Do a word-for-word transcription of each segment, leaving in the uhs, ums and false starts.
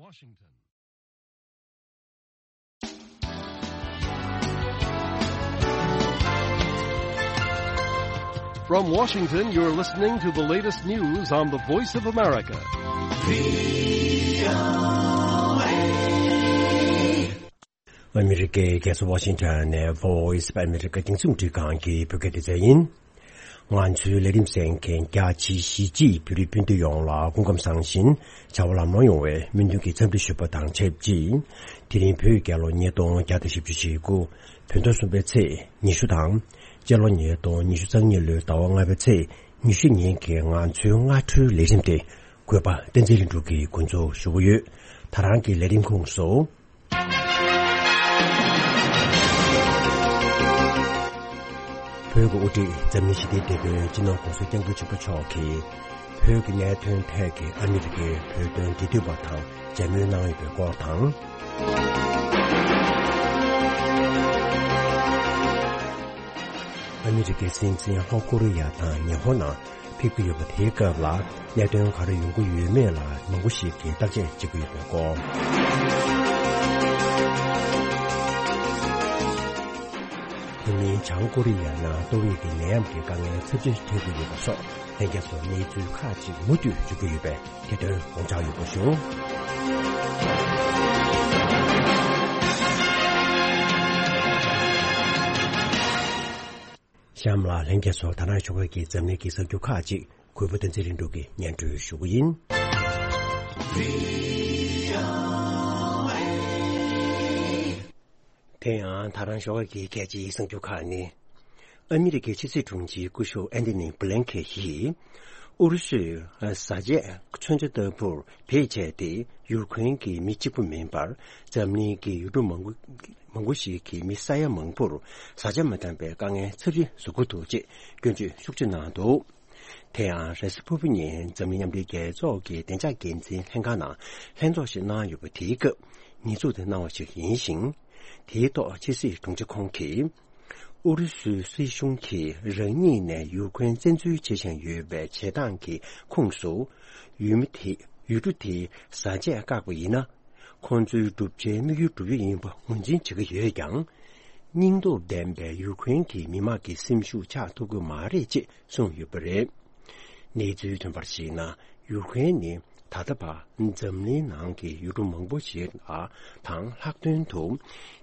Washington. From Washington, you're listening to the latest news on the Voice of America. ཨ་མི་རི་ཀའི་རྒྱལ་ས་ཝ་ཤིང་ཊོན་ནས་Voice of America་རྒྱང་སྲིང་རླུང་འཕྲིན་ཁང་གི་བོད་སྐད་སྡེ་ཚན་ཡིན། ང་ཚོའི་ལས་རིམ་གསན་མཁན་རྒྱ་ཆེའི་གཞིས་བྱེས་བོད་རིགས་སྤུན་ཟླ་ཡོངས་ལ་སྐུ་ཁམས་བཟང་ཞིང་བྱ་བ་ལམ་ལྷོང་ཡོང་བའི་སྨོན་འདུན་གྱི་འཚམས་འདྲི་ཞུ་བ་དང་ཆབས་ཅིག་དེ་རིང་བོད་རྒྱལ་ལོ་ཉིས་སྟོང་བརྒྱ་དང་བཞི་བཅུ་ཞེ་དགུ། བོད་ཟླ་གསུམ་པའི་ཚེས་ཉི་ཤུ་དང་། སྤྱི་ལོ་ཉིས་སྟོང་ཉི་ཤུ་རྩ་གཉིས་ལོའི་ཟླ་བ་ལྔ་པའི་ཚེས་ཉི་ཤུ་ཉིན་གྱི་ང་ཚོའི་སྔ་དྲོའི་ལས་རིམ་དེ་གུས་པ་བསྟན་འཛིན་ལྷུན་གྲུབ་ཀྱིས་འགོ་འཛུགས་ཞུ་གི་ཡོད། ད་རང་གི་ལས་རིམ་ཁོངས་སུ། བོད་ཀྱི་དབུ་ཁྲིད་འཛམ་གླིང་ཞི་བདེའི་དེད་དཔོན་སྤྱི་ནོར་༸གོང་ས་༸སྐྱབས་མགོན་ཆེན་པོ་མཆོག་གིས་བོད་ཀྱི་གནད་དོན་ཐད་ཀྱི་ཨ་མི་རི་ཀའི་བོད་དོན་འབྲེལ་མཐུད་པ་དང་མཇལ་མོལ་གནང་ཡོད་པའི་སྐོར་དང་། ཨ་མི་རི་ཀའི་སྲིད་འཛིན་ལྷོ་ཀོ་རི་ཡ་དང་ཉི་ཧོང་ནང་ཕེབས་ཀྱི་ཡོད་པ་དེའི་སྐབས་ལ་གནད་དོན་ག་རེ་ཡོང་གི་ཡོད་མེད་ལ་མང་པོ་ཞིག་གིས་བརྟག་དཔྱད་བྱེད་ཀྱི་ཡོད་པའི་སྐོར། དེ་མིན་བྱང་ཀོ་རི་ཡ་ནང་ཏོག་དབྱིབས་ཀྱི་ནད་ཡམས་ཀྱི་དཀའ་ངལ་ཚབས་ཆེ་འཕྲད་ཀྱི་ཡོད་པ་སོགས་ལྷན་རྒྱས་ཚོར་གནས་ཚུལ་ཁག་ཅིག་མུ་མཐུད་འབྱོར་གྱི་ཡོད་པས། དེ་དོན་དགོངས་འཇགས་ཡོད་པ་ཞུ། གཤམ་ལ་ལྷན་རྒྱས་ཚོར་ད་རང་ཞོགས་ཀས་ཀྱི་འཛམ་གླིང་གི་གསར་འགྱུར་ཁག་ཅིག་གུས་པ་བསྟན་འཛིན་ལྷུན་གྲུབ་ཀྱིས་སྙན་སྒྲོན་ཞུ་གི་ཡིན། དེ་ཡང་ད་རང་ཞོགས་ཀས་ཀྱི་གལ་ཆེའི་གསར་འགྱུར་ཁག་ནི། ཨ་མི་རི་ཀའི་ཕྱི་སྲིད་དྲུང་ཆེ་སྐུ་ཞབས་ཨན་ཐོ་ནི་བྷི་ལན་ཁེ་ཡིས། ཨུ་རུ་སུས་བཟའ་ཆས་མཚོན་ཆ་ལྟ་བུར་བེད་སྤྱད་དེ་ཡུཀ་རེན་གྱི་མི་གཅིག་པུ་མིན་པར་འཛམ་གླིང་གི་ཡུལ་གྲུ་མང་པོ་མང་པོ་ཞིག་གི་མི་ས་ཡ་མང་པོར་བཟའ་ཆས་མ་འདང་པའི་དཀའ་ངལ་ཚབས་ཆེ་བཟོ་གི་འདུག་ཅེས་སྐྱོན་བརྗོད་ཤུགས་ཆེ་གནང་འདུག་དེ་ཡང་རེས་གཟའ་ཕུར་བུ་ཉིན་འཛམ་གླིང་མཉམ་འབྲེལ་རྒྱལ་ཚོགས་ཀྱི་བདེ་འཇགས་འགན་འཛིན་ལྷན་ཁང་ནང་ལྷན་ཚོགས་ཤིག་གནང་ཡོད་པ་དེའི་སྐབས་ཉེས་འཛུགས་དེ་གནང་བ་ཞིག་ཡིན་ཞིང་། དེའི་ཐོག་ཕྱི་སྲིད་དྲུང་ཆེ་ཁོང་གིས། ཨུ་རུ་སུའི་སྲིད་གཞུང་གིས་རང་ཉིད་ནས་ཡུཀ་རེན་བཙན་འཛུལ་བྱེད་བཞིན་ཡོད་པའི་བྱེད་སྟངས་ཀྱི་ཁོངས་སུ། ཡུལ་མི་དེ་ཡུལ་གྲུ་དེའི་བཟའ་ཆས་བཀག་པ་ཡིན་ན། ཁོང་ཚོའི་བསྒྲུབ་བྱའི་དམིགས་ཡུལ་འགྲུབ་ཡུལ་ཡིན་པ་ངོས་འཛིན་བྱེད་ཀྱི་ཡོད་ཀྱང་། སྙིང་སྟོབས་ལྡན་པའི་ཡུཀ་རེན་གྱི་མི་དམངས་ཀྱི་སེམས་ཤུགས་ཆག་ཐུབ་ཀྱི་མ་རེད་ཅེས་གསུངས་ཡོད་པ་རེད། གནས་ཚུལ་ཐོན་པར་གཞིགས་ན། ཡུཀ་རེན་ནི་ད་ལྟ་བར་འཛམ་གླིང་ནང་གི་ཡུལ་གྲུ་མང་པོ་ཞིག་ལ་དང་ལྷག་དོན་དུ་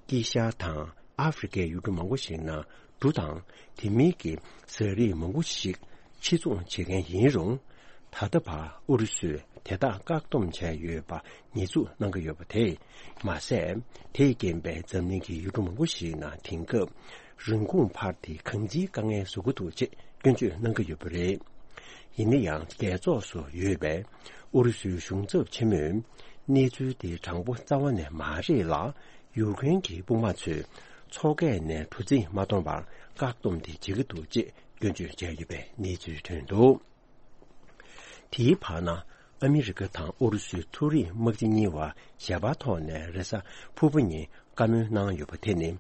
དཀྱིལ་ཤར་དང་ཨ་ཧྥེ་རི་ཀའི་ཡུལ་གྲུ་མང་པོ་ཞིག་ནང་གྲུ་དང་དེ་མིན་གྱི་ཟས་རིགས་མང་པོ་ཞིག་ཕྱིར་ཚོང་བྱེད་མཁན་ཡིན་རུང་། ད་ལྟ་བར་ཨུ་རུ་སུས་དེ་དག་བཀག་སྡོམ་བྱས་ཡོད་པ་ཉེས་འཛུགས་གནང་གི་ཡོད་པ་དེས་མ་ཟད། དེས་རྐྱེན་པས་འཛམ་གླིང་གི་ཡུལ་གྲུ་མང་པོ་ཞིག་ནང་དེང་སྐབས་རིན་གོང་འཕར་ཏེ་གང་ཅིའི་དཀའ་ངལ་བཟོ་གི་འདུག་ཅེས་སྐྱོན་བརྗོད་གནང་གི་ཡོད་པ་རེད། ཡིན་ན་ཡང་རྒྱལ་ཚོགས་སུ་ཡོད་པའི་ཨུ་རུ་སུའི་གཞུང་ཚབ་ཆེན་མོས་གནས་ཚུལ་དེ་དྲང་པོ་རྩ་བ་ནས་མ་རེད་ལ། ཡུཀ་རེན་གྱི་དཔུང་དམག་ཚོས་མཚོ་ཁ་ནས་གྲུ་གཟིངས་མ་གཏོང་བར་བཀག་སྡོམ་དེ་བྱེད་ཀྱི་འདུག་ཅེས་སྐྱོན་བརྗོད་བྱས་ཡོད་པའི་གནས་ཚུལ་ཐོན་འདུག་དེའི་བར་ན། ཨ་མི་རི་ཀ་དང་ཨུ་རུ་སུའི་མཐོ་རིམ་དམག་སྤྱི་གཉིས་བར་ཞལ་པར་ཐོག་ནས་རེས་གཟའ་ཕུར་བུ་ཉིན་བཀའ་མོལ་གནང་ཡོད་པ་དེ་ནི།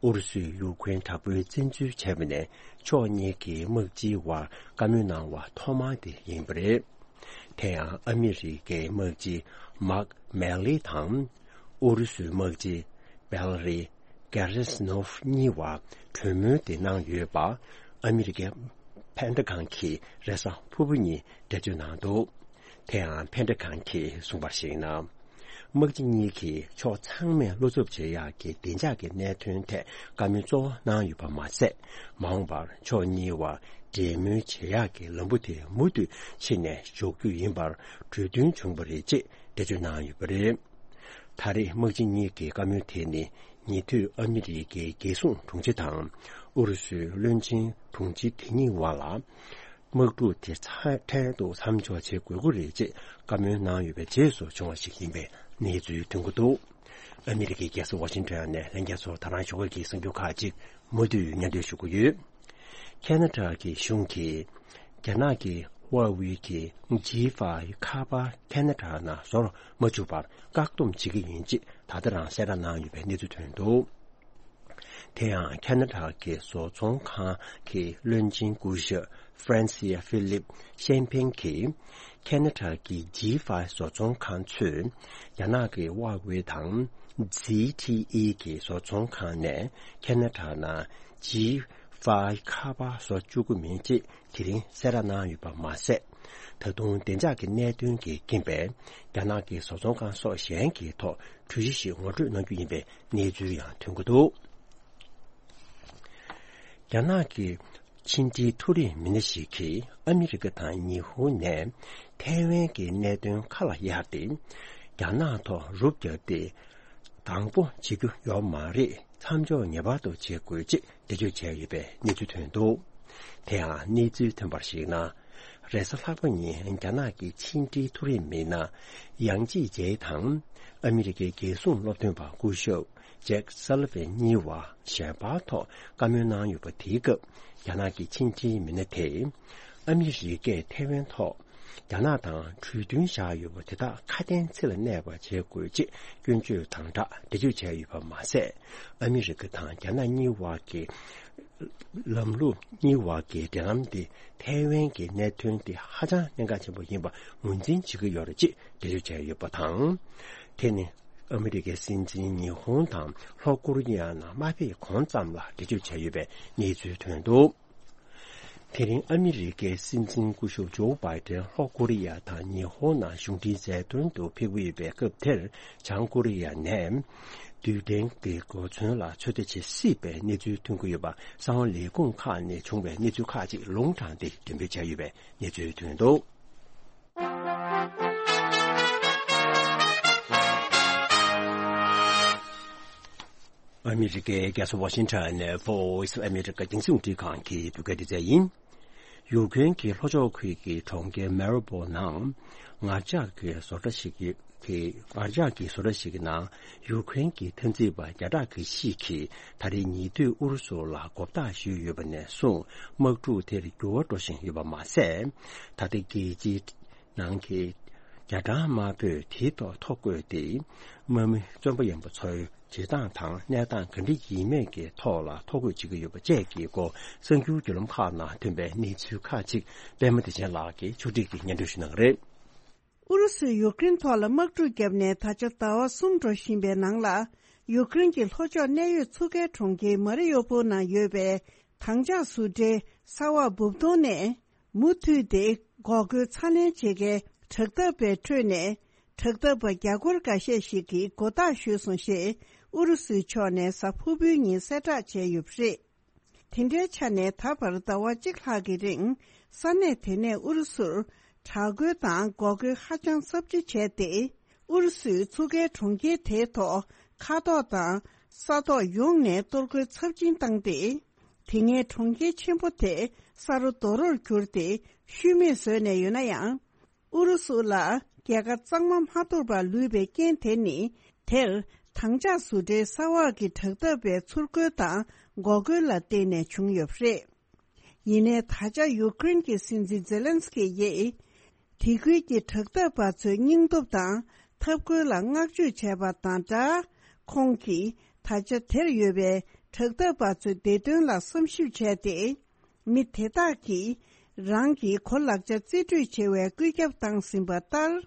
ཨུ་རུ་སུས་ཡུཀ་རེན་དྲག་པོའི་བཙན་འཛུལ་བྱས་པ་ནས་ཕྱོགས་གཉིས་ཀྱི་དམག་སྤྱིའི་བར་བཀའ་མོལ་གནང་བ་ཐོག་མ་དེ་ཡིན་པ་རེད། དེ་ཡང་ཨ་མི་རི་ཀའི་དམག་སྤྱི་མཱག་མེ་ལི་དང་། ཨུ་རུ་སུའི་དམག་སྤྱི་བེ་ལ་རི་གེ་རེ་སི་ནོབ་གཉིས་བར་གྲོས་མོལ་དེ་གནང་ཡོད་པ། ཨ་མི་རི་ཀའི་ཕན་ཏ་གང་གིས་རེས་གཟའ་ཕུར་བུ་ཉིན་འགྲེལ་བརྗོད་གནང་འདུག་དེ་ཡང་ཕན་ཏ་གང་གིས་གསུངས་པར་གཞིགས་ན། དམག་སྤྱི་གཉིས་ཀྱིས་ཕྱོགས་ཚང་མས་བློ་འཚབ་བྱེད་ཡག་གི་བདེ་འཇགས་ཀྱི་གནད་དོན་ཐད་བཀའ་མོལ་གཙོ་བོ་གནང་ཡོད་པ་མ་ཟད། མ་འོངས་པར་ཕྱོགས་གཉིས་བར་འབྲེལ་མོལ་བྱེད་ཡག་གི་ལམ་བུ་དེ་མུ་མཐུད་ཕྱིན་ནས་འཇོག་རྒྱུ་ཡིན་པར་གྲོས་མཐུན་བྱུང་བ་རེད་ཅེས་འགྲེལ་བརྗོད་གནང་ཡོད་པ་རེད། ད་རེས་དམག་སྤྱི་གཉིས་ཀྱི་བཀའ་མོལ་དེ་ནི་ཉེ་དུས་ཨ་མི་རི་ཀའི་རྒྱལ་སྲུང་དྲུང་ཆེ་དང་ཨུ་རུ་སུའི་བློན་ཆེན་དྲུང་ཆེ་དེ་གཉིས་བར་ལ། དམག་འཁྲུག་དེ་ཚ་འཕྲལ་དུ་མཚམས་འཇོག་བྱེད་དགོས་ཀྱི་རེད་ཅེས་བཀའ་མོལ་གནང་ཡོད་པའི་རྗེས་སུ་བྱུང་བ་ཞིག་ཡིན་པའི་གནས་ཚུལ་ཐོན་གྱི་འདུག་ཨ་མི་རི་ཀའི་རྒྱལ་ས་ཝ་ཤིང་ཊོན་ནས་ལྷན་རྒྱས་ཚོར་ད་རང་ཞོགས་ཀས་ཀྱི་གསར་འགྱུར་ཁག་ཅིག་མུ་མཐུད་སྙན་སྒྲོན་ཞུ་གི་ཡོད། ཁེ་ན་ཌ་གི་གཞུང་གིས་རྒྱ་ནག་གི་ཧྭ་ཝེ་གི་ཇི་ཧྥའི་ཁ་པར་ཁེ་ན་ཌ་ནང་བཟོ་མ་བཅུག་པར་བཀག་སྡོམ་བྱེད་ཀྱི་ཡིན་ཅེས་ད་ལྟ་རང་གསལ་བསྒྲགས་གནང་ཡོད་པའི་གནས་ཚུལ་ཐོན་འདུག་དེ་ཡང་ཁ་ན་ཌ་གི་བཟོ་ཚོང་ཁང་གི་བློན་ཆེན་སྐུ་ཞབས་Francia Philip Champagne གྱིས། ཁ་ན་ཌ་གི་ཇི་ཕའི་བཟོ་ཚོང་ཁང་ཚོས་རྒྱ་ནག་གི་Huawei དང་Z T E གི་བཟོ་ཚོང་ཁང་ནས་ཁ་ན་ཌ་ནང་ཇི་ཕའི་ཁ་པར་བཟོ་བཅུག་གི་མིན་ཅེས་དེ་རིང་གསལ་བསྒྲགས་གནང་ཡོད་པ་མ་ཟད། ད་དུང་བདེ་འཇགས་ཀྱི་གནད་དོན་གྱི་རྐྱེན་པས་རྒྱ་ནག་གི་བཟོ་ཚོང་ཁང་སོགས་གཞན་གྱི་ཐོག་གྲོས་གཞི་ཞིག་ངོ་སྤྲོད་གནང་རྒྱུ་ཡིན་པའི་གནས་ཚུལ་ཡང་ཐོན་གྱི་འདུག་རྒྱ་ནག་གི་ཕྱི་འབྲེལ་མཐོ་རིམ་མི་སྣ་ཞིག་གིས་ཨ་མི་རི་ཀ་དང་ཉི་ཧོང་ནས་ཐའེ་ཝན་གྱི་གནད་དོན་ཁ་ལ་གཡར་ཏེ། རྒྱ་ནག་ཐོག་རུབ་བརྒྱབ་སྟེ། དང་པོ་བྱེད་རྒྱུ་ཡོད་མ་རེད། མཚམས་འཇོག་ངེས་པར་དུ་བྱེད་དགོས་ཅེས་འགྲེལ་བརྗོད་བྱས་ཡོད་པའི་གནས་ཚུལ་ཐོན་འདུག་དེ་ཡང་གནས་ཚུལ་ཐོན་པར་གཞིགས་ན། རེས་གཟའ་ལྷག་པ་ཉིན་རྒྱ་ནག་གི་ཕྱི་འབྲེལ་མཐོ་རིམ་མི་སྣ་ཡང་ཅི་ཇེ་དང་། ཨ་མི་རི་ཀའི་རྒྱལ་སྲུང་སློབ་སྟོན་པ་སྐུ་ཞབས་ཇེག་སཱ་ལི་ཝན་གཉིས་བར་ཞལ་པར་ཐོག་བཀའ་མོལ་གནང་ཡོད་པ། དེའི་སྐབས་རྒྱ་ནག་གི་ཕྱི་འབྲེལ་མི་སྣ་དེས། ཨ་མི་རི་ཀས་ཐའེ་ཝན་ཐོག་རྒྱ་ནག་དང་གྲོས་མཐུན་བཞག་ཡོད་པ་དེ་དག་ཁ་དན་ཚིག་ལ་གནས་པ་བྱེད་དགོས་ཅེས་སྐྱོན་བརྗོད་དང་སྦྲགས་འགྲེལ་བརྗོད་བྱས་ཡོད་པ་མ་ཟད། ཨ་མི་རི་ཀ་དང་རྒྱ་ནག་གཉིས་བར་གྱི་ལམ་ལུགས་གཉིས་བར་གྱི་འབྲེལ་ལམ་དེ་ཐའེ་ཝན་གྱི་གནད་དོན་དེ་ཧ་ཅང་གནད་འགག་ཆེན་པོ་ཡིན་པ་ངོས་འཛིན་བྱེད་ཀྱི་ཡོད་རེད་ཅེས་འགྲེལ་བརྗོད་བྱས་ཡོད་པ་དང་། དེ་ནི་ཨ་མི་རི་ཀའི་སྲིད་འཛིན་ཉི་ཧོང་དང་ལྷོ་ཀོ་རི་ཡ་ནང་མ་ཕེབས་གོང་ཙམ་ལ་འགྲེལ་བརྗོད་བྱས་ཡོད་པའི་གནས་ཚུལ་ཐོན་འདུག་དེ་རིང་ཨ་མི་རི་ཀའི་སྲིད་འཛིན་སྐུ་ཞབས་ཇོ་བྷའི་ཏན་ལྷོ་ཀོ་རི་ཡ་དང་ཉི་ཧོང་ནང་གཞུང་འབྲེལ་མཛའ་མཐུན་དུ་ཕེབས་ཀྱི་ཡོད་པའི་སྐབས་དེར། བྱང་ཀོ་རི་ཡ་ནས་རྡུལ་ཕྲན་གྱི་གོ་མཚོན་ལ་ཚོད་ལྟ་བྱེད་སྲིད་པའི་གནས་ཚུལ་ཐོན་གྱི་ཡོད་པ། གསང་བ་ལས་ཁུངས་ཁག་ནས་བྱུང་བའི་གནས་ཚུལ་ཁག་ཅིག་ལུང་དྲངས་ཏེ་འགྲེམས་སྤེལ་བྱས་ཡོད་པའི་གནས་ཚུལ་ཐོན་འདུག་ཨ་མི་རི་ཀའི་རྒྱལ་ས་ཝ་ཤིང་ཊོན་ནས་Voice of America་རྒྱང་སྲིང་རླུང་འཕྲིན་ཁང་གི་བོད་སྐད་སྡེ་ཚན་ཡིན། ཡུཀ་རེན་གྱི་ལྷོ་ཕྱོགས་ཁུལ་གྱི་གྲོང་ཁྱེར་མ་རི་པོལ་ནང་ངར་ལྕགས་ཀྱི་བཟོ་གྲྭ་ཞིག་གི་ངར་ལྕགས་ཀྱི་བཟོ་གྲྭ་ཞིག་གི་ནང་ཡུཀ་རེན་གྱི་འཐབ་འཛིང་པ་བརྒྱ་ཕྲག་གི་ཤིག་གིས་ད་རེས་ཉེ་དུས་ཨུ་རུ་སུ་ལ་མགོ་བཏགས་ཞུས་ཡོད་པ་ནས་བཟུང་དམག་འཁྲུག་དེར་འགྱུར་བ་འགྲོ་བཞིན་ཡོད་པ་མ་ཟད། ད་ལྟ་རྒྱལ་སྤྱིའི་ནང་གི་རྒྱ་གྲམ་དམར་པོས་དེའི་ཐོག་ཐོ་བཀོད་དེ། དམག་མི་བཙོན་པ་ཡིན་པ་ཚོའི་བྱེད་སྟངས་དང་གནས་སྟངས་ག་འདྲ་ཡིན་མེད་ཀྱི་ཐོག་ལ་ཐོ་འགོད་བྱེད་ཀྱི་ཡོད་པ་བཅས་ཀྱི་སྐོར་གསར་འགྱུར་བརྒྱུད་ལམ་ཁག་ནང་ཐོན་པའི་གནས་ཚུལ་ཁག་ཅིག་པད་མ་བདེ་ཆེན་ལགས་ཀྱིས་ཕྱོགས་སྒྲིག་གིས་སྙན་སྒྲོན་ཞུ་གནང་གི་རེད། ཨུ་རུ་སུས་ཡུཀ་རེན་ཐོག་ལ་དམག་འཁྲུག་བརྒྱབ་ནས་ད་ཆ་ཟླ་བ་གསུམ་འགྲོ་བཞིན་པའི་ནང་ལ། ཡུཀ་རེན་གྱི་ལྷོ་ཕྱོགས་གནད་ཡོད་མཚོ་ཁའི་གྲོང་ཁྱེར་མ་རི་ཡོ་པོལ་ནང་ཡོད་པའི་དྭངས་ལྕགས་བཟོ་གྲྭའི་ས་འོག་སྦུབ་དོང་ནས། མུ་མཐུད་དེ་འགོག་རྒོལ་ཚ་ནན་བྱེད་མཁན་དྲག་འཐབ་པའི་ཁྲོད་ནས། དྲག་འཐབ་པ་རྒྱ་སྒོར་འགའ་ཤས་ཤིག་གིས་མགོ་བཏགས་ཞུས་སོང་ཞེས་ཨུ་རུ་སུའི་ཕྱོགས་ནས་གཟའ་ཕུར་བུའི་ཉིན་གསལ་བསྒྲགས་བྱས་ཡོད་པ་རེད། དེ་འདྲའི་ཆ་ནས་ད་བར་ཟླ་བ་གཅིག་ལྷག་གི་རིང་ས་གནས་དེ་ནས་ཨུ་རུ་སུར་དྲག་རྒོལ་དང་འགོག་རྒོལ་ཧ་ཅང་ཚབས་ཆེ་བྱས་ཏེ། ཨུ་རུ་སུའི་མཚོ་ཁའི་གྲོང་ཁྱེར་དེའི་ཐོག་མཁའ་ཐོག་དང་ས་ཐོག་ཡོངས་ནས་གཏོར་རྒོལ་ཚབས་ཆེན་བཏང་སྟེ། དེ་སྔའི་གྲོང་ཁྱེར་ཆེན་པོ་དེ་ས་རུ་རྡོ་རོར་གྱུར་ཏེ་ཤུལ་མེད་བཟོས་ནས་ཡོད་ན་ཡང་། ཨུ་རུ་སུ་ལ་རྒྱལ་ཁ་གཙང་མ་མ་ཐོབ་པར་ལུས་པའི་རྐྱེན་དེ་ནི། དེར་དྭངས་ལྕགས་བཟོ་གྲྭའི་ས་འོག་གི་དྲག་འཐབ་པའི་ཚུར་རྒོལ་དང་འགོག་རྒོལ་ལ་བརྟེན་ནས་བྱུང་ཡོད་པ་རེད། ཡིན་ནའི་ད་ཆ་ཡུཀ་རེན་གྱི་སྲིད་འཛིན་ཛེ་ལན་སི་ཀི་ཡིས། དེ་ཁུལ་གྱི་དྲག་འཐབ་པ་ཚོའི་སྙིང་སྟོབས་དང་འཐབ་རྒོལ་ལ་བསྔགས་བརྗོད་བྱས་པ་དང་སྦྲགས། ཁོང་གིས་ད་ཆ་དེར་ཡོད་པའི་དྲག་འཐབ་པ་ཚོའི་བདེ་དོན་ལ་བསམ་ཞིབ་བྱས་ཏེ། མི་དེ་དག་གིས་རང་གི་གོ་ལག་ཆ་རྩིས་སྤྲོད་བྱེད་པའི་བཀོད་ཁྱབ་བཏང་ཟིན་པ་ལྟར།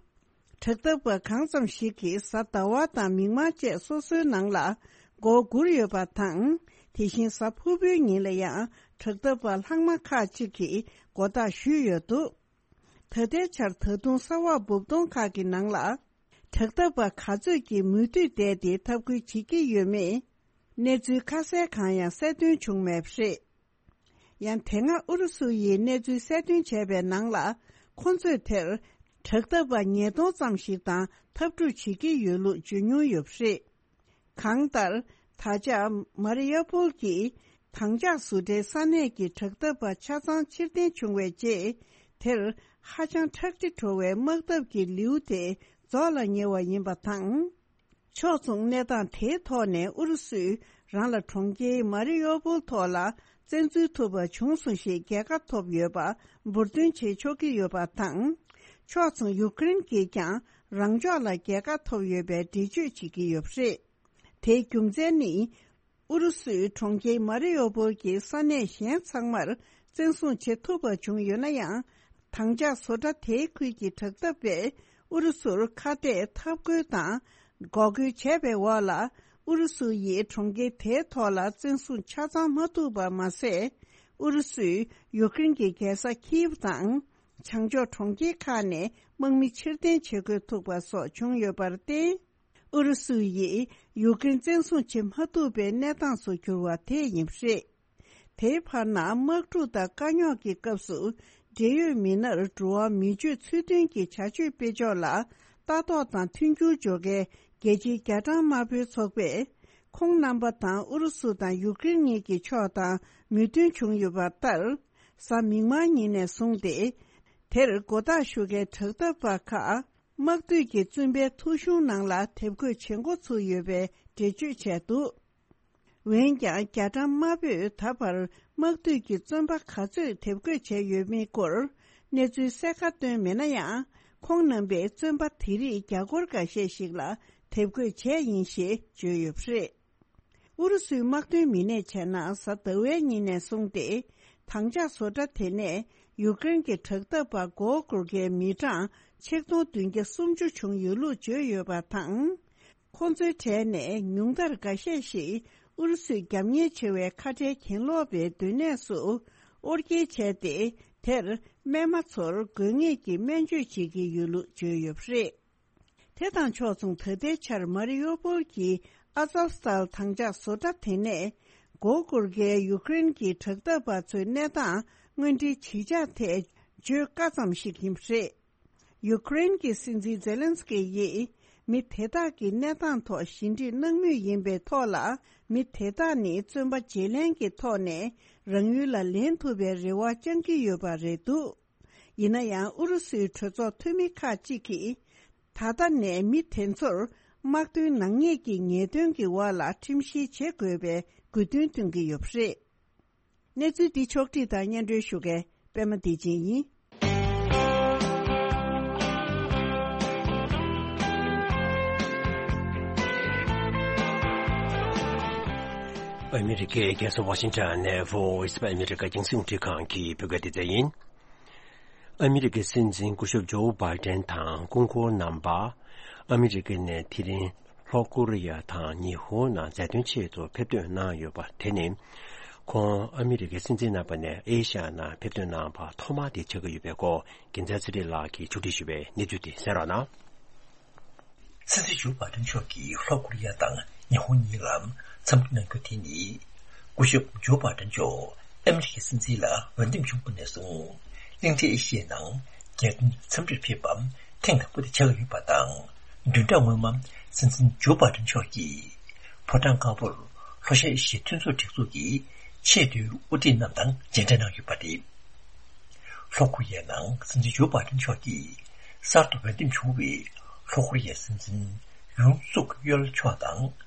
དྲག་འཐབ་པ་གང་ཙམ་ཞིག་གིས་གཟའ་ཟླ་བ་དང་མིག་དམར་བཅས་སོ་སོའི་ནང་ལ་མགོ་སྒུར་ཡོད་པ་དང་། དེ་བཞིན་གཟའ་ཕུར་བུའི་ཉིན་ལ་ཡང་དྲག་འཐབ་པ་ལྷག་མ་ཁག་ཅིག་གིས་མགོ་བཏགས་ཞུས་ཡོད་འདུག་ད་ལྟའི་ཆར་ད་དུང་ས་འོག་སྦུབ་དོང་ཁག་གི་ནང་ལ་དྲག་འཐབ་པ་ག་ཚོད་ཀྱིས་མུ་མཐུད་བསྡད་དེ་འཐབ་རྒོལ་བྱེད་ཀྱི་ཡོད་མེད། གནས་ཚུལ་ཁ་གསལ་གང་ཡང་གསལ་སྟོན་བྱུང་མེད་པ་རེད། ཡང་དེ་སྔ་ཨུ་རུ་སུ་ཡིས་གནས་ཚུལ་གསལ་སྟོན་བྱས་པའི་ནང་ལ། ཁོ་ཚོས་དེར་དྲག་འཐབ་པ་ཉིས་སྟོང་ཙམ་ཞིག་དང་འཐབ་འཁྲུག་བྱེད་ཀྱི་ཡོད་ལུགས་བརྗོད་མྱོང་ཡོད་པ་རེད། གང་ལྟར། ད་ཆ་མ་རི་ཡོ་པོལ་གྱི་དྭངས་ལྕགས་བཟོ་གྲྭའི་ས་གནས་ཀྱི་དྲག་འཐབ་པ་ཆ་ཚང་ཕྱིར་འཐེན་བྱུང་བའི་རྗེས། དེར་ཧ་ཅང་ཁྲག་དྲི་བྲོ་བའི་དམག་འཐབ་ཀྱི་ལེའུ་དེ་རྫོགས་ལ་ཉེ་བ་ཡིན་པ་དང་། ཕྱོགས་མཚུངས་གནས་སྟངས་དེའི་ཐོག་ནས་ཨུ་རུ་སུས་རང་ལ་གྲོང་ཁྱེར་མ་རི་ཡོ་པོལ་ཐོག་ལ་བཙན་འཛུལ་ཐུབ་པ་བྱུང་སོང་ཞེས་རྒྱལ་ཁ་ཐོབ་ཡོད་པ་འབུར་འདོན་བྱེད་ཆོག་གི་ཡོད་པ་དང་། ཕྱོགས་མཚུངས་ཡུཀ་རེན་གྱིས་ཀྱང་རང་ཕྱོགས་ལ་རྒྱལ་ཁ་ཐོབ་ཡོད་པའི་འགྲེལ་བརྗོད་བྱེད་ཀྱི་ཡོད་པ་རེད། དེའི་རྒྱུ་མཚན་ནི། ཨུ་རུ་སུའི་གྲོང་ཁྱེར་མ་རི་ཡོ་པོལ་གྱི་ས་གནས་གཞན་ཚང་མར་བཙན་བཟུང་བྱེད་ཐུབ་པ་བྱུང་ཡོད་ན་ཡང་། དྭངས་ལྕགས་བཟོ་གྲྭ་དེའི་ཁུལ་གྱི་དྲག་འཐབ་པས་ཨུ་རུ་སུར་ཁ་གཏད་འཐབ་རྒོལ་དང་འགོག་རྒོལ་བྱས་པའི་འོག་ལ། ཨུ་རུ་སུ་ཡིས་གྲོང་ཁྱེར་དེའི་ཐོག་ལ་བཙན་བཟུང་ཆ་ཚང་མ་ཐུབ་པ་མ་ཟད། ཨུ་རུ་སུས་ཡུཀ་རེན་གྱི་རྒྱལ་ས་ཁིབ་དང་། བྱང་ཕྱོགས་གྲོང་ཁྱེར་ཁག་ནས་དམག་མི་ཕྱིར་འཐེན་བྱེད་དགོས་ཐུག་པ་སོགས་བྱུང་ཡོད་པར་བརྟེན། ཨུ་རུ་སུ་ཡིས་ཡུཀ་རེན་བཙན་བཟུང་བྱེད་མ་ཐུབ་པའི་གནས་སྟངས་སུ་གྱུར་བ་དེ་ཡིན་པ་རེད། དེའི་བར་ན་དམག་འཁྲུག་དང་དཀའ་རྙོག་གི་སྐབས་སུ་འབྲེལ་ཡོད་མི་སྣར་འགྲོ་བ་མི་སྤྱོད་ཚུལ་མཐུན་གྱི་བྱ་སྤྱོད་སྤེལ་ཕྱོགས་ལ་ལྟ་རྟོག་དང་མཐུན་འགྱུར་སྦྱོར་མཁན་རྒྱལ་སྤྱིའི་རྒྱ་གྲམ་དམར་པོའི་ཚོགས་པས། ཁོང་རྣམ་པ་དང་ཨུ་རུ་སུ་དང་ཡུཀ་རེན་གཉིས་ཀྱི་ཕྱོགས་དང་མོས་མཐུན་བྱུང་ཡོད་པ་ལྟར། གཟའ་མིག་དམར་ཉིན་ནས་བཟུང་སྟེ། དེར་མགོ་བཏགས་ཞུ་མཁན་དྲག་འཐབ་པ་ཁག་དམག་དོན་གྱི་བཙོན་པའི་ཐོ་གཞུང་ནང་ལ་དེབ་འགོད་བྱེད་འགོ་ཚུགས་ཡོད་པའི་འགྲེལ་བརྗོད་བྱས་འདུག་འོན་ཀྱང་། རྒྱ་གྲམ་དམར་པོས་ད་བར་དམག་དོན་གྱི་བཙོན་པ་ག་ཚོད་དེབ་འགོད་བྱས་ཡོད་མེད་སྐོར་གནས་ཚུལ་གསལ་ཁ་བཏོན་མེད་ན་ཡང་། ཁོང་རྣམ་པས་བཙོན་པ་དེ་རིགས་རྒྱ་སྒོར་འགའ་ཤས་ཤིག་ལ་དེབ་འགོད་བྱས་ཡིན་ཞེས་བརྗོད་ཡོད་པ་རེད། ཨུ་རུ་སུའི་དམག་དོན་མི་སྣས་བྱས་ན། གཟའ་ཟླ་བའི་ཉིན་ནས་བཟུང་སྟེ། དྭངས་ལྕགས་བཟོ་གྲྭ་དེ་ནས་ཡུཀ་རེན་གྱི་དྲག་འཐབ་པ་མགོ་སྐོར་མཁན་མི་གྲངས་ཆིག་སྟོང་བདུན་བརྒྱ་སུམ་ཅུ་བྱུང་ཡོད་ལུགས་བརྗོད་ཡོད་པ་དང་། ཁོང་ཚོའི་གྲས་ནས་ཉུང་མཐར་འགའ་ཤས་ཤིག་ཨུ་རུ་སུའི་རྒྱབ་གཉེར་ཆེ་བའི་ཁ་བྲལ་གྱེན་ལོག་པའི་སྡོད་གནས་སུ་དབོར་སྐྱེལ་བྱས་ཏེ། དེར་རྨས་མ་ཚོར་དགོས་ངེས་ཀྱི་སྨན་བཅོས་བྱེད་ཀྱི་ཡོད་ལུགས་བརྗོད་ཡོད་པ་རེད། དེ་དང་ཕྱོགས་མཚུངས། ད་ལྟའི་ཆར་མ་རི་ཡོ་པོལ་གྱི་ཨ་ཛོབ་སྟཱལ་དྭངས་ལྕགས་བཟོ་གྲྭ་དེ་ནས་མགོ་སྐོར་མཁན་ཡུཀ་རེན་གྱི་དྲག་འཐབ་པ་ཚོའི་གནས་སྟངས་དངོས་འབྲེལ་ཇི་ཆགས་ཐད་བརྗོད་དཀའ་ཙམ་ཞིག་ཡིན་པ་རེད། ཡུཀ་རེན་གྱི་སྲིད་འཛིན་ཛེ་ལན་སི་ཀི་ཡིས་མི་དེ་དག་གི་གནས་སྟངས་ཐོག་ཞི་འགྲིག་གནང་མུས་ཡིན་པའི་ཐོག་ལ། མི་དེ་དག་ནི་བཙོན་པ་བརྗེ་ལེན་གྱི་ཐོག་ནས་རང་ཡུལ་ལ་ལེན་ཐུབ་པའི་རེ་བ་བཅང་གི་ཡོད་པ་རེད་འདུག་ཡིན་ན་ཡང་། ཨུ་རུ་སུའི་གྲོས་ཚོགས་འཐུས་མི་ཁག་ཅིག་གིས། ད་ལྟ་ནས་མི་དེ་ཚོར་དམག་དོན་ནག་ཉེས་ཀྱི་ཉེས་དོན་གྱི་འོག་ལ་ཁྲིམས་བཤེར་བྱེད་དགོས་པའི་དགོས་འདུན་བཏོན་གྱི་ཡོད་པ་རེད། གནས་ཚུལ་འདི་ཕྱོགས་བསྒྲིགས་དང་སྙན་སྒྲོན་ཞུ་མཁན་པད་མ་བདེ་ཆེན་ཡིན། ཨ་མི་རི་ཀའི་རྒྱལ་ས་ཝ་ཤིང་ཊོན་ནས་Voice of America་རྒྱང་སྲིང་རླུང་འཕྲིན་ཁང་གི་བོད་སྐད་སྡེ་ཚན་ཡིན། ཨ་མི་རི་ཀའི་སྲིད་འཛིན་སྐུ་ཞབས་ཇོ་བྷའི་ཏན་དང་སྐུ་འཁོར་རྣམ་པ། ཨ་མི་རི་ཀ་ནས་དེ་རིང་ལྷོ་ཀོ་རི་ཡ་དང་ཉི་ཧོང་ནང་མཛའ་མཐུན་ཆེད་དུ་ཕེབས་ཐོན་གནང་ཡོད་པ་དེ་ནི། ཁོང་ཨ་མི་རི་ཀའི་སྲིད་འཛིན་རྣམ་པ་ནས་ཨེ་ཤ་ཡ་ནང་ཕེབས་ཐོན་གནང་བ་ཐོག་མ་དེ་ཆགས་ཀྱི་ཡོད་པའི་སྐོར། རྒྱལ་མཚན་ཚེ་རིང་ལགས་ཀྱིས་ཕྱོགས་སྒྲིག་ཞུས་པའི་གནས་ཚུལ་དེ་གསན་རོགས་གནང་། སྲིད་འཛིན་ཇོ་བྷའི་ཏན་མཆོག་གིས་ལྷོ་ཀོ་རི་ཡ་དང་ཉི་ཧོང་གཉིས་ལ་འཚམས་འདྲི་གནང་རྒྱུ་དེ་ནི། སྐུ་ཞབས་ཇོ་བྷའི་ཏན་མཆོག་ཨ་མི་རི་ཀའི་སྲིད་འཛིན་ལ་འོས་འདེམས་བྱུང་བ་ནས་བཟུང་། གླིང་ཕྲན་ཨེ་ཤི་ཡའི་ནང་རྒྱལ་དོན་འཚམས་འདྲིར་ཕེབས་པ་ཐེངས་དང་པོ་དེ་ཆགས་ཡོད་པ་དང་། བདུན་ཕྲག་སྔོན་མ་སྲིད་འཛིན་ཇོ་བྷའི་ཏན་མཆོག་གིས་ཕོ་བྲང་དཀར་པོར་ལྷོ་ཤར་ཨེ་ཤི་ཡའི་མཐུན་ཚོགས་སྒྲིག་འཛུགས་ཀྱི་ཆེས་མཐོའི་དབུ་ཁྲིད་རྣམས་དང་མཇལ་འཕྲད་གནང་ཡོད་པ་རེད། ལྷོ་ཀོ་རི་ཡའི་ནང་སྲིད་འཛིན་ཇོ་བྷའི་ཏན་མཆོག་གིས་གསར་དུ་འོས་འདེམས་བྱུང་བའི་ལྷོ་ཀོ་རི་ཡའི་སྲིད་འཛིན་ཡུན་སུག་ཡོལ་མཆོག་དང་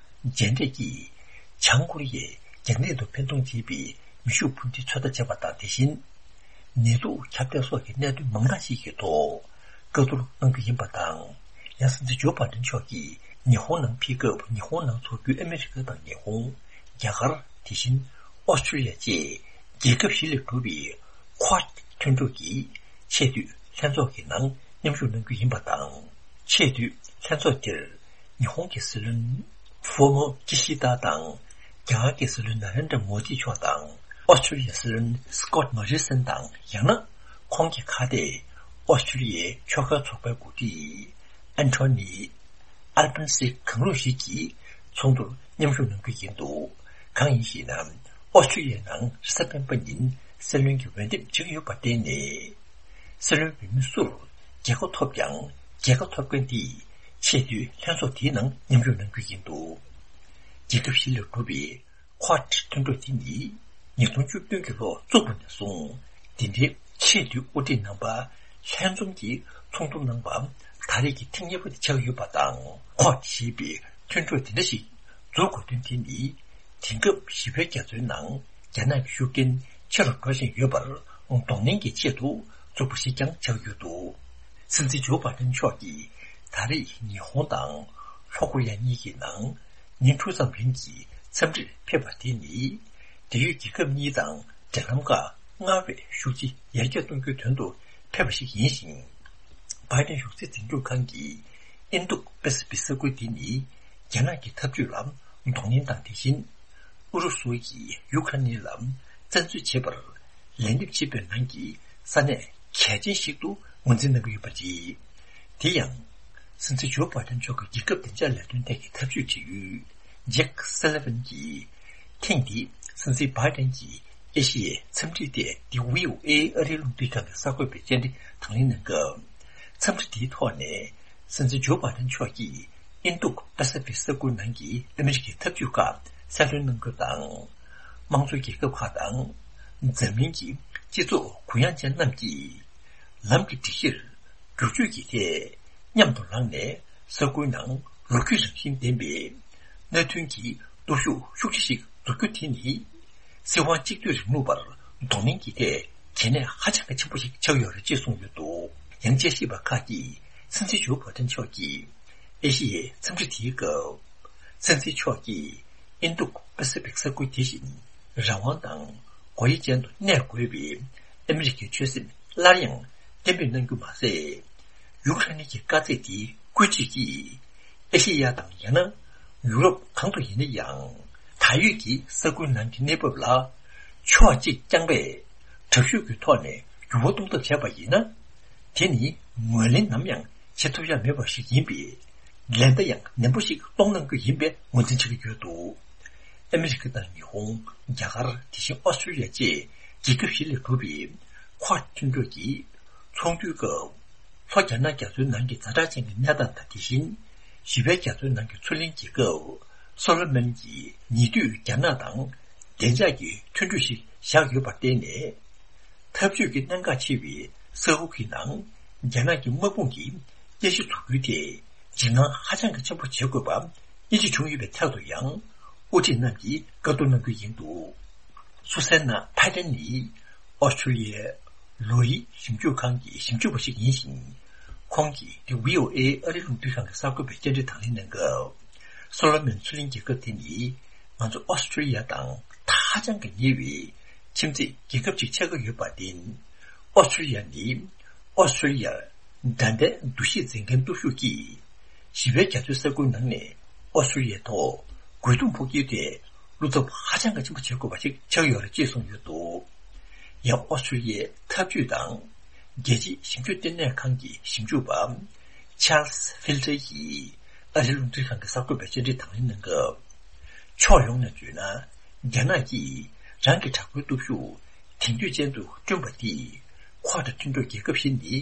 མཇལ་འཕྲད་ཀྱིས། བྱང་ཀོ་རི་ཡས་རྒྱ་ནད་དུ་འཕེན་གཏོང་བྱེད་པའི་མེ་ཤུགས་འཕུར་མདེལ་ཚོད་ལྟ་བྱས་པ་དང་། དེ་བཞིན་ནད་དུག་ཁྱབ་གདལ་སོགས་ཀྱི་གནད་དོན་མང་དག་ཞིག་གི་ཐོག་བཀའ་བསྡུར་གནང་རྒྱུ་ཡིན་པ་དང་། ཡང་སྲིད་འཛིན་ཇོ་བྷའི་ཏན་མཆོག་གིས་ཉི་ཧོང་ནང་ཕེབས་སྐབས། ཉི་ཧོང་ནང་འཚོགས་རྒྱུའི་ཨ་མི་རི་ཀ་དང་ཉི་ཧོང་། རྒྱ་གར། དེ་བཞིན་ཨོ་སི་ཀྲི་ལི་ཡ་བཅས་རྒྱལ་ཁབ་བཞི་ལས་གྲུབ་པའི་ཁོ་ཨད་མཐུན་གྲོས་ཀྱི་ཆེས་མཐོའི་ལྷན་ཚོགས་ཀྱི་ནང་མཉམ་ཞུགས་གནང་རྒྱུ་ཡིན་པ་དང་། ཆེས་མཐོའི་ལྷན་ཚོགས་དེར་ཉི་ཧོང་གི་སྲིད་བློན་ཧྥུ་མོ་ཀི་ཤི་ད་དང་། རྒྱ་གར་གྱི་སྲིད་བློན་ན་རེན་དྲ་མོ་དི་མཆོག་དང་། ཨོ་སི་ཀྲི་ལི་ཡའི་སྲིད་བློན་སི་ཀོད་མོ་རི་སན་དང་། ཡང་ན་ཁོང་གི་ཁ་གཏད་ཨོ་སི་ཀྲི་ལི་ཡའི་ཕྱོགས་འགལ་ཚོགས་པའི་འགོ་ཁྲིད་ཨན་ཐོ་ནི་ཨལ་བྷ་ནི་སི་གང་རུང་ཞིག་གིས་ཚོགས་འདུར་མཉམ་ཞུགས་གནང་རྒྱུ་ཡིན་འདུག་གང་ཡིན་ཞེ་ན། ཨོ་སི་ཀྲི་ལི་ཡའི་ནང་རེས་གཟའ་སྤེན་པ་ཉིན་སྲིད་བློན་གྱི་འོས་འདེམས་བྱེད་ཀྱི་ཡོད་པར་བརྟེན་ནས། སྲིད་བློན་འོས་མི་སུར་རྒྱལ་ཁ་ཐོབ་ཀྱང་། རྒྱལ་ཁ་ཐོབ་མཁན་དེས་ཆེས་མཐོའི་ལྷན་ཚོགས་དེའི་ནང་མཉམ་ཞུགས་གནང་རྒྱུ་ཡིན་འདུག་རྒྱལ་ཁབ་བཞི་ལས་གྲུབ་པའི་ཁོ་ཨད་མཐུན་གྲོས་དེ་ནི་ཉིས་སྟོང་བཅུ་བདུན་གྱི་ལོ་བཙུགས་པ་ནས་བཟུང་། འདི་འདྲའི་ཆེས་མཐོའི་དབུ་ཁྲིད་རྣམ་པ་ལྷན་འཛོམས་ཀྱིས་ཚོགས་འདུ་གནང་བ་ད་རེས་ཀྱི་ཐེངས་གཉིས་པ་དེ་ཆགས་ཡོད་པ་དང་། ཁོ་ཨད་ཞེས་པའི་མཐུན་གྲོས་དེ་འདྲ་ཞིག་འཛུགས་དགོས་དོན་དེ་ནི། དེང་སྐབས་བཞི་པའི་རྒྱ་མཚོའི་ནང་རྒྱ་ནག་གི་ཤུགས་རྐྱེན་ཆེ་རུ་འགྲོ་བཞིན་ཡོད་པར་གདོང་ལེན་གྱི་ཆེད་དུ་བཙུགས་པ་ཞིག་ཀྱང་ཆགས་ཡོད་འདུག་སྲིད་འཛིན་ཇོ་བྷའི་ཏན་མཆོག་གིས་ད་རེས་ཉི་ཧོང་དང་ལྷོ་ཀོ་རི་ཡ་གཉིས་ཀྱི་ནང་ཉིན་དྲུག་ཙམ་རིང་གི་མཛའ་ འཚམས་འདྲིར་ཕེབས་པ་དེ་ནི། འབྲེལ་ཡོད་རྒྱལ་ཁབ་གཉིས་དང་འབྲེལ་ལམ་ཁག་སྔར་བས་ཤུགས་ཆེ་ཡར་རྒྱས་གཏོང་རྒྱུའི་དོན་དུ་ཕེབས་པ་ཞིག་ཡིན་ཞིང་། བྷའི་ཏན་གཞུང་སྲིད་འཛིན་སྐྱོང་ཁང་གི་ཨིན་རྡུག་པ་སི་ཕིག་ས་ཁུལ་འདི་ནི་རྒྱ་ནག་གི་འཐབ་ཇུས་ལ་གདོང་ལེན་དང་། དེ་བཞིན་ཨུ་རུ་སུ་ཡིས་ཡུ་ཁ་རེན་ལ་བཙན་འཛུལ་བྱེད་པར་ལན་འདེབས་བྱེད་པའི་ནང་གི་ས་གནས་གལ་ཆེན་ཞིག་ཏུ་ངོས་འཛིན་གནང་གི་ཡོད་པ་རེད། དེ་ཡང་། སྲིད་འཛིན་ཇོ་བྷའི་ཏན་མཆོག་གི་རྒྱལ་ཁབ་བདེ་འཇགས་ལས་དོན་ཐད་ཀྱི་ཐབས་ཇུས་དྲི་ཡུལ་ཇེག་སེ་ལི་ཝན་གྱིས་ཐེངས་འདིའི་སྲིད་འཛིན་བྷའི་ཏན་གྱི་ཨེ་ཤི་ཡའི་འཚམས་འདྲི་ཐད་འདི་བྷི་ཨོ་ཨེ་ཨ་རིའི་རླུང་འཕྲིན་ཁང་གི་གསར་འགོད་པའི་བཅར་འདྲི་དང་ལེན་གནང་སྐབས། འཚམས་འདྲི་འདིའི་ཐོག་ནས་སྲིད་འཛིན་ཇོ་བྷའི་ཏན་མཆོག་གིས་ཨིན་རྡུག་པ་སི་ཕིག་ས་ཁུལ་ནང་གི་ཨ་མི་རི་ཀའི་འཐབ་ཇུས་ཁག་གསལ་སྟོན་གནང་རྒྱུ་དང་། དམངས་གཙོའི་རྒྱལ་ཁབ་ཁག་དང་། འཛམ་གླིང་གི་སྤྱི་ཚོགས་གུ་ཡངས་ཅན་རྣམས་ཀྱིས་ལམ་གྱི་སྒྲིག་གཞིར་བསྒྱུར་བཅོས་ཀྱི་ཐད་མཉམ་དུ་ལངས་ནས། ས་ཁུལ་ནང་ལོ་རྒྱུས་རང་བཞིན་ལྡན་པའི་མནའ་མཐུན་གྱི་སྟོབས་ཤུགས་ཤུགས་ཆེ་ཞིག་འཛུགས་རྒྱུ་དེ་ནི། སྲིད་དབང་གཅིག་སྡུད་རིང་ལུགས་པར་གདོང་ལེན་གྱི་ཐད་གལ་གནད་ཧ་ཅང་གི་ཆེན་པོ་ཞིག་ཆགས་ཡོད་རེད་ཅེས་གསུངས་ཡོད་འདུག། ཡང་དཔྱད་ཞིབ་པ་ཁག་གིས་སྲིད་འཛིན་ཇོ་བྷའི་ཏན་མཆོག་གིས་ཨེ་ཤི་ཡའི་འཚམས་འདྲི་དེའི་སྐབས། སྲིད་འཛིན་མཆོག་གིས་ཨིན་རྡུག་པ་སི་ཕིག་ས་ཁུལ་དེ་བཞིན་རང་དབང་དང་སྒོ་དབྱེ་ཅན་དུ་གནས་དགོས་པའི་ཨ་མི་རི་ཀའི་ཆོད་སེམས་སླར་ཡང་གཏན་འབེབས་གནང་རྒྱུ་མ་ཟད། ཡུ་ཀེ་རེན་གྱི་དཀའ་ཚེགས་དེའི་བཀོད་སྒྲིག་གིས་ཨེ་ཤེ་ཡ་དང་ཡང་ན་ཡུ་རོབ་གང་དུ་ཡིན་ན་ཡང་ད་ཡོད་ཀྱི་ས་ཁུལ་ནང་གི་གནས་བབ་ལ་ཕྱོགས་གཅིག་རྐྱང་པས་དྲག་ཤུགས་ཀྱི་ཐོག་ནས་འགྱུར་བ་གཏོང་ཐབས་བྱས་པ་ཡིན་ན། དེ་ནི་ངོས་ལེན་ནམ་ཡང་བྱེད་ཐུབ་ཡ་མེད་པ་ཞིག་ཡིན་པས། ལན་བརྡ་ཡང་ནན་པོ་ཞིག་གཏོང་གནང་རྒྱུ་ཡིན་པའི་ངོས་འཛིན་བྱེད་ཀྱི་ཡོད་འདུག། ཨ་མི་རི་ཀ་དང་ཉི་ཧོང་། རྒྱ་གར། དེ་བཞིན་ཨོ་སི་ཀྲི་ལི་ཡ་བཅས་རྒྱལ་ཁབ་བཞི་ལས་གྲུབ་པའི་ཁོ་ཌ་མཐུན་གྲོས་ཀྱི་ཚོགས་འདུའི་སྐབས། ལྷོ་རྒྱ་ནག་རྒྱ་མཚོའི་ནང་གི་ཛ་དྲག་ཅན་གྱི་གནས་སྟངས་དང་། དེ་བཞིན་བཞི་པའི་རྒྱ་མཚོའི་ནང་གི་མཚོ་གླིང་རྒྱལ་ཁབ་སོ་ལོ་མོན་གྱི་ཉེ་དུས་རྒྱ་ནག་དང་བདེ་འཇགས་ཀྱི་མཐུན་གྲོས་ཤིག་བཞག་ཡོད་པར་བརྟེན་ནས། འཐབ་ཇུས་ཀྱི་གནད་འགག་ཆེ་བའི་ས་ཁུལ་གྱི་ནང་རྒྱ་ནག་གི་དམག་དཔུང་གི་རྟེན་གཞི་འཛུགས་རྒྱུའི་ཐད་འཇིགས་སྣང་ཧ་ཅང་གི་ཆེན་པོ་བྱེད་དགོས་པ་ཡིད་ཆེས་བྱུང་ཡོད་པའི་ཐད་དུ་ཡང་། དབུ་ཁྲིད་རྣམས་ཀྱིས་བཀའ་བསྡུར་གནང་རྒྱུ་ཡིན་འདུག། སུ་སན་ན་ཕའི་ཏན་ནི་ཨོ་སི་ཀྲི་ལི་ཡའི་ལོ་ཡི་ཞིབ་འཇུག་ཁང་གི་ཞིབ་འཇུག་པ་ཞིག་ཡིན་ཞིང་། ཁོང་གིས་དེ་བྷི་ཨོ་ཨེ་ཨ་རིའི་རླུང་འཕྲིན་ཁང་གི་གསར་འགོད་པའི་བཅར་འདྲི་དང་ལེན་གནང་སྐབས། སོ་ལོ་མོན་མཚོ་གླིང་རྒྱལ་ཁབ་དེ་ནི་ང་ཚོ་ཨོ་སི་ཀྲི་ལི་ཡ་དང་ཧ་ཅང་གི་ཉེ་བའི་ཁྱིམ་མཚེས་རྒྱལ་ཁབ་ཅིག་ཆགས་ཀྱི་ཡོད་པར་བརྟེན། ཨོ་སི་ཀྲི་ལི་ཡ་ནི་ཨོ་སི་ཀྲི་ལི་ཡར་འགྲན་ཟླའི་འདུ་ཤེས་འཛིན་མཁན་སྟོབས་ཤུགས་ཀྱིས་བཞི་པའི་རྒྱ་མཚོའི་ས་ཁུལ་ནང་ནས་ཨོ་སི་ཀྲི་ལི་ཡའི་ཐོག་རྒོལ་རྡུང་ཕོག་རྒྱུའི་ཐད་བློ་འཚབ་ཧ་ཅང་གི་ཆེན་པོ་བྱེད་དགོས་པ་ཞིག་ཆགས་ཡོད་རེད་ཅེས་གསུངས་ཡོད་འདུག། ཡང་ཨོ་སི་ཀྲི་ལི་ཡའི་འཐབ་ཇུས་དང་རྒྱལ་སྤྱིའི་ཞིབ་འཇུག་ལྟེ་གནས་ཁང་གི་ཞིབ་འཇུག་པ་ཆཱལ་སི་ཕིལ་ཏྲ་ཡིས་ཨ་རིའི་རླུང་འཕྲིན་ཁང་གི་གསར་འགོད་པའི་བཅར་འདྲི་དང་ལེན་གནང་སྐབས། ཕྱོགས་ཡོངས་ནས་བརྗོད་ན། རྒྱ་ནག་གིས་རང་གི་དྲག་པོའི་སྟོབས་ཤུགས་དེང་དུས་ཅན་དུ་བསྐྲུན་པ་འདིས་ཁོ་ཊ་མཐུན་གྲོགས་རྒྱལ་ཁབ་བཞི་ནི་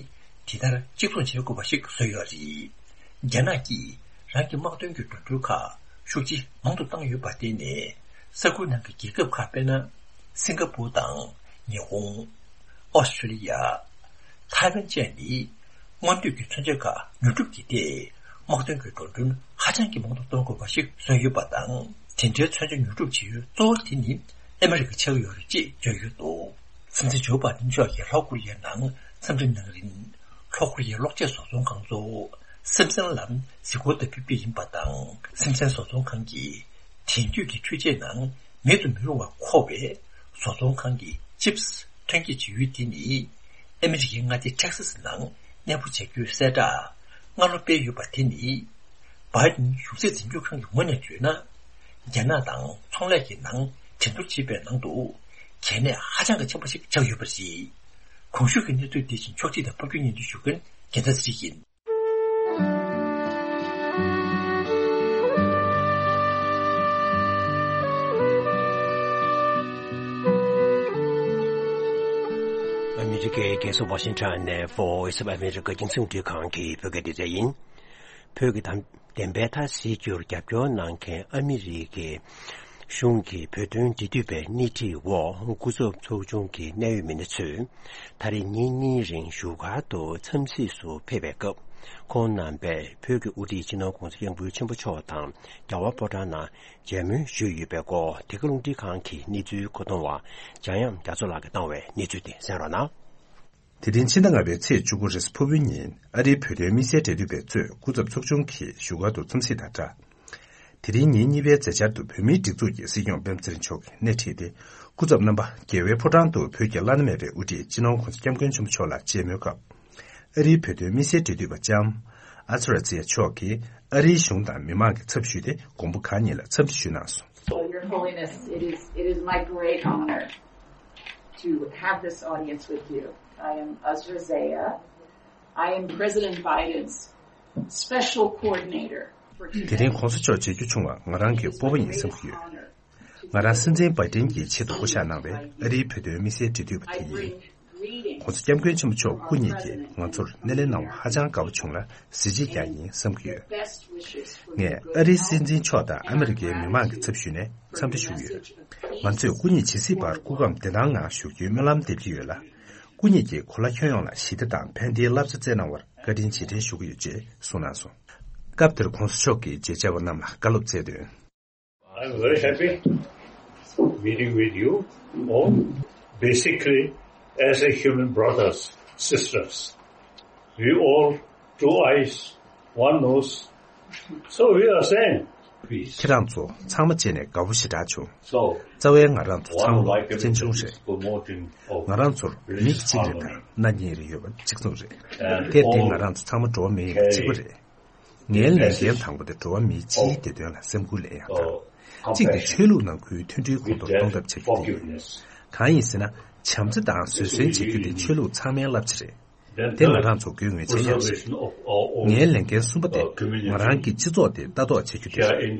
དེ་ལྟར་གཅིག་མཚུངས་བྱེད་དགོས་པ་ཞིག་བཟོས་ཡོད་རེད། རྒྱ་ནག་གིས་རང་གི་དམག་དོན་གྱི་འགྲོ་གྲོན་ཁག་ཤུགས་ཆེ་མང་དུ་བཏང་ཡོད་པར་བརྟེན་ནས། ས་ཁུལ་ནང་གི་རྒྱལ་ཁབ་ཁག་དཔེར་ན། སིང་ག་པུར་དང་ཉི་ཧོང་། ཨོ་སི་ཀྲི་ལི་ཡ། ཐའེ་ཝན་བཅས་ནི་སྔོན་ཐོན་གྱི་མཚོན་ཆ་ཁག་ཉོ་སྒྲུབ་ཀྱི་ཐད་དམག་དོན་གྱི་འགྲོ་གྲོན་ཧ་ཅང་གི་མང་དུ་གཏོང་དགོས་པ་ཞིག་བཟོས་ཡོད་པ་དང་། དེ་འདྲའི་མཚོན་ཆ་ཉོ་སྒྲུབ་བྱེད་ཡུལ་གཙོ་བོ་དེ་ནི་ཨ་མི་རི་ཀ་ཆགས་ཡོད་རེད་ཅེས་བརྗོད་ཡོད་འདུག། སྲིད་འཛིན་ཇོ་བྷའི་ཏན་མཆོག་གིས་ལྷོ་ཀོ་རི་ཡའི་ནང་འཚམས་འདྲི་གནང་རིང་། ལྷོ་ཀོ་རི་ཡའི་གློག་ཆས་བཟོ་ཚོང་ཁང་གཙོ་བོ་སིམ་སན་ལ་གཟིགས་སྐོར་དུ་ཕེབས་རྒྱུ་ཡིན་པ་དང་། སིམ་སན་བཟོ་ཚོང་ཁང་གིས་དེང་དུས་ཀྱི་འཕྲུལ་ཆས་ནང་མེད་དུ་མི་རུང་བར་མཁོ་བའི་བཟོ་ཚོང་ཁང་གི་ཅིབ་སི་ཐོན་སྐྱེད་བྱེད་ཡུལ་དེ་ནི་ཨ་མི་རི་ཀའི་མངའ་སྡེ་ཊེག་སཱ་སི་ནང་གནས་སྤོ་བྱ་རྒྱུའི་གསལ་བསྒྲགས་སྔ་ལོ་སྤེལ་ཡོད་པ་དེ་ནི། བྷའི་ཏིན་གཞུང་སྲིད་འཛིན་སྐྱོང་ཁང་གི་ངོས་ནས་བརྗོད་ན། རྒྱ་ནག་དང་ཚོང་ལས་ཀྱི་ནང་འགྲན་བསྡུར་བྱེད་པའི་ནང་དུ་གལ་གནད་ཧ་ཅང་གི་ཆེན་པོ་ཞིག་ཆགས་ཡོད་པ་རེད། གོང་ཞུས་ཀྱི་གནས་ཚུལ་འདི་བཞིན་ཕྱོགས་སྒྲིག་དང་ཕབ་སྒྱུར་སྙན་སྒྲོན་ཞུ་མཁན་རྒྱལ་མཚན་ཚེ་རིང་ཡིན། ཨ་མི་རི་ཀའི་རྒྱལ་ས་ཝ་ཤིང་ཊོན་ནས་Voice of America་རྒྱང་སྲིང་རླུང་འཕྲིན་ཁང་གི་བོད་སྐད་སྡེ་ཚན་ཡིན། བོད་ཀྱི་བདེན་བདེན་པའི་མཐའ་གསལ་རྒྱུར་རྒྱབ་སྐྱོར་གནང་མཁན་ཨ་མི་རི་ཀའི་གཞུང་གི་བོད་དོན་འབྲེལ་མཐུད་པའི་སྣེ་ཁྲིད་འོག་སྐུ་ཚབ་ཚོགས་ཆུང་གི་གནད་ཡོད་མི་སྣ་ཚོས་ད་རེས་ཉིན་གཉིས་རིང་བཞུགས་སྒར་དུ་འཚམས་གཟིགས་སུ་ཕེབས་པའི་སྐབས། ཁོང་རྣམ་པས་བོད་ཀྱི་དབུ་ཁྲིད་སྤྱི་ནོར་༸གོང་ས་༸སྐྱབས་མགོན་ཆེན་པོ་མཆོག་དང་རྒྱལ་བ་ཕོ་བྲང་ནང་མཇལ་མོལ་ཞུས་ཡོད་པའི་སྐོར། འདི་ག་རླུང་འཕྲིན་ཁང་གི་གནས་ཚུལ་མཁོ་གཏོང་བ་འཇམ་དབྱངས་རྒྱ་མཚོ་ལགས་ཀྱིས་བཏང་བའི་གནས་ཚུལ་དེ་གསན་རོགས་གནང་། དེ་རིང་ཕྱི་ཟླ་ལྔ་པའི་ཚེས་བཅུ་དགུ་རེས་ཕུར་བུའི་ཉིན་ཨ་རིའི་བོད་དོན་དམིགས་བསལ་འབྲེལ་མཐུད་པས་གཙོས་སྐུ་ཚབ་ཚོགས་ཆུང་གིས་བཞུགས་སྒར་དུ་འཚམས་གཟིགས་དང་སྦྲགས། དེ་རིང་ཉིན་གཉིས་པའི་མཛད་འཆར་དུ་བོད་མིའི་སྒྲིག་འཛུགས་ཀྱི་སྲིད་སྐྱོང་སྤེན་པ་ཚེ་རིང་མཆོག་གིས་སྣེ་ཁྲིད་དེ། སྐུ་ཚབ་རྣམ་པ་རྒྱལ་བའི་ཕོ་བྲང་དུ་བོད་ཀྱི་བླ་ན་མེད་པའི་དབུ་ཁྲིད་སྤྱི་ནོར་༧གོང་ས་༧སྐྱབས་མགོན་ཆེན་པོ་མཆོག་ལ་མཇལ་མོལ་སྐབས། ཨ་རིའི་བོད་དོན་དམིགས་བསལ་འབྲེལ་མཐུད་པ་ལྕམ་ཨ་ཛ་ར་ཛི་ཡ་མཆོག་གིས་ཨ་རིའི་གཞུང་དང་མི་མང་གི་ཚབ་ཞུས་ཏེ་མགོན་པོ་གང་ཉིད་ལ་འཚམས་འདྲི་ཞུས་གནང་སོང་། So, Your Holiness, it is, it is my great honor to have this audience with you. I am Azra Zeya. I am President Biden's special coordinator for དེ་རིང་༧གོང་ས་མཆོག་མཇལ་རྒྱུ་བྱུང་བ་ང་རང་གི་སྤོབས་པ་ཡིན་བསམ་གྱི་ཡོད། ང་རང་སྲིད་འཛིན་བྷའི་ཏིན་གྱི་ཆེད་དུ་བསྐོ་བཞག་གནང་བའི་ཨ་རིའི་བོད་དོན་དམིགས་བསལ་འབྲེལ་མཐུད་པ་དེ་ཡིན། ༧གོང་ས་༧སྐྱབས་མགོན་ཆེན་པོ་མཆོག་སྐུ་ཉིད་ཀྱིས་ང་ཚོར་སྣེ་ལེན་གནང་བ་ཧ་ཅང་དགའ་པོ་བྱུང་ལ་གཟི་བརྗིད་ཀྱང་ཡིན་བསམ་གྱི་ཡོད། ངས་ཨ་རིའི་སྲིད་འཛིན་མཆོག་དང་ཨ་མི་རི་ཀའི་མི་མང་གི་ཚབ་ཞུས་ནས་འཚམས་འདྲི་ཞུ་གི་ཡོད། ང་ཚོས་སྐུ་ཉིད་ཇི་སྲིད་བར་སྐུ་ཁམས་བདེ་ཐང་ངང་བཞུགས་རྒྱུའི་སྨོན་ལམ་འདེབས་ཀྱི་ཡོད་ལ། སྐུ་ཉིད་ཀྱིས་གོ་ལ་ཁྱོན་ཡོངས་ལ་ཞི་བདེ་དང་ཕན་བདེའི་བསླབ་བྱ་བསྩལ་གནང་བར་བཀའ་དྲིན་རྗེས་དྲན་ཞུ་གི་ཡོད་ཅེས་གསུངས་གནང་སོང་། སྐབས་དེར་༧གོང་ས་མཆོག་གིས་མཇལ་བཅར་བ་རྣམས་ལ་བཀའ་སློབ་སྩལ་དོན། I'm very happy meeting with you all. Basically, as a human brothers, sisters, we all two eyes, one nose. So we are same. Peace. ཁྱེད་རང་ཚོ་ཚང་མ་བྱས་ནས་དགའ་པོ་ཞེ་དྲག་བྱུང་། So, རྩ་བའི་ང་རང་ཚོ་ཚང་མ་བཙན་བྱོལ་རེད། ང་རང་ཚོར་མིག་གཅིག་རེད་དང་སྣ་གཉིས་རེ་ཡོད་པ་གཅིག་མཚུངས་རེད། དེར་བརྟེན་ང་རང་ཚོ་ཚང་མ་འགྲོ་བ་མི་ཡིན་པ་གཅིག་པ་རེད། ངའི་ལས་འགན་དང་པོ་དེ་འགྲོ་བ་མིའི་སྤྱིའི་བདེ་དོན་ལ་སེམས་ཁུར་ལེན་ཡག་དང་། གཅིག་དེ་ཆོས་ལུགས་ནང་ཁུལ་མཐུན་སྒྲིལ་གོང་མཐོར་གཏོང་ཐབས་བྱ་རྒྱུ་དེ་ཡིན། གང་ཡིན་ཟེར་ན། བྱམས་བརྩེ་དང་བཟོད་བསྲན་བྱེད་རྒྱུ་དེ་ཆོས་ལུགས་ཚང་མའི་བསླབ་བྱ་རེད། དེ་ང་རང་ཚོ་དགོས་ངེས་ཆེ་ཡང་རེད། ངའི་ལས་འགན་གསུམ་པ་དེ་ང་རང་གི་སྤྱི་ཚོགས་དེ་ལྟ་རྟོག་བྱེད་རྒྱུ་དེ་རེད།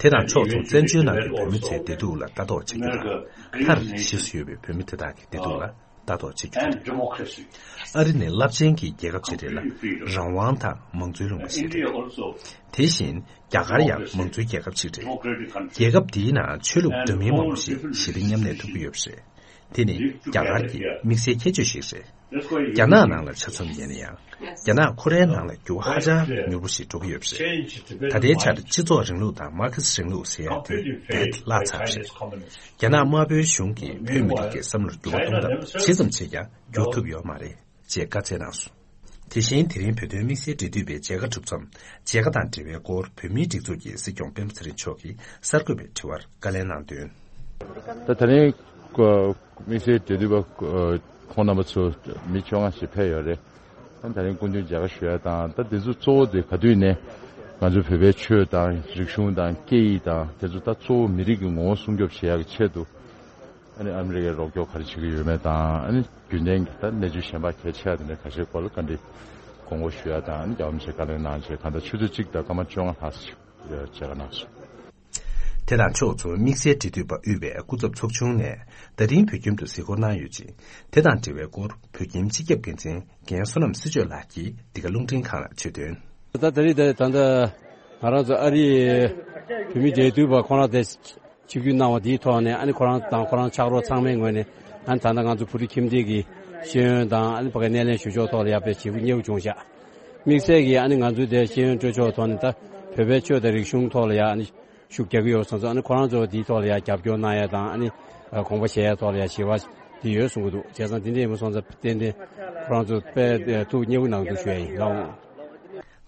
དེ་དང་ཕྱོགས་མཚུངས་བཙན་བྱོལ་ནང་གི་བོད་མི་ཚོའི་བདེ་སྡུག་ལ་ལྟ་རྟོག་བྱེད་རྒྱུ་དང་། མཐར་གཞིས་སུ་ཡོད་པའི་བོད་མི་དེ་དག་གི་བདེ་སྡུག་ལ་ལྟ་རྟོག་བྱེད་རྒྱུ་དེ་རེད། ཨ་རི་ནི་རླབས་ཆེན་གྱི་རྒྱལ་ཁབ་ཅིག་རེད་ལ། རང་དབང་དང་མང་གཙོའི་ལུང་པ་ཞིག་རེད། དེ་བཞིན་རྒྱ་གར་ཡང་མང་གཙོའི་རྒྱལ་ཁབ་ཅིག་རེད། རྒྱལ་ཁབ་འདིའི་ནང་ཆོས་ལུགས་འདྲ་མིན་མང་པོ་ཞིག་ཞི་བདེ་མཉམ་གནས་ཐུབ་ཀྱི་ཡོད་པ་རེད། དེ་ནི་རྒྱ་གར་གྱི་དམིགས་བསལ་ཁྱད་ཆོས་ཤིག་རེད། རྒྱ་ནག་ནང་ལ་ཆ་མཚོན་ཡིན་ན་ཡང་། རྒྱ་ནག་ཁོ་རའི་ནང་ལ་འགྱུར་བ་ཧ་ཅང་མྱུར་པོ་ཞིག་འགྲོ་གི་ཡོད་པ་རེད། ད་ལྟའི་ཆར་སྤྱི་ཚོགས་རིང་ལུགས་དང་མར་ཁེ་སི་རིང་ལུགས་ཟེར་ཡག་དེ་རྦད་བརླག་ཚར་བ་རེད། རྒྱ་ནག་དམར་པོའི་གཞུང་གིས་བོད་མི་རིགས་ཀྱི་བསམ་བློར་འགྱུར་བ་གཏོང་ཐབས་ཇི་ཙམ་བྱས་ཀྱང་འགྱུར་ཐུབ་ཡོད་མ་རེད་ཅེས་བཀའ་སྩལ་གནང་སོང་། དེ་བཞིན་དེ་རིང་བོད་དོན་དམིགས་བསལ་འབྲེལ་མཐུད་པའི་མཇལ་ཁ་གྲུབ་མཚམས། མཇལ་ཁ་དང་འབྲེལ་བའི་སྐོར་བོད་མིའི་སྒྲིག་འཛུགས་ཀྱི་སྲིད་སྐྱོང་སྤེན་པ་ཚེ་རིང་མཆོག་གིས་གསར་འགོད་པའི་དྲི་བར་བཀའ་ལན་གནང་དོན། ད་དེ་རིང་དམིགས་བསལ་འབྲེལ་མཐུད་པ་ཁོང་རྣམ་པ་ཚོ་མི་བཅོ་ལྔ་ཞིག་ཕེབས་ཡོད་རེད། ད་དེ་རིང་སྐུ་མདུན་མཇལ་ཁ་ཞུ་ཡ་དང་། ད་དེ་ཚོ་གཙོ་བོ་དེ་ག་དུས་ནས་ང་ཚོ་བོད་པའི་ཆོས་དང་རིག་གཞུང་དང་སྐད་ཡིག་དང་དེ་ཚོ་ད་གཙོ་བོ་མི་རིགས་ཀྱི་ངོ་བོ་སྲུང་སྐྱོབ་བྱེད་ཡག་གི་ཆེད་དུ། ཨ་ནི་ཨ་མི་རི་ཀས་རོགས་སྐྱོར་ག་རེ་བྱེད་ཀྱི་ཡོད་མེད་དང་། ཨ་ནི་རྒྱུན་ལྡན་གྱི་ད་གནས་ཚུལ་གཞན་པ་གལ་ཆེ་བ་དེ་འདྲ་ཁ་ཤས་སྐོར་ལ་བཀའ་འདྲི་དགོངས་སྐོར་ཞུ་ཡ་དང་། ཨ་ནི་རྒྱལ་བ་རིན་པོ་ཆེས་བཀའ་ལན་གནང་བྱས་གང་ལྟར་ཆུ་ཚོད་གཅིག་དང་སྐར་མ་བཅོ་ལྔ་ལྷག་ཙམ་ཞིག་མཇལ་ཁ་གནང་སོང་། དེ་དང་ཕྱོགས་མཚུངས་དམིགས་བསལ་འབྲེལ་མཐུད་པ་དབུས་པའི་སྐུ་ཚབ་ཚོགས་ཆུང་ནས་ད་རིང་བོད་ཁྱིམ་དུ་གཟིགས་སྐོར་གནང་ཡོད་ཅིང་། དེ་དང་འབྲེལ་བའི་སྐོར་བོད་ཁྱིམ་སྤྱི་ཁྱབ་འགན་འཛིན་རྒན་བསོད་ནམས་སྲི་ཆོས་ལགས་ཀྱིས་འདི་ག་རླུང་འཕྲིན་ཁང་ལ་བརྗོད་དོན། ད་ད་རེས་ད་ད་ལྟ་ང་རང་ཚོ་ཨ་རིའི་བོད་མི་འབྲེལ་མཐུད་པ་ཁོང་རང་དེ་ཆིབས་བསྒྱུར་གནང་བ་དེའི་ཐོག་ནས། ཨ་ནི་ཁོ་རང་དང་ཁོ་རང་ཕྱག་རོགས་ཚང་མའི་ངོས་ནས། ཨ་ནི་ད་ལྟ་ང་ཚོ་བོད་རིགས་ཁྱིམ་སྡེ་གི་ཤེས་ཡོན་དང་། ཨ་ནི་ཕ་གིའི་སྣེ་ལེན་ཞུ་ཕྱོགས་ཐོག་ལ་ཡག་པའི་བྱེད་སྒོ་མཉེས་པོ་བྱུང་ཤག་དམིགས་བསལ་གྱིས་ཨ་ནི་ང་ཚོའི་དེ་ཤེས་ཡོན་སྤྲོད་ཕྱོགས་ཐོག་ནས་ད་བོད་པའི་ཆོས་དང་རིག་གཞུང་ཐོག་ལ་ཡག་ཨ་ནི་ཤུགས་རྒྱག་གི་ཡོད་སོང་ཙང་། ཨ་ནི་ཁོ་རང་ཚོ་དེའི་ཐོག་ལ་ཡག་རྒྱབ་སྐྱོར་གནང་ཡ་དང་། ཨ་ནི་དགོངས་པ་བཞེས་ཡ་ཐོག་ལ་ཡག་ཞི་བ་དེ་ཡོད་གསུང་གི་འདུག་བྱས་ཙང་དེ་འདྲ་ཡིན་པ་སོང་ཙང་ཏན་ཏན་ཁོ་རང་ཚོ་དཔེ་ཐུགས་མཉེས་པོ་གནང་འདུག་ཞུ་ཡ་ཡིན་ལགས།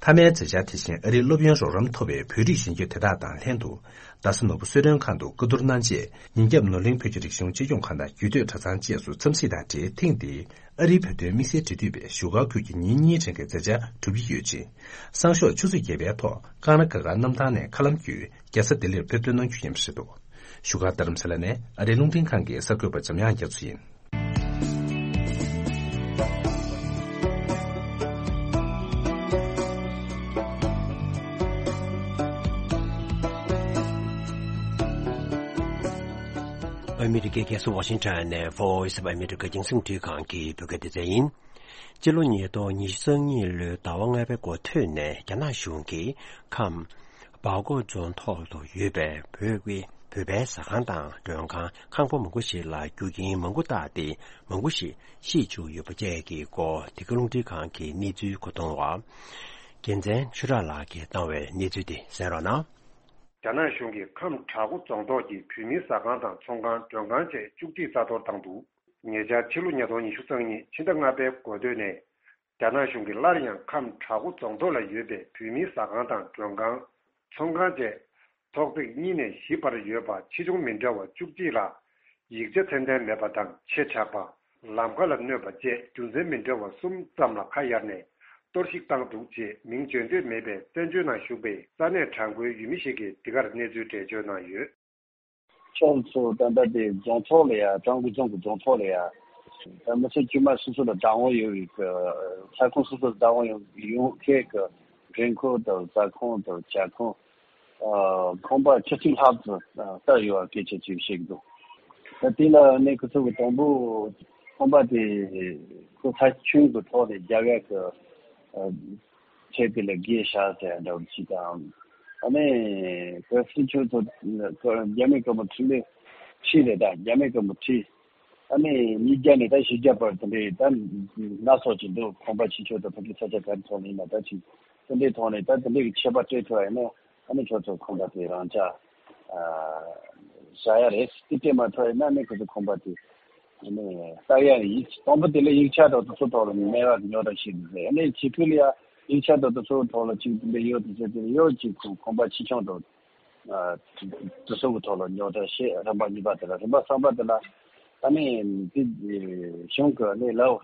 མཐའ་མའི་མཛད་འཆར་དེ་བཞིན་ཨ་རིའི་སློབ་ཡོན་རོགས་རམ་ཐོབ་པའི་བོད་རིགས་གཞོན་སྐྱེས་དེ་དག་དང་ལྷན་དུ། རྡ་ས་ནོར་བུ་གསོལ་མགྲོན་ཁང་དུ་བཀའ་བསྡུར་གནང་རྗེས། ཉིན་རྒྱབ་ནོར་གླིང་བོད་ཀྱི་རིག་གཞུང་གཅེས་སྐྱོང་ཁང་དང་རྒྱུད་སྟོད་གྲྭ་ཚང་བཅས་སུ་འཚམས་གཟིགས་དང་འབྲེལ། ཐེངས་འདིའི་ཨ་རིའི་བོད་དོན་དམིགས་བསལ་འབྲེལ་མཐུད་པའི་བཞུགས་སྒར་ཁུལ་གྱི་ཉིན་གཉིས་རིང་གི་མཛད་འཆར་གྲུབ་ཀྱི་ཡོད་ཅིང་། སང་ཞོགས་ཆུ་ཚོད་བརྒྱད་པའི་ཐོག་ཀང་ར་གྷལ་གྷལ་གནམ་ཐང་ནས་མཁའ་ལམ་བརྒྱུད་རྒྱལ་ས་ལྡི་ལིར་ཕེབས་ཐོན་གནང་རྒྱུ་ཡིན་པ་རེད་འདུག་བཞུགས་སྒར་རྡ་རམ་ས་ལ་ནས་ཨ་རིའི་རླུང་འཕྲིན་ཁང་གི་གསར་འགོད་པ་འཇམ་དབྱངས་རྒྱ་མཚོ་ཡིན། ཨ་མི་རི་ཀའི་རྒྱལ་ས་ཝ་ཤིང་ཊོན་ནས་Voice of America རྒྱང་སྲིང་རླུང་འཕྲིན་ཁང་གི་བོད་སྐད་སྡེ་ཚན་ཡིན། སྤྱི་ལོ་ཉིས་སྟོང་ཉི་ཤུ་རྩ་གཉིས་ལོའི་ཟླ་བ་ལྔ་པའི་འགོ་སྟོད་ནས་རྒྱ་ནག་གཞུང་གིས་ཁམས་སྦག་ཀོ་རྫོང་ཐོག་ཏུ་ཡོད་པའི་བོད་ཀྱི་བོད་པའི་ཟ་ཁང་དང་མགྲོན་ཁང་། ཁང་པ་མང་པོ་ཞིག་ལ་རྒྱུ་རྐྱེན་མང་པོ་བཏགས་ཏེ་མང་པོ་ཞིག་ཤི་བཅུག་ཡོད་པ་བཅས་ཀྱི་སྐོར་འདི་ག་རླུང་འཕྲིན་ཁང་གི་གནས་ཚུལ་མཁོ་གཏོང་བ་རྒྱལ་མཚན་ཆོས་གྲགས་ལགས་ཀྱིས་བཏང་བའི་གནས་ཚུལ་དེ་གསན་རོགས་གནང་། རྒྱ་ནག་གཞུང་གིས་ཁམས་བྲག་འགོ་རྫོང་ཐོག་གི་བོད་མིའི་ཟ་ཁང་དང་ཚོང་ཁང་མགྲོན་ཁང་བཅས་བཅུ་གཅིག་རྩ་གཏོར་བཏང་འདུག་ཉེ་ཆར་ཕྱི་ལོ་ཉིས་སྟོང་ཉི་ཤུ་རྩ་གཉིས་ཕྱི་ཟླ་ལྔ་པའི་འགོ་སྟོད་ནས། རྒྱ་ནག་གཞུང་གིས་སླར་ཡང་ཁམས་བྲག་འགོ་རྫོང་ཐོག་ལ་ཡོད་པའི་བོད་མིའི་ཟ་ཁང་དང་མགྲོན་ཁང་། ཚོང་ཁང་བཅས་ ཚོགས་ཚིགས་གཉིས་ནས་བཞི་བར་ཡོད་པ་ཆེ་ཆུང་མི་འདྲ་བ་བཅུ་གཅིག་ལ། ཡིག་ཆ་ཚད་ལྡན་མེད་པ་དང་ཆེ་དྲགས་པ། ལམ་ཁ་ལ་གནོད་པ་བཅས་རྒྱུ་མཚན་མི་འདྲ་བ་གསུམ་ཙམ་ལ་ཁ་གཡར་ནས་གཏོར་བཤིག་བཏང་འདུག་ཅེས་མིང་བརྗོད་འདོད་མེད་པའི་བཙན་བྱོལ་ནང་བཞུགས་པའི་ས་གནས་གྲངས་ཀོའི་ཡུལ་མི་ཞིག་གིས་འདི་གར་གནས་ཚུལ་འགྲེལ་བརྗོད་གནང་ཡོད། ཕྱོགས་སུ་ད་ལྟ་དེ་རྫོང་ཐོག་ལ་ཡ་ཀྲང་གོ་རྫོང་གི་རྫོང་ཐོག་ལ་ཡ་ད་མི་ཚེ་དཀྱུས་མ་སོ་སོ་ལ་བདག་དབང་ཡོད་པའི་ས་ཁོངས་སོ་སོ་ལ་བདག་དབང་ཡོད་ཡོད་མཁན་གྱི་མགྲོན་ཁང་དང་ཟ་ཁང་དང་ཇ་ཁང་ཁང་པ་བཅུ་གཅིག་ལྷག་ཙམ་བསྡད་ཡོད་པ་སྐད་ཆ་ཅིག་བཤད་ཀྱི་འདུག་ད་དེ་ལ་ནི་ཁོ་ཚོ་གི་དང་པོ་ཁང་པ་དེ་ཁོ་ས་ཁྱོན་གྱི་ཐོག་ནས་རྒྱབ་ཡ་གི་ཆེད་དེ་ལ་དགེ་བཤགས་ཟེར་འདྲ་བོ་ཅིག་དང་། ཨ་ནི་བོད་སྲིད་ཆོས་ཚོ་རྒྱ་མི་གི་མི་ཁྲི་ལས་ཁྲི་རེད་ད་རྒྱ་མི་གི་མི་ཁྲི། ཨ་ནི་ཉིས་བརྒྱ་ནས་ད་བཞི་བརྒྱ་བར་དེ་འདྲའི་ད་སྣ་ཚོགས་ཅིག་འདུག་ཁང་པ་ཆེ་ཆུང་དང་ཕ་གི་ས་ཆ་ག་རེ་ཐོག་ནས་ཡིན་ན་ད་ཅིག་དེ་འདྲའི་ཐོག་ནས་ད་དེ་འདྲའི་གི་ཁྱད་པར་སྤྲད་ཐུབ་པ་ཡིན་ན་ཨ་ནི་ཁྱོད་ཚོ་ཁང་པ་དེ་རང་ཅག་བཞག་ཡ་རེད། དེ་སྤྲད་མ་ཐུབ་ཡིན་ན་ཨ་ནི་ཁོ་ཚོ་ཁང་པ་དེ། ཨ་ནི་ལྟ་ཡ་ཡིག་དང་པོ་དེ་ལ་ཡིག་ཆ་དང་དེ་ཚོ་ཐོག་ལ་མེད་པ་ཉོ་གྲབས་བྱེད་དགོས་རེད། ཨ་ནི་ཕྱི་ཁུལ་ལ་ཡ་ཡིག་ཆ་དང་དེ་ཚོ་ཐོག་ལ་ཅིག་དེ་འདྲ་ཡོད་དེ་ཚོ་དེ་ལ་ཡོད་ཅིག་ཁོ་ཁང་པ་ཆེ་ཆུང་དང་དེ་ཚོ་གི་ཐོག་ལ་ཉོ་གྲབས་བྱེད། རིམ་པ་གཉིས་པ་དེ་ལ་རིམ་པ་གསུམ་པ་དེ་ལ་ཨ་ནི་དེ་གཞུང་གི་ཨ་ནི་ལའོ་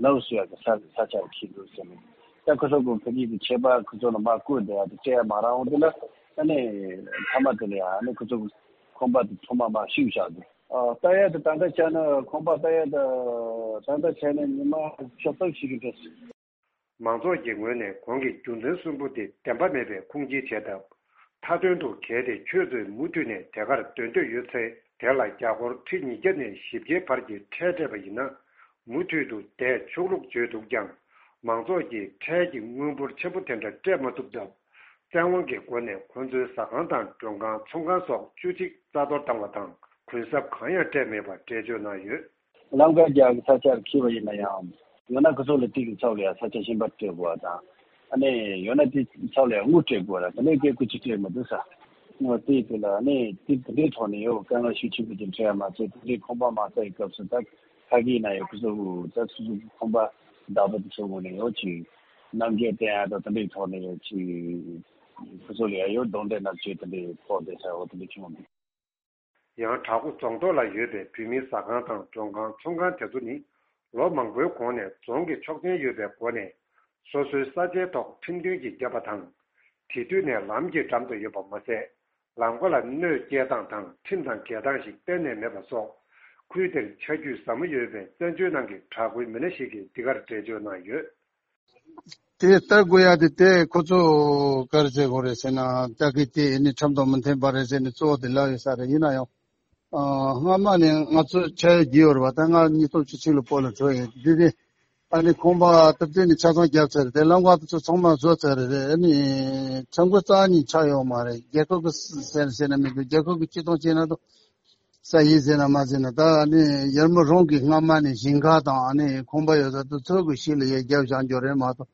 ལའོ་སུ་ཡ་གི་ས་ས་ཆ་ལ་ཁྱེར་དགོས་ཟེར་ནས་ད་ཁོ་ཚོ་གི་ཕ་གི་གི་ཆད་པ་ཁོ་ཚོ་ལ་མ་བསྐུར་བསྡད་ཡ་དེ་སྤྲད་ཡ་མ་རག་འོང་དེ་ལ་ཨ་ནི་མཐའ་མ་དེ་ལ་ཡ་ཨ་ནི་ཁོ་ཚོ་གི་ཁང་པ་དེ་ཚང་མ་མར་བཤིག་བཞག་འདུག་ཨ། ལྟ་ཡ་དེ་ད་ལྟ་བྱས་ན་ཁང་པ་ལྟ་ཡ་དེ་ད་ལྟ་བྱས་ན་ཉི་མ་ཕྱོགས་སྟོབས་ཤིག་གི་འགྲོ་སྲིད། མང་ཚོགས་ཀྱི་ངོས་ནས་གོང་གི་རྒྱུ་མཚན་གསུམ་པོ་དེ་བདེན་པ་མེད་པའི་ཁུངས་སྐྱེལ་བྱས་སྟབས། མཐའ་དོན་དུ་གལ་ཏེ་ཁྱོད་ཚོས་མུ་མཐུད་ནས་དེ་གར་སྡོད་འདོད་ཡོད་ཚེ་དེ་ལ་རྒྱ་སྒོར་ཁྲི་ཉིས་བརྒྱ་ནས་བཞི་བརྒྱའི་བར་གྱི་ཁྲལ་སྤྲད་པ་ཡིན་ན། མུ་མཐུད་དུ་བསྡད་ཆོག་ལུགས་བརྗོད་འདུག་ཀྱང་། མང་ཚོགས་ཀྱིས་ཁྲལ་གྱི་དངུལ་འབོར་ཆེན་པོ་དེ་འདྲ་སྤྲད་མ་ཐུབ་སྟབས། བཙན་དབང་གི་སྒོ་ནས་ཁོ་ཚོའི་ཟ་ཁང་དང་མགྲོན་ཁང་ཚོང་ཁང་སོགས་བཅུ་གཅིག་རྩ་གཏོར་བཏང་བ་དང་གུན་གསབ་གང་ཡང་སྤྲད་མེད་པར་འགྲེལ་བརྗོད་གནང་ཡོད། ལམ་ཁ་རྒྱག་གི་ས་ཆར་འཁྱེར་བ་ཡིན་ན་ཡང་། ཡང་ན་ཁོ་ཚོ་ལ་དེ་གི་ཚབ་ལ་ཡང་ས་ཆ་གཞན་པ་སྤྲད་དགོས་པ་དང་། ཨ་ནི་ཡང་ན་དེ་ཚབ་ལ་ཡང་དངུལ་སྤྲད་དགོས་པ་དང་དེ་ནས་སྐད་ཁུ་ཅི་སྤྲད་མི་འདུག་ས། དངུལ་དེ་དེ་ལ་ཨ་ནི་དེ་དེ་འདྲའི་ཐོག་ནས་ཡོད་དཀའ་ངལ་ཤུགས་ཆེན་པོ་ཅིག་འཕྲད་ཡ་མ་ཚད་དེ་འདྲའི་ཁང་པ་མ་རྩ་ཡི་སྐབས་སུ་ད་ཁ་གི་ན་ཡོད་ཁོ་ཚོ་ད་སོ་སོ་ཁང་པ་བདག་པོ་དེ་ཚོ་ངོས་ནས་ཡོད་ཅིག་རྣམ་འགྱུར་བསྟན་ཡ་དང་དེ་འདྲའི་ཐོག་ནས་ཡོད་ཅིག་ཁོ་ཚོ་ལ་ཡ་ཡོད་གདོང་འདྲེ་ནག་ཅེས་དེ་འདྲའི་ཕོག་བསྡད་ས་འོ་དེ་འདྲ་བྱུང་བ་འདུག་ཡང་བྲག་འགོ་རྫོང་ཐོག་ལ་ཡོད་པའི་བོད་མིའི་ཟ་ཁང་དང་མགྲོན་ཁང་ཚོང་ཁང་དེ་ཚོ་ནི་ལོ་མང་པོའི་གོང་ནས་རྫོང་གི་ཆོག་མཆན་ཡོད་པའི་སྒོ་ནས་སོ་སོའི་ས་ཆའི་ཐོག་ཁྲིམས་མཐུན་གྱིས་བརྒྱབ་པ་དང་། དེ་དུས་ནས་ལམ་གྱི་འགྲམ་དུ་ཡོད་པ་མ་ཟད། ལམ་ཁ་ལ་གནོད་སྐྱེལ་སྟངས་དང་ཁྲིམས་དང་འགལ་སྟངས་ཤིག་གཏན་ནས་མེད་པ་སོགས། ཁུལ་དེར་ཆ་རྒྱུས་ཟབ་མོ་ཡོད་པའི་བཙན་བྱོལ་ནང་གི་བྲག་འགོའི་མི་སྣ་ཞིག་གིས་འདི་གར་འགྲེལ་བརྗོད་གནང་ཡོད། དེ་ལྟ་དགོས་ཡ་དེ་དེ་ཁོ་ཚོ་ག་རེ་བྱེད་དགོས་རེད་ཟེར་ན་ལྟ་གི་དེ་ནི་ཁྲིམས་དང་མི་མཐུན་པ་རེད་ཟེར་ནས་གཙོ་བོ་དེ་ལབ་ཡོད་ས་རེད། ཡིན་ན་ཡང་། ཨ། སྔ་མ་ནས་ང་ཚོ་ཆ་ཡོད་རྒྱུ་ཡོད་རེད་བ། ད་ང་ཉིས་སྟོང་བཅུ་གཅིག་ལ་བོད་ལ་འགྲོ་ཡིན་དེ་དེ། ཨ་ནི་ཁང་པ་སྟབས་བདེ་ནས་ཆ་ཚང་བརྒྱབ་ཚར་རེད། དེ་ལམ་ཁ་དེ་ཚོ་ཚང་མ་བཟོ་ཚར་རེད། ཨ་ནི་ཁྲིམས་འགལ་རྩ་ཉིད་ཆགས་ཡོད་མ་རེད། རྒྱལ་ཁབ་ཀྱི་ཟེར་ཟེར་ན་མི་འདུག་རྒྱལ་ཁབ་ཀྱི་སྤྱི་དོན་བྱས་ན་དང་། ས་ཡིན་ཟེར་ན་མ་ཟེར་ན་ད་ཨ་ནི་ཡར་མར་རང་གི་སྔ་མ་ནས་ཞིང་ཁ་དང་ཨ་ནི་ཁང་པ་ཡོད་ས་དེ་ཚོ་གི་ཕྱི་ལ་ཡར་རྒྱབ་བཞག་རྒྱུ་རེད་མ་གཏོགས།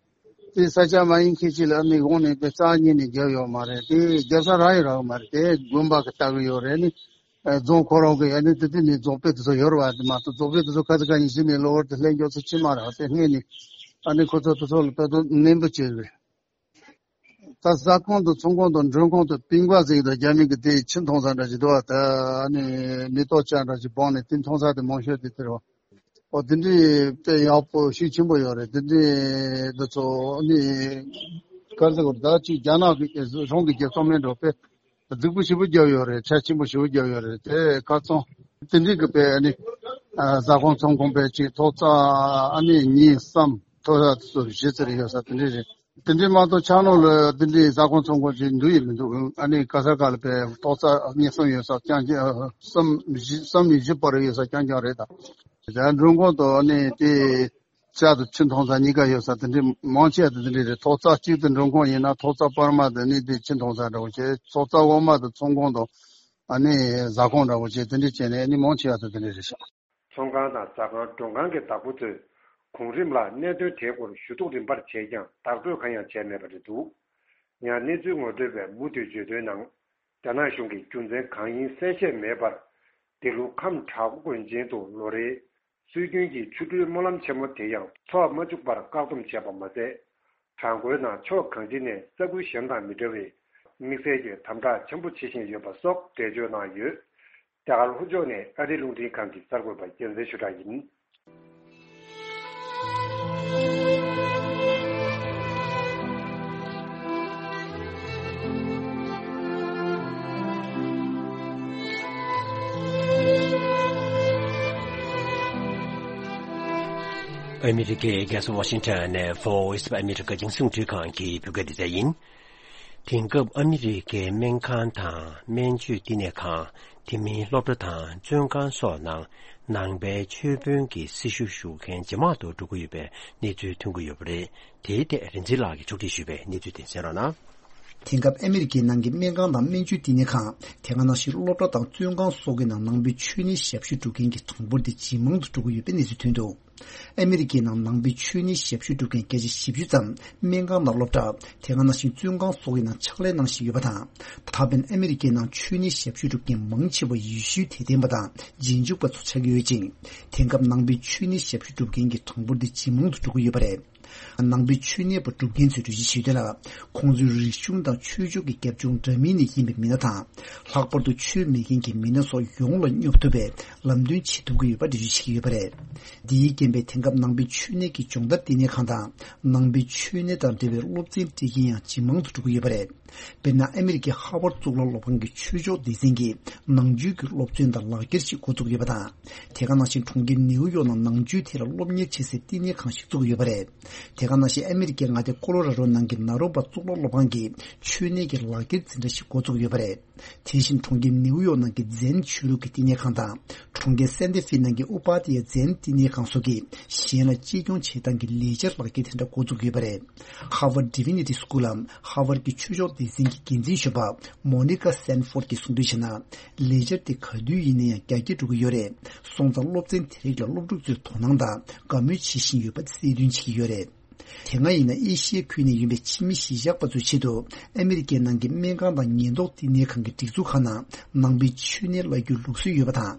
དེ་ས་ཆ་མ་ཡིན་མཁན་ཅིག་ལ་ཨ་ནི་དབང་ནས་དཔེ་རྩ་ཉིད་ནས་རྒྱབ་ཡོད་མ་རེད། དེ་རྒྱབ་ས་རག་ཡོད་རག་མ་རེད། དེ་དགོན་པ་གི་ལྟ་གི་ཡོད་རེད། ཨ་ནི་རྫོང་ཁོ་རང་གི་ཨ་ནི་དེ་དེ་ནས་རྫོང་དཔོན་དེ་ཚོ་ཡོད་རེད་བ། དེ་མ་གཏོགས་རྫོང་དཔོན་དེ་ཚོ་ཁ་ཚ་ཁ་ཉིན་ཕྱི་ནས་གློ་བུར་དུ་སླེབས་མགྱོགས་ཚོ་ཅི་མ་རེད་བ། དེ་སྔས་ནས་ཨ་ནི་ཁོ་ཚོ་དེ་ཚོ་ལ་ལྟ་རྟོག་ནན་པོ་བྱས་རེད། ད་ཟ་ཁང་དང་ཚོང་ཁང་དང་མགྲོན་ཁང་དང་པིང་པ་ཟིག་དང་རྒྱ་མི་གི་དེ་ཆུ་འཐུང་ས་འདྲ་ཞིག་འདུག་བ། ད་ཨ་ནི་མེ་ཏོག་ཅན་འདྲ་ཞིག་སྦངས་ནས་དེ་འཐུང་ས་དེ་མང་ཤོས་དེ་དེ་རེད་བ། ཨོ་དེ་འདྲའི་དཔེ་ཡག་པོ་ཤུགས་ཆེན་པོ་ཡོད་རེད། དེ་འདྲའི་འདི་ཚོ་ནི་ག་རེ་ཟེར་དགོས་རེད། ད་ཅིག་རྒྱ་ནག་གི་རང་གི་རྒྱལ་ཚོགས་མིན་འགྲོ་དཔེ་རྫིག་པོ་ཞེ་པོ་བརྒྱབ་ཡོད་རེད། ཁྲལ་ཆེན་པོ་ཞེ་པོ་བརྒྱབ་ཡོད་རེད། དེ་ཁ་ཚང་དེ་འདྲའི་གི་དཔེ་ནི་ཟ་ཁང་ཚོང་ཁང་དཔེ་ཅིག་ཐོག་རྩ་ཨ་ནི་གཉིས་གསུམ་ཐོག་རྩ་དེ་ཚོ་བཞི་ཙམ་རེ་ཡོད་ས་དེ་འདྲའི་རེད། དེ་འདྲའི་མ་གཏོགས་ཆགས་ནོར་ལ་དེ་འདྲའི་ཟ་ཁང་ཚོང་ཁང་ཅིག་འདུག་ཡིན་མི་འདུག་ཨ་ནི་ག་ས་ག་ལ་དཔེ་ཐོག་རྩ་གཉིས་གསུམ་ཡོད་ས་རྐྱང་རྐྱང་གསུམ་བཞི་གསུམ་ནས་བཞི་བར་ཡོད་ས་རྐྱང་རྐྱང་རེད་ད། ད་མགྲོན་ཁང་དུ་ཨ་ནི་དེ། ལྕགས་དང་ཆུ་འཐུང་ས་གཉིས་ཀ་ཡོད་ས་དེ་འདྲའི་མང་ཆེ་བ་དེ་དེ་འདྲའི་རེད། ཐོག་རྩ་གཅིག་ཏུ་མགྲོན་ཁང་ཡིན་ན་ཐོག་རྩ་བར་མ་དེ་ནི་དེ་ཆུ་འཐུང་ས་འདྲ་བོ་བྱས། ཐོག་རྩ་འོག་མ་དེ་ཚོང་ཁང་དང་ཨ་ནི་ཟ་ཁང་འདྲ་བོ་བྱས། དེ་འདྲའི་བྱས་ནས་ཨ་ནི་མང་ཆེ་བ་དེ་དེ་འདྲའི་རེད་ཤག་ཚོང་ཁང་དང་ཟ་ཁང་མགྲོན་ཁང་གི་བདག་པོ་ཚོས་གོང་རིམ་ལ་གནད་དོན་དེའི་སྐོར་ཞུ་གཏུག་རིམ་པར་བྱས་ཀྱང་བདག་སྤྲོད་གང་ཡང་བྱས་མེད་པ་རེད་འདུག་ཡང་གནས་ཚུལ་ངོ་སྤྲོད་པས་མུ་མཐུད་བརྗོད་དོན་ནང་། རྒྱ་ནག་གཞུང་གིས་རྒྱུ་མཚན་གང་ཡིན་གསལ་བཤད་མེད་པར། འདི་ལོ་ཁམས་བྲག་འགོ་དགོན་ཆེན་དུ་ལོ་རེའི་སྲོལ་རྒྱུན་གྱི་ཆོ་འཕྲུལ་སྨོན་ལམ་ཆེན་མོ་དེ་ཡང་འཚོགས་མ་བཅུག་པར་བཀག་སྡོམ་བྱས་པ་མ་ཟད། བྲག་འགོའི་ནང་ཕྱོགས་གང་ཅི་ནས་ས་ཁུལ་གཞན་དང་མི་འདྲ་བའི་ དམིགས་བསལ་གྱི་དམ་དྲག་ཆེན་པོ་བྱེད་བཞིན་ཡོད་པ་སོགས་འགྲེལ་བརྗོད་གནང་ཡོད། རྒྱ་གར་ལྷོ་ཕྱོགས་ནས་ཨ་རིའི་རླུང་འཕྲིན་ཁང་གི་གསར་འགོད་པ་རྒྱལ་མཚན་ཆོས་གྲགས་ཡིན། ཨ་མི་རི་ཀའི་རྒྱལ་ས་ཝ་ཤིང་ཊོན་ནས་Voice of America་རྒྱང་སྲིང་རླུང་འཕྲིན་ཁང་གི་བོད་སྐད་སྡེ་ཚན་ཡིན། དེང་སྐབས་ཨ་མི་རི་ཀའི་སྨན་ཁང་དང་སྨན་བཅོས་བསྟི་གནས་ཁང་། དེ་མིན་སློབ་གྲྭ་དང་བཙོན་ཁང་སོགས་ནང་ནང་པའི་ཆོས་དཔོན་གྱི་སྲི་ཞུ་ཞུ་མཁན་ཇེ་མང་དུ་འགྲོ་གི་ཡོད་པའི་གནས་ཚུལ་ཐོན་གྱི་ཡོད་པ་རེད། དེའི་ཐད་རིག་འཛིན་ལགས་ཀྱིས་ཕྱོགས་སྒྲིག་ཞུས་པའི་གནས་ཚུལ་དེ་གསན་རོགས་གནང་། དེང་སྐབས་ཨ་མི་རི་ཀའི་ནང་གི་སྨན་ཁང་དང་སྨན་བཅོས་བསྟི་གནས་ཁང་། དེ་ག་ནང་བཞིན་སློབ་གྲྭ་དང་བཙོན་ཁང་སོགས་ཀྱི་ནང་ནང་པའི་ཆོས་ནད་ཞབས་ཞུ་སྒྲུབ་མཁན་གྱི་གྲངས་འབོར་དེ་ཇེ་མང་དུ་འགྲོ་གི་ཡོད་པའི་གནས་ཚུལ་ཐོན་འདུག་ཨ་མི་རི་ཀའི་ནང་ནང་པའི་ཆོས་ནད་ཞབས་ཞུ་སྒྲུབ་མཁན་བརྒྱ་ཆ་བཞི་བཅུ་ཙམ་སྨན་ཁང་དང་སློབ་གྲྭ། དེ་ག་ནང་བཞིན་བཙོན་ཁང་སོགས་ཀྱི་ནང་ཕྱག་ལས་གནང་བཞིན་ཡོད་པ་དང་། ད་ཕན་ཨ་མི་རི་ཀའི་ནང་ཆོས་ནད་ཞབས་ཞུ་སྒྲུབ་མཁན་མང་ཆེ་བ་ཡེ་ཤུའི་དད་ལྡན་པ་དང་རྗེས་འཇུག་པ་ཚོ་ཆགས་ཀྱི་ཡོད་ཅིང་། དེང་སྐབས་ནང་པའི་ཆོས་ནད་ཞབས་ཞུ་སྒྲུབ་མཁན་གྱི་གྲངས་འབོར་འདི་ཇེ་མང་དུ་འགྲོ་གི་ཡོད་པ་རེད། ནང་པའི་ཆོས་ནད་པ་སྒྲུབ་མཁན་ཚོས་འགྲེལ་བརྗོད་བྱས་དོན་ལ། ཁོང་ཚོའི་རིག་གཞུང་དང་ཆོས་ཕྱོགས་ཀྱི་རྒྱབ་ལྗོངས་འདྲ་མིན་ནས་ཡིན་པའི་མི་སྣ་དང་། ལྷག་པར་དུ་ཆོས་མེད་མཁན་གྱི་མི་སྣ་སོགས་ཡོངས་ལ་སྙོབ་ཐུབ་པའི་ལམ་སྟོན་བྱེད་ཐུབ་ཀྱི་ཡོད་པ་འགྲེལ་བརྗོད་བྱེད་ཀྱི་ཡོད་པ་རེད། འདིའི་རྐྱེན་པས་དེང་སྐབས་ནང་པའི་ཆོས་ནད་ཀྱི་སྦྱོང་བརྡར་བསྟི་གནས་ཁང་དང་། ནང་པའི་ཆོས་ནད་དང་འབྲེལ་བའི་སློབ་ཚན་སྤྲད་མཁན་ཡང་ཇེ་མང་དུ་འགྲོ་གི་ཡོད་པ་རེད། དཔེར་ན། ཨ་མི་རི་ཀའི་ཧ་ཝར་གཙུག་ལག་སློབ་ཁང་གི་ཆོས་ཕྱོགས་སྡེ་ཚན་གྱིས་ནང་ཆོས་ཀྱི་སློབ་ཚན་དང་ལག་འཁྱེར་ཞིག་འགོ་བཙུགས་ཡོད་པ་དང་། དེ་ག་ནང་བཞིན་གྲོང་ཁྱེར་ནེའུ་ཡོག་ནང་ནང་ཆོས་ཐད་ལ་སློབ་གཉེར་བྱེད་སའི་བསྟི་གནས་ཁང་ཞིག་བཙུགས་ཡོད་པ་རེད། དེ་ག་ནང་བཞིན་ཨ་མི་རི་ཀའི་མངའ་སྡེ་ཀོ་ལོ་ར་རོ་ནང་གི་ནཱ་རོ་པ་གཙུག་ལག་སློབ་ཁང་གིས་ཆོས་ནད་ཀྱི་ལག་འཁྱེར་འཛིན་གྲྭ་ཞིག་འགོ་བཙུགས་ཡོད་པ་རེད། དེ་བཞིན་གྲོང་ཁྱེར་ནེའུ་ཡོག་ནང་གི་ཛེན་ཆོས་ལུགས་ཀྱི་བསྟི་གནས་ཁང་དང་། གྲོང་ཁྱེར་སན་ཏི་ཧྥེ་ནང་གི་ཨུ་པ་དི་ཡ་ཛེན་བསྟི་གནས་ཁང་སོགས་ཀྱིས་གཞན་ལ་གཅེས་སྐྱོང་བྱེད་སྟངས་ཀྱི་ལས་འཆར་ལག་འཁྱེར་དེ་འདྲ་འགོ་བཙུགས་ཡོད་པ་རེད། ཧ་ཝར་ཌི་ཝི་ནི་ཊི་སི་ཀུལ་ལམ་ཧ་ཝར་གྱི་ཆོས་ཕྱོགས་སྡེ་ཚན་གྱི་འགན་འཛིན་གཞོན་པ་མོ་ནི་ཀ་སན་ཧྥོར་གྱིས་གསུངས་དོན་བྱས་ན། ལས་འཆར་དེ་ག་དུས་ཡིན་ན་ཡང་རྒྱ་སྐྱེད་འགྲོ་གི་ཡོད་རེད། སོང་ཙང་སློབ་ཚན་དེ་རིགས་ལ་སློབ་ཕྲུག་ཚོས་དོ་སྣང་དང་དགའ་མོས་བྱེད་བཞིན་ཡོད་པ་གསལ་སྟོན་བྱེད་ཀྱི་ཡོད་རེད། དེ་སྔ་ཡིན་ན་ཨེ་ཤི་ཡའི་ཁུལ་ནས་ཡིན་པའི་ཕྱི་མི་གཞིས་ཆགས་པ་ཚོའི་ཆེད་དུ་ཨ་མི་རི་ཀའི་ནང་གི་སྨན་ཁང་དང་ཉེན་རྟོག་བསྟི་གནས་ཁང་གི་སྒྲིག་འཛུགས་ཁག་ནང་ནང་པའི་ཆོས་ནད་བརླག་རྒྱུའི་ལུགས་སྲོལ་ཡོད་པ་དང་།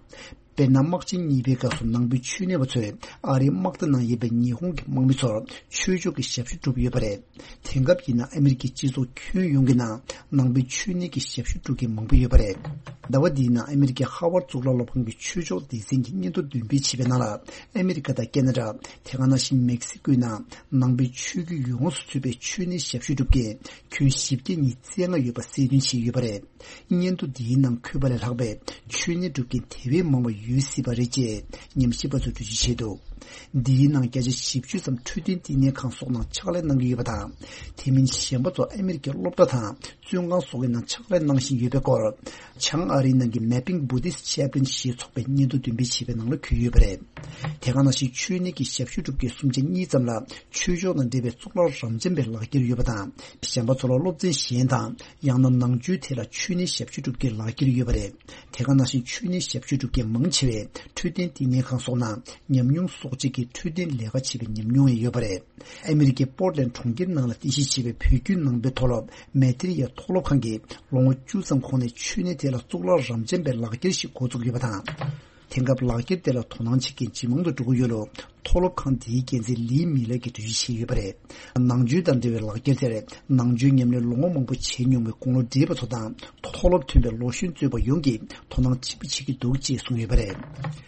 དཔེར་ན། དམག་ཆེན་གཉིས་པའི་སྐབས་སུ་ནང་པའི་ཆོས་ནད་པ་ཚོས་ཨ་རིའི་དམག་སྡེ་ནང་ཡོད་པའི་ཉི་ཧོང་གི་དམག་མི་ཚོར་ཆོས་ཕྱོགས་ཀྱི་ཞབས་ཞུ་བསྒྲུབས་ཡོད་པ་རེད། དེང་སྐབས་ཡིན་ན་ཨ་མི་རི་ཀའི་སྤྱི་ཚོགས་ཁྱོན་ཡོངས་ཀྱི་ནང་ནང་པའི་ཆོས་ནད་ཀྱི་ཞབས་ཞུ་སྒྲུབ་མཁན་མང་པོ་ཡོད་པ་རེད། ཟླ་བ་འདིའི་ནང་ཨ་མི་རི་ཀའི་ཧ་ཝར་གཙུག་ལག་སློབ་ཁང་གི་ཆོས་ཕྱོགས་སྡེ་ཚན་གྱིས་སྙན་ཐོ་འདོན་སྤེལ་བྱས་པའི་ནང་ལ། ཨ་མི་རི་ཀ་དང་ཁེ་ན་ཌ། དེ་ག་ནང་བཞིན་མེག་སི་ཀོའི་ནང་ནང་པའི་ཆོས་བརྒྱུད་ཡོངས་སུ་ཚུད་པའི་ཆོས་ནད་ཞབས་ཞུ་སྒྲུབ་མཁན་ཁྱོན་བཞི་བརྒྱ་ཉིས་བརྩེགས་ལྔ་ཡོད་པ་གསལ་སྟོན་བྱས་ཡོད་པ་རེད། སྙན་ཐོ་འདིའི་ནང་འཁོད་པ་ལས་ལྷག་པའི་ཆོས་ནད་སྒྲུབ་མཁན་དེ་བས་མང་བ་ཡོད་སྲིད་པ་རེད་ཅེས་ཉམས་ཞིབ་པ་ཚོས་འགྲེལ་བརྗོད་བྱས་འདུག་འདིའི་ནང་བརྒྱ་ཆ་བཞི་བཅུ་ཙམ་འཕྲོད་བསྟེན་བསྟི་གནས་ཁང་སོགས་ནང་ཕྱག་ལས་གནང་གི་ཡོད་པ་དང་། དེ་མིན་གཞན་པ་ཚོ་ཨ་མི་རི་ཀའི་སློབ་གྲྭ་དང་བཙོན་ཁང་སོགས་ཀྱི་ནང་ཕྱག་ལས་གནང་བཞིན་ཡོད་པའི་སྐོར། བྱང་ཨ་རིའི་ནང་གི་Mapping Buddhist Chaplain་ཞེས་ཚོགས་པས་སྙན་ཐོ་འདོན་སྤེལ་བྱས་པའི་ནང་ལ་འཁོད་ཡོད་པ་རེད། དེ་ག་ནང་བཞིན་ཆོས་ནད་ཀྱི་ཞབས་ཞུ་སྒྲུབ་མཁན་སུམ་ཆ་གཉིས་ཙམ་ལ་ཆོས་ཕྱོགས་དང་འབྲེལ་བའི་གཙུག་ལག་རབ་འབྱམས་པའི་ལག་འཁྱེར་ཡོད་པ་དང་། གཞན་པ་ཚོ་ལ་སློབ་ཚན་གཞན་དང་། ཡང་ན་ནང་ཆོས་ཐད་ལ་ཆོས་ནད་ཞབས་ཞུ་སྒྲུབ་མཁན་ལག་འཁྱེར་ཡོད་པ་རེད། དེ་ག་ནང་བཞིན་ཆོས་ནད་ཞབས་ཞུ་སྒྲུབ་མཁན་མང་ཆེ་བས་འཕྲོད་བསྟེན་བསྟི་གནས་ཁང་སོགས་ནང་ཉམས་མྱོང་གསོག་བྱེད་ཀྱི་འཕྲོད་བསྟེན་ལས་ཀ་བྱེད་པའི་ཉམས་མྱོང་ཡང་ཡོད་པ་རེད། ཨ་མི་རི་ཀའི་པོར་ལན་གྲོང་ཁྱེར་ནང་ལ་རྟེན་གཞི་བྱས་པའི་བོད་བརྒྱུད་ནང་པའི་མཐོ་སློབ་མེ་ཏི་རི་ཡ་མཐོ་སློབ་ཁང་གིས་ལོ་ངོ་བཅུ་ཙམ་གོང་ནས་ཆོས་ནད་ཐད་ལ་གཙུག་ལག་རབ་འབྱམས་པའི་ལག་འཁྱེར་ཞིག་འགོ་བཙུགས་ཡོད་པ་དང་། དེང་སྐབས་ལག་འཁྱེར་དེ་ལ་དོ་སྣང་བྱེད་མཁན་ཇེ་མང་དུ་འགྲོ་གི་ཡོད་ལུགས་མཐོ་སློབ་ཁང་འདིའི་འགན་འཛིན་ལི་མི་ལར་གྱིས་འགྲེལ་བརྗོད་བྱས་ཡོད་པ་རེད། ནང་ཆོས་དང་འབྲེལ་བའི་ལག་འཁྱེར་དེར་ནང་ཆོས་ཉམས་ལེན་ལོ་ངོ་མང་པོ་བྱས་མྱོང་བའི་དགུང་ལོ་བགྲེས་པ་ཚོ་དང་མཐོ་སློབ་ཐོན་པའི་ལོ་གཞོན་གཙོས་པ་ཡོངས་ཀྱིས་དོ་སྣང་ཆེན་པོ་བྱེད་ཀྱི་འདུག་ཅེས་གསུངས་ཡོད་པ་རེད།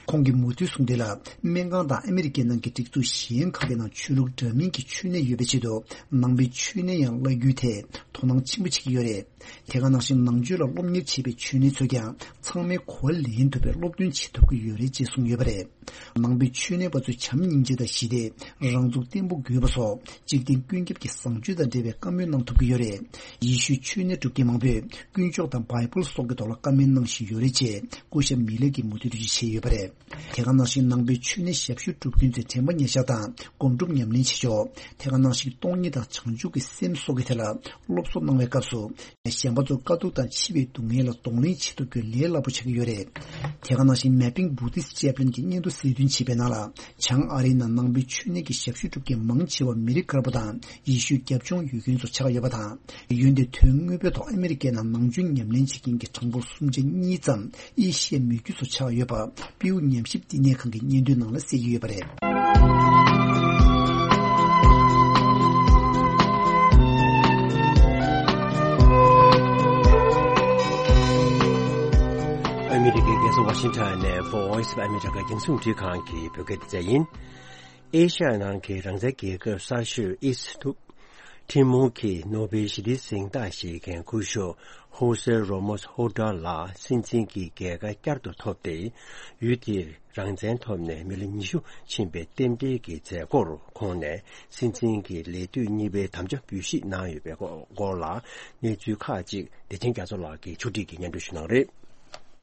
ཁོང་གིས་མུ་མཐུད་གསུངས་དོན་ལ། སྨན་ཁང་དང་ཨ་མི་རི་ཀའི་ནང་གི་སྒྲིག་འཛུགས་གཞན་ཁག་གི་ནང་ཆོས་ལུགས་འདྲ་མིན་གྱི་ཆོས་ནད་ཡོད་པའི་ཆེད་དུ་ནང་པའི་ཆོས་ནད་ཡང་བརླག་རྒྱུའི་ཐད་དོ་སྣང་ཆེན་པོ་བྱེད་ཀྱི་ཡོད་རེད། དེ་ག་ནང་བཞིན་ནང་ཆོས་ལ་སློབ་གཉེར་བྱེད་པའི་ཆོས་ནད་ཚོས་ཀྱང་ཚང་མས་གོ་བ་ལེན་ཐུབ་པའི་སློབ་སྟོན་བྱེད་ཐུབ་ཀྱི་ཡོད་རེད་ཅེས་གསུངས་ཡོད་པ་རེད། ནང་པའི་ཆོས་ནད་པ་ཚོས་བྱམས་སྙིང་རྗེ་དང་ཞི་བདེ། རང་ཚུགས་བརྟན་པོ་དགོས་པ་སོགས་འཇིག་རྟེན་ཀུན་ཁྱབ་ཀྱི་བཟང་སྤྱོད་དང་འབྲེལ་བའི་བཀའ་མོལ་གནང་ཐུབ་ཀྱི་ཡོད་རེད། ཡེ་ཤུའི་ཆོས་ནད་སྒྲུབ་མཁན་མང་པོས་དཀོན་མཆོག་དང་བྷའི་བལ་སོགས་ཀྱི་ཐོག་ལ་བཀའ་མོལ་གནང་བཞིན་ཡོད་རེད་ཅེས་སྐུ་ཞབས་མི་ལར་གྱིས་མུ་མཐུད་འགྲེལ་བརྗོད་བྱས་ཡོད་པ་རེད། དེ་ག་ནང་བཞིན་ནང་པའི་ཆོས་ནད་ཞབས་ཞུ་སྒྲུབ་མཁན་ཚོས་དྲན་པ་ཉེར་བཞག་དང་སྒོམ་སྒྲུབ་ཉམས་ལེན་བྱེད་ཕྱོགས། དེ་ག་ནང་བཞིན་སྟོང་ཉིད་དང་བྱང་ཆུབ་ཀྱི་སེམས་སོགས་ཀྱི་ཐད་ལ་སློབ་གསོ་གནང་བའི་སྐབས་སུ། གཞན་པ་ཚོར་དཀའ་སྡུག་དང་འཆི་བའི་སྡུག་བསྔལ་ལ་གདོང་ལེན་བྱེད་ཐུབ་རྒྱུ་ལས་སླ་པོ་ཆགས་ཀྱི་ཡོད་རེད། དེ་ག་ནང་བཞིན་Mapping Buddhist Chaplain་གྱིས་སྙན་ཐོ་གསལ་སྟོན་བྱས་པའི་ནང་ལ། བྱང་ཨ་རིའི་ནང་ནང་པའི་ཆོས་ནད་ཀྱི་ཞབས་ཞུ་སྒྲུབ་མཁན་མང་ཆེ་བ་མི་རིགས་དཀར་པོ་དང་ཡེ་ཤུའི་རྒྱབ་ལྗོངས་ཡོད་མཁན་ཚོ་ཆགས་ཡོད་པ་དང་། འོན་ཏེ་དོན་དངོས་པོའི་ཐོག་ཨ་མི་རི་ཀའི་ནང་ནང་ཆོས་ཉམས་ལེན་བྱེད་མཁན་གྱི་གྲངས་འབོར་སུམ་ཆ་གཉིས་ཙམ་ཨེ་ཤི་ཡའི་མི་རྒྱུད་ཚོ་ཆགས་ཡོད་པ་པིའུ་ཉམས་ཞིབ་བསྟི་གནས་ཁང་གི་སྙན་ཐོའི་ནང་ལ་གསལ་གྱི་ཡོད་པ་རེད། Washington ནས Voice of America རྒྱང་སྲིང་འཕྲིན་ཁང་གི་བོད་སྐད་སྡེ་ཚན་ཡིན། ཨེ་ཤ་ཡ་ནང་གི་རང་བཙན་རྒྱལ་ཁབ་གསར་ཤོས་ཨིས་ཐི་མོར་གྱི་ནོ་བེལ་ཞི་བདེའི་གཟེངས་རྟགས་བཞེས་མཁན་སྐུ་ཞབས་ཧོ་སེ་རོ་མོས་ཧོ་ཏཱ་ལགས་སྲིད་འཛིན་གྱི་རྒྱལ་ཁ་བསྐྱར་དུ་ཐོབ་སྟེ། ཡུལ་དེར་རང་བཙན་ཐོབ་ནས་མི་ལོ་ཉི་ཤུ་ཕྱིན་པའི་རྟེན་འབྲེལ་གྱི་མཛད་སྒོར་ཁོང་ནས་སྲིད་འཛིན་གྱི་ལས་དུས་གཉིས་པའི་དམ་བཅའ་འབུལ་བཞེས་གནང་ཡོད་པའི་སྐོར་ལ་གནས་ཚུལ་ཁག་ཅིག་བདེ་ཆེན་རྒྱ་མཚོ་ལགས་ཀྱིས་ཕྱོགས་སྒྲིག་གིས་སྙན་སྒྲོན་ཞུ་གནང་རེད།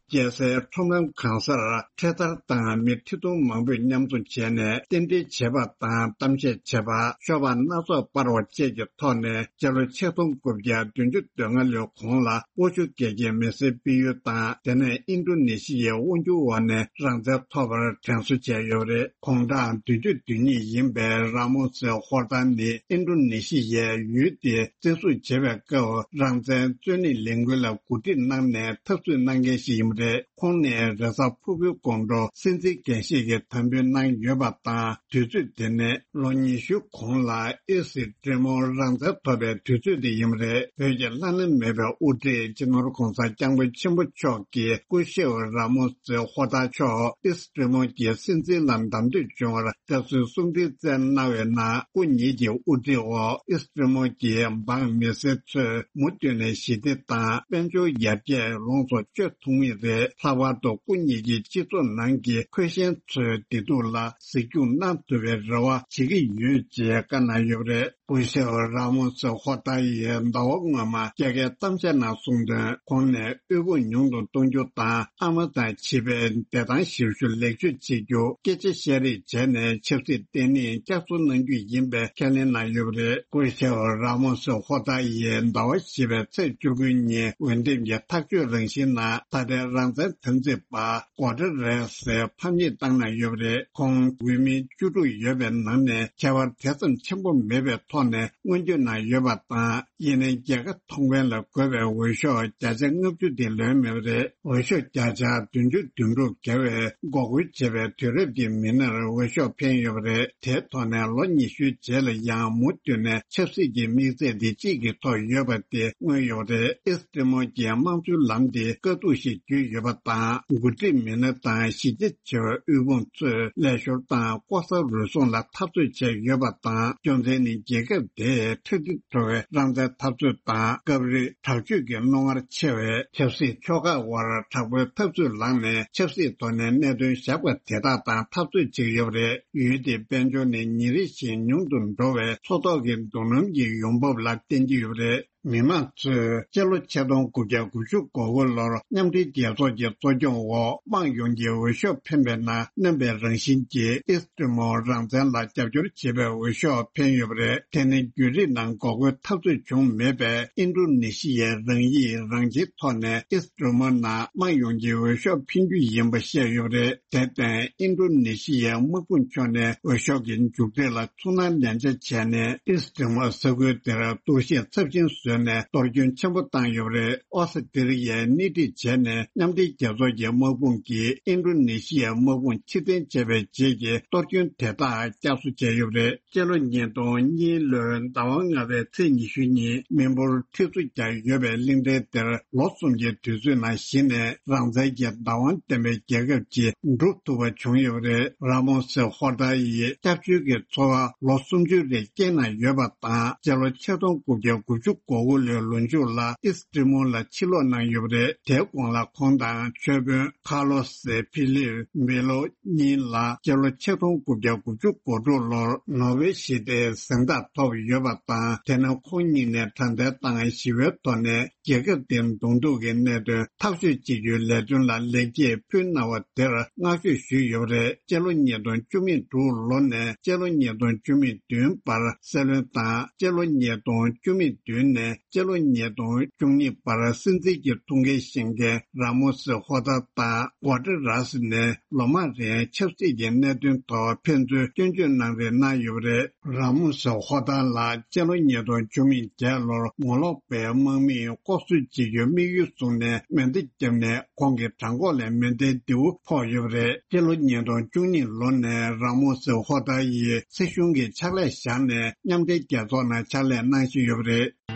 རྒྱལ་སའི་ཁྲོམ་ར་གང་སར་འཕྲེད་དར་དང་མི་ཁྲི་སྟོང་མང་པོས་མཉམ་འཛོམས་བྱས་ནས་རྟེན་འབྲེལ་བྱེད་པ་དང་གཏམ་བཤད་བྱེད་པ། ཤོག་སྦག་སྣ་ཚོགས་སྤར་བ་བཅས་ཀྱི་ཐོག་ནས་སྤྱི་ལོ་ཆིག་སྟོང་དགུ་བརྒྱ་བདུན་ཅུ་དོན་ལྔ་ལོའི་གོང་ལ་ཨུ་ཆུ་རྒྱལ་ཁབ་མི་སེར་སྤེལ་ཡུལ་དང་། དེ་ནས་ཨིན་ཌོ་ནེ་ཤི་ཡའི་དབང་སྒྱུར་འོག་ནས་རང་བཙན་ཐོབ་པར་དྲན་གསོ་བྱས་ཡོད་པ་རེད། དགུང་གྲངས་བདུན་ཅུ་དོན་གཉིས་ཡིན་པའི་ར་མོ་སེ་ཧོར་ཐར་ནི་ཨིན་ཌོ་ནེ་ཤི་ཡའི་ཡུལ་དེ་བཙན་བཟུང་བྱེད་པའི་སྐབས་རང་བཙན་རྩོད་གླེང་ལས་འགུལ་ལ་གོ་སྒྲིག་གནང་ནས་འཐབ་རྩོད་གནང་མཁན་ཞིག་ཡིན་པ་རེད། ཁོང་ནས་རེས་གཟའ་ཕུར་བུའི་དགོང་དྲོ་སྲིད་འཛིན་འགན་བཞེས་ཀྱི་དམ་འབུལ་གནང་ཡོད་པ་དང་། དུས་ཚོད་དེ་ནི་ལོ་ཉི་ཤུའི་གོང་ལ་ཨིས་ཊི་ཊི་མོར་རང་བཙན་ཐོབ་པའི་དུས་ཚོད་དེ་ཡིན་པ་རེད། བོད་ཀྱི་བླ་ན་མེད་པའི་དབུ་ཁྲིད་སྤྱི་ནོར་གོང་ས་སྐྱབས་མགོན་ཆེན་པོ་མཆོག་གིས་སྐུ་ཞབས་ར་མོ་སེ་ཧོ་ཐར་མཆོག་ཨིས་ཊི་ཊི་མོར་གྱི་སྲིད་འཛིན་ལ་བདམས་ཐོན་བྱུང་བར་བཀའ་ཟུར་གསུང་འཕྲིན་བསྩལ་གནང་བའི་ནང་། སྐུ་ཉིད་ཀྱི་དབུ་ཁྲིད་འོག་ཨིས་ཊི་ཊི་མོར་གྱི་འབངས་མི་སེར་ཚོས་མུ་མཐུད་ནས་ཞི་བདེ་དང་དཔལ་འབྱོར་ཡར་རྒྱས་ལོངས་སུ་སྤྱོད་ཐུབ་ངེས་རེད། ལྷག་པར་དུ་སྐུ་ཉིད་ཀྱི་སྤྱི་ཚོགས་ནང་གི་འཁོས་ཞན་ཚོའི་བདེ་སྡུག་ལ་གཟིགས་སྐྱོང་གནང་ཐུབ་པའི་རེ་བ་བྱེད་ཀྱི་ཡོད་ཅེས་བཀའ་གནང་ཡོད་པ་རེད། སྐུ་ཞབས་ར་མོ་སེ་ཧོ་ཐར་ཡིས་ཟླ་བ་སྔོན་མ་རྒྱ་སྐད་གཏམ་བཤད་ནང་གསུངས་དོན། ཁོང་ནས་དབུལ་ཕོངས་ཉུང་དུ་གཏོང་རྒྱུ་དང་། ཨ་མ་དང་བྱིས་པའི་བདེ་ཐང་ཞབས་ཞུ་ལེགས་བཅོས་བྱེད་རྒྱུ། སྐད་ཆ་བཤད་རེས་བྱས་ནས་ཆབ་སྲིད་བརྟན་ལྷིང་བསྐྱར་གསོ་གནང་རྒྱུ་ཡིན་པའི་ཁས་ལེན་གནང་ཡོད་པ་རེད། སྐུ་ཞབས་ར་མོ་སེ་ཧོ་ཐར་ཡིས་ཟླ་བ་བཞི་པའི་ཚེས་བཅུ་དགུ་ཉིན་འོས་འདེམས་ཀྱི་ཐག་གཅོད་རང་བཞིན་ནང་། ད་ལྟའི་རང་བཙན་འཐབ་འཛིང་པ་གོ་ཏྲ་རེས་སི་ཕམ་ཉེས་བཏང་གནང་ཡོད་པ་རེད། ཁོང་འོས་མི་བཅུ་དྲུག་ཡོད་པའི་ནང་ནས་ཁྱད་པར་དེ་ཙམ་ཆེན་པོ་མེད་པའི་ཐོག་ནས་མངོན་བསྟོད་གནང་ཡོད་པ་དང་། ཡིན་ནའི་རྒྱལ་ཁ་མཐོང་མཁན་ལ་དགོས་པའི་འོས་ཤོག་བརྒྱ་ཆ་ལྔ་བཅུ་དེ་ལོན་མེད་པ་རེད། འོས་ཤོག་བརྒྱ་ཆ་བདུན་ཅུ་དོན་དྲུག་བརྒལ་བའི་འགོག་རྒོལ་བྱས་པའི་དུས་རབས་ཀྱི་མི་སྣར་འོས་ཤོག་འཕེན་ཡོད་པ་རེད། དེའི་ཐོག་ནས་ལོ་ཉི་ཤུའི་རྗེས་ལ་ཡང་མུ་མཐུད་ནས་ཆབ་སྲིད་ཀྱི་དམིགས་ཚད་འདི་གཅིག་གི་ཐོག་ཡོད་པ་དེ་མངོན་ཡོད་པ་རེད། ཨིས་ཊི་མོར་གྱི་དམངས་གཙོའི་ལམ་དེ་དཀའ་སྡུག་ཞིག་བརྒྱུད་ཡོད་པ་དང་། འགོ་ཁྲིད་མི་སྣ་དང་གཞི་རྒྱ་ཆེ་བའི་དབུལ་ཕོངས་ཚོས་ལས་ཞོར་དང་ལྐོག་ཟ་རུལ་སུངས་ལ་འཐབ་རྩོད་བྱས་ཡོད་པ་དང་། རྒྱུ་མཚན་ནི་རྒྱལ་ཁབ་དེའི་ཁྲག་དྲི་བྲོ་བའི་རང་བཙན་འཐབ་རྩོད་དང་། སྐབས་རེ་དྲག་སྤྱོད་ཀྱི་རྣོ་ངར་ཆེ་བའི་ཆབ་སྲིད་ཕྱོགས་ཁག་དབར་དྲག་པོའི་འཐབ་རྩོད་ལངས་ནས། ཆབ་སྲིད་ཐོག་ནས་གནད་དོན་བཞག་པ་དེ་དག་དང་འཐབ་རྩོད་བྱེད་ཀྱི་ཡོད་པ་རེད། ཡུལ་དེའི་དཔལ་འབྱོར་ནི་ཉིན་རེ་བཞིན་ཉུང་དུ་འགྲོ་བའི་འཚོ་ཐོག་གི་སྡུག་རུས་ཀྱི་ཡོང་འབབ་ལ་བརྟེན་གྱི་ཡོད་པ་རེད། མི་མང་ཚོས་སྤྱི་ལོ་ཆིག་སྟོང་དགུ་བརྒྱ་དགུ་བཅུ་གོ་དགུ་ལོར་མཉམ་འབྲེལ་རྒྱལ་ཚོགས་ཀྱི་གཙོ་སྐྱོང་འོག་དམངས་ཡོངས་ཀྱིས་འོས་ཤོག་འཕེན་པའི་ནང་། རྣམ་པའི་རང་བཞིན་གྱིས་ཨིས་ཊི་མོར་རང་བཙན་ལ་རྒྱབ་སྐྱོར་བྱེད་པའི་འོས་ཤོག་འཕེན་ཡོད་པ་རེད། དེ་ནི་བརྒྱུད་རིམ་ནང་འགོག་རྒོལ་འཐབ་རྩོད་བྱུང་མེད་པའི་ཨིན་ཌོ་ནེ་ཤི་ཡའི་རང་ཡིག་རང་འཁྱེར་ཐོག་ནས་ཨིས་ཊི་མོར་ནང་དམངས་ཡོངས་ཀྱིས་འོས་ཤོག་འཕེན་རྒྱུ་ཡིན་པ་བཤད་ཡོད་པ་རེད། དེར་བརྟེན། ཨིན་ཌོ་ནེ་ཤི་ཡའི་དམག་དཔུང་ཕྱོགས་ནས་འོས་ཤོག་གི་མཇུག་འབྲས་ལ་ཚུར་སྣང་ཉན་ཆ་བྱས་ནས། ཨིས་ཊི་མོར་ས་ཁུལ་དེར་གཏོར་བཤིག་ཚབས་ཆེན་བཟོས་ནས་གཏོར་སྐྱོན་ཆེན་པོ་བཏང་ཡོད་པ་རེད། ཨོ་སི་ཏི་རི་ཡས་སྣེ་ཁྲིད་བྱས་ནས་མཉམ་འབྲེལ་རྒྱལ་ཚོགས་ཀྱི་དམག་དཔུང་གིས་ཨིན་ཌོ་ནེ་ཤི་ཡའི་དམག་དཔུང་ཕྱིར་འཐེན་བྱས་པའི་རྗེས་ཀྱི་གཏོར་སྐྱོན་དེ་དག་བསྐྱར་གསོ་བྱས་ཡོད་པ་རེད། སྤྱི་ལོ་ཉིས་སྟོང་གཉིས་ལོའི་ཟླ་བ་ལྔ་པའི་ཚེས་ཉི་ཤུ་ཉིན་མི་འབོར་ཁྲི་ཚོ་བརྒྱ་ཡོད་པའི་གླིང་ཕྲན་དེར་ལོ་གསུམ་གྱི་དུས་ཚོད་ནང་གཞི་ནས་རང་བཙན་གྱི་བདག་དབང་ལྡན་པའི་རྒྱལ་ཁབ་ཅིག་འགྲུབ་ཐུབ་པ་བྱུང་ཡོད་པ་རེད། ར་མོ་སེ་ཧོ་ཏཱ་ཡིས་སྐྱབས་བཅོལ་གྱི་འཚོ་བ་ལོ་སུམ་ཅུ་རེ་བསྐྱལ་གནང་ཡོད་པ་དང་། སྤྱི་ལོ་ཆིག་སྟོང་དགུ་བརྒྱ་དགུ་བཅུ་གོ་དགུ་ལོའི་ལོ་མཇུག་ལ་ཨིས་ཊི་མོར་ལ་ཕྱིར་ལོག་གནང་ཡོད་པ་རེད། དེའི་གོང་ལ་ཁོང་དང་ཆོས་དཔོན་ཁ་ལོ་སེ་ཕི་ལིབ་མེ་ལོ་གཉིས་ལ་སྤྱི་ལོ་ཆིག་སྟོང་དགུ་བརྒྱ་དགུ་བཅུ་གོ་དྲུག་ལོར་ནོ་བེལ་ཞི་བདེའི་གཟེངས་རྟགས་ཐོབ་ཡོད་པ་དང་། དེ་ནས་ཁོང་གཉིས་ནས་དྲང་བདེན་དང་ཞི་བའི་ཐོག་ནས་རྒྱལ་ཁབ་དེའི་གདོང་ཐུག་གི་གནད་དོན་ཐག་གཅོད་བྱེད་རྒྱུའི་ལས་དོན་ལ་ལེགས་སྐྱེས་ཕུལ་གནང་བ་དེར་བསྔགས་བརྗོད་ཞུས་ཡོད་པ་རེད། སྤྱི་ལོ་ཉིས་སྟོང་བཅུ་མེད་དྲུག་ལོ་ནས་སྤྱི་ལོ་ཉིས་སྟོང་བཅུ་མེད་བདུན་བར་སྲིད་བློན་དང་། སྤྱི་ལོ་ཉིས་སྟོང་བཅུ་མེད་བདུན་ནས་སྤྱི་ལོ་ཉིས་སྟོང་བཅུ་གཉིས་བར་སྲིད་འཛིན་གྱི་ཐུགས་འགན་བཞེས་མཁན་ར་མོ་སེ་ཧོ་ཏཱ་དང་གོ་ཏྲ་ར་སི་ནས་ལོ་མང་རིང་ཆབ་སྲིད་ཀྱི་གནད་དོན་ཐོག་ཕན་ཚུན་སྐྱོན་བརྗོད་གནང་རེས་གནང་ཡོད་པ་རེད། ར་མོ་སེ་ཧོ་ཏཱ་ལགས་སྤྱི་ལོ་ཉིས་སྟོང་བཅུ་མེད་བརྒྱད་ལོར་ངོ་ལོག་པའི་དམག་མིས་ལྐོག་གསོད་བྱེད་རྒྱུའི་དམིགས་ཡུལ་བཟུང་ནས་མེ་མདའ་བརྒྱབ་ནས། ཁོང་གི་བྲང་ཁོག་ལ་མེ་མདའི་མདེའུ་ཕོག་ཡོད་པ་རེད། སྤྱི་ལོ་ཉིས་སྟོང་བཅུ་གཉིས་ལོ་ནས་ར་མོ་སེ་ཧོ་ཏཱ་ཡིས་སྲིད་གཞུང་གི་ཕྱག་ལས་བཞག་ནས་མཉམ་འབྲེལ་རྒྱལ་ཚོགས་ནང་ཕྱག་ལས་གནང་བཞིན་ཡོད་པ་རེད།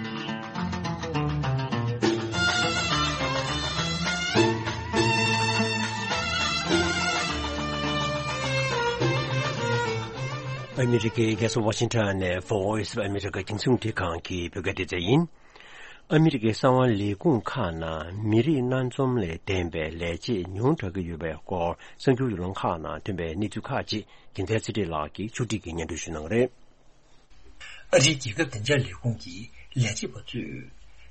ཨ་མི་རི་ཀའི་རྒྱལ་ས་ཝ་ཤིང་ཊོན་ནས་Voice of America རྒྱང་སྲིང་རླུང་འཕྲིན་ཁང་གི་བོད་སྐད་སྡེ་ཚན་ཡིན། ཨ་མི་རི་ཀའི་གསང་བའི་ལས་ཁུངས་ཁག་ནང་མི་རིགས་སྣ་འཛོམས་ལས་ལྡན་པའི་ལས་བྱེད་ཉུང་དྲགས་ཀྱི་ཡོད་པའི་སྐོར་གསར་འགྱུར་ཡོད་ལམ་ཁག་ནང་ཐོན་པའི་གནས་ཚུལ་ཁག་ཅིག་རྒྱལ་མཚན་ཚེ་རིང་ལགས་ཀྱིས་ཕྱོགས་སྒྲིག་གིས་སྙན་སྒྲོན་ཞུ་གནང་གི་རེད། ཨ་རིའི་རྒྱལ་ཁབ་བདེ་འཇགས་ལས་ཁུངས་ཀྱི་ལས་བྱེད་པ་ཚོས་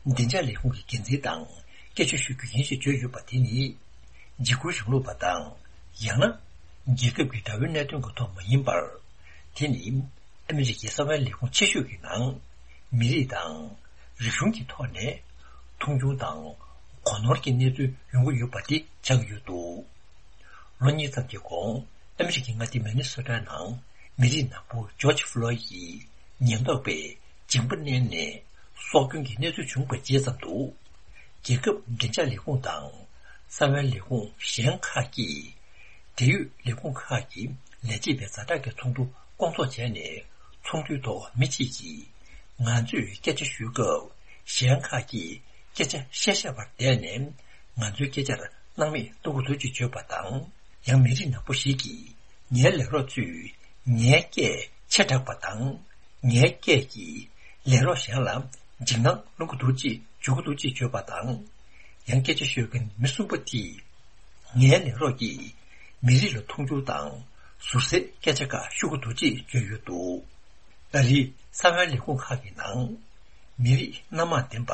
བདེ་འཇགས་ལས་ཁུངས་ཀྱི་འགན་འཛིན་དང་སྐད་ཆ་ཞུ་རྒྱུ་ཡིན་ཞེས་བརྗོད་ཡོད་པ་དེ་ནི་འཇིགས་སྐུལ་རིང་ལུགས་པ་དང་། ཡང་ན་རྒྱལ་ཁབ་ཀྱི་དགྲ་བོའི་གནད་དོན་གྱི་ཐོག་མ་ཡིན་པར། དེ་ནི་ཨ་མི་རི་ཀའི་གསང་བའི་ལས་ཁུངས་ཆེ་ཤོས་ཀྱི་ནང་མི་རིགས་དང་རིག་གཞུང་གི་ཐོག་ནས་མཐོང་ཆུང་དང་གོ་ནོར་གྱི་གནས་ཚུལ་ཡོང་གི་ཡོད་པ་དེ་ཆགས་ཀྱི་ཡོད་འདུག་ལོ་གཉིས་ཙམ་གྱི་གོང་ཨ་མི་རི་ཀའི་མངའ་སྡེ་མི་ནི་སོ་ཊ་ནང་མི་རིགས་ནག་པོ་ཇོརྗ་ཕུ་ལོ་ཡི་ཉེན་རྟོག་པས་མཇིང་པ་མནན་ནས་སྲོག་སྐྱོན་གྱི་གནས་ཚུལ་བྱུང་བའི་རྗེས་ཙམ་དུ། རྒྱལ་ཁབ་བདེ་འཇགས་ལས་ཁུངས་དང་གསང་བའི་ལས་ཁུངས་གཞན་ཁག་གིས་འབྲེལ་ཡོད་ལས་ཁུངས་ཁག་གི་ལས་བྱེད་པའི་ཛ་དྲག་གི་ཚོགས་འདུ་བསྐོང་ཚོགས་བྱས་ནས་ཚོགས་འདུའི་ཐོག་མི་གཅིག་གིས་ང་ཚོས་སྐད་ཆ་ཞུ་སྐབས་གཞན་ཁག་གིས་སྐད་ཆ་བཤད་བཤད་པར་བསྡད་ནས་ང་ཚོའི་སྐད་ཆར་སྣང་མེད་གཏོང་གི་འདུག་ཅེས་བརྗོད་པ་དང་། ཡང་མི་རིགས་ནག་པོ་ཞིག་གིས་ངའི་ལས་རོགས་ཚོས་ངའི་སྐད་ཆེ་དྲགས་པ་དང་། ངའི་སྐད་ཀྱིས་ལས་རོགས་གཞན་ལ་འཇིགས་སྣང་སློང་གི་འདུག་ཅེས་བརྗོད་ཀྱི་འདུག་ཅེས་བརྗོད་པ་དང་། ཡང་སྐད་ཆ་ཤོད་མཁན་མི་གསུམ་པ་དེས་ངའི་ལས་རོགས་ཀྱིས་མི་རིགས་ལ་མཐོང་ཆུང་དང་ཟུར་ཟའི་སྐད་ཆ་ཁག་ཤོད་ཀྱི་འདུག་ཅེས་བརྗོད་ཡོད་འདུག་ཨ་རིའི་གསང་བའི་ལས་ཁུངས་ཁག་གི་ནང་མི་རིགས་སྣ་མང་ལྡན་པ་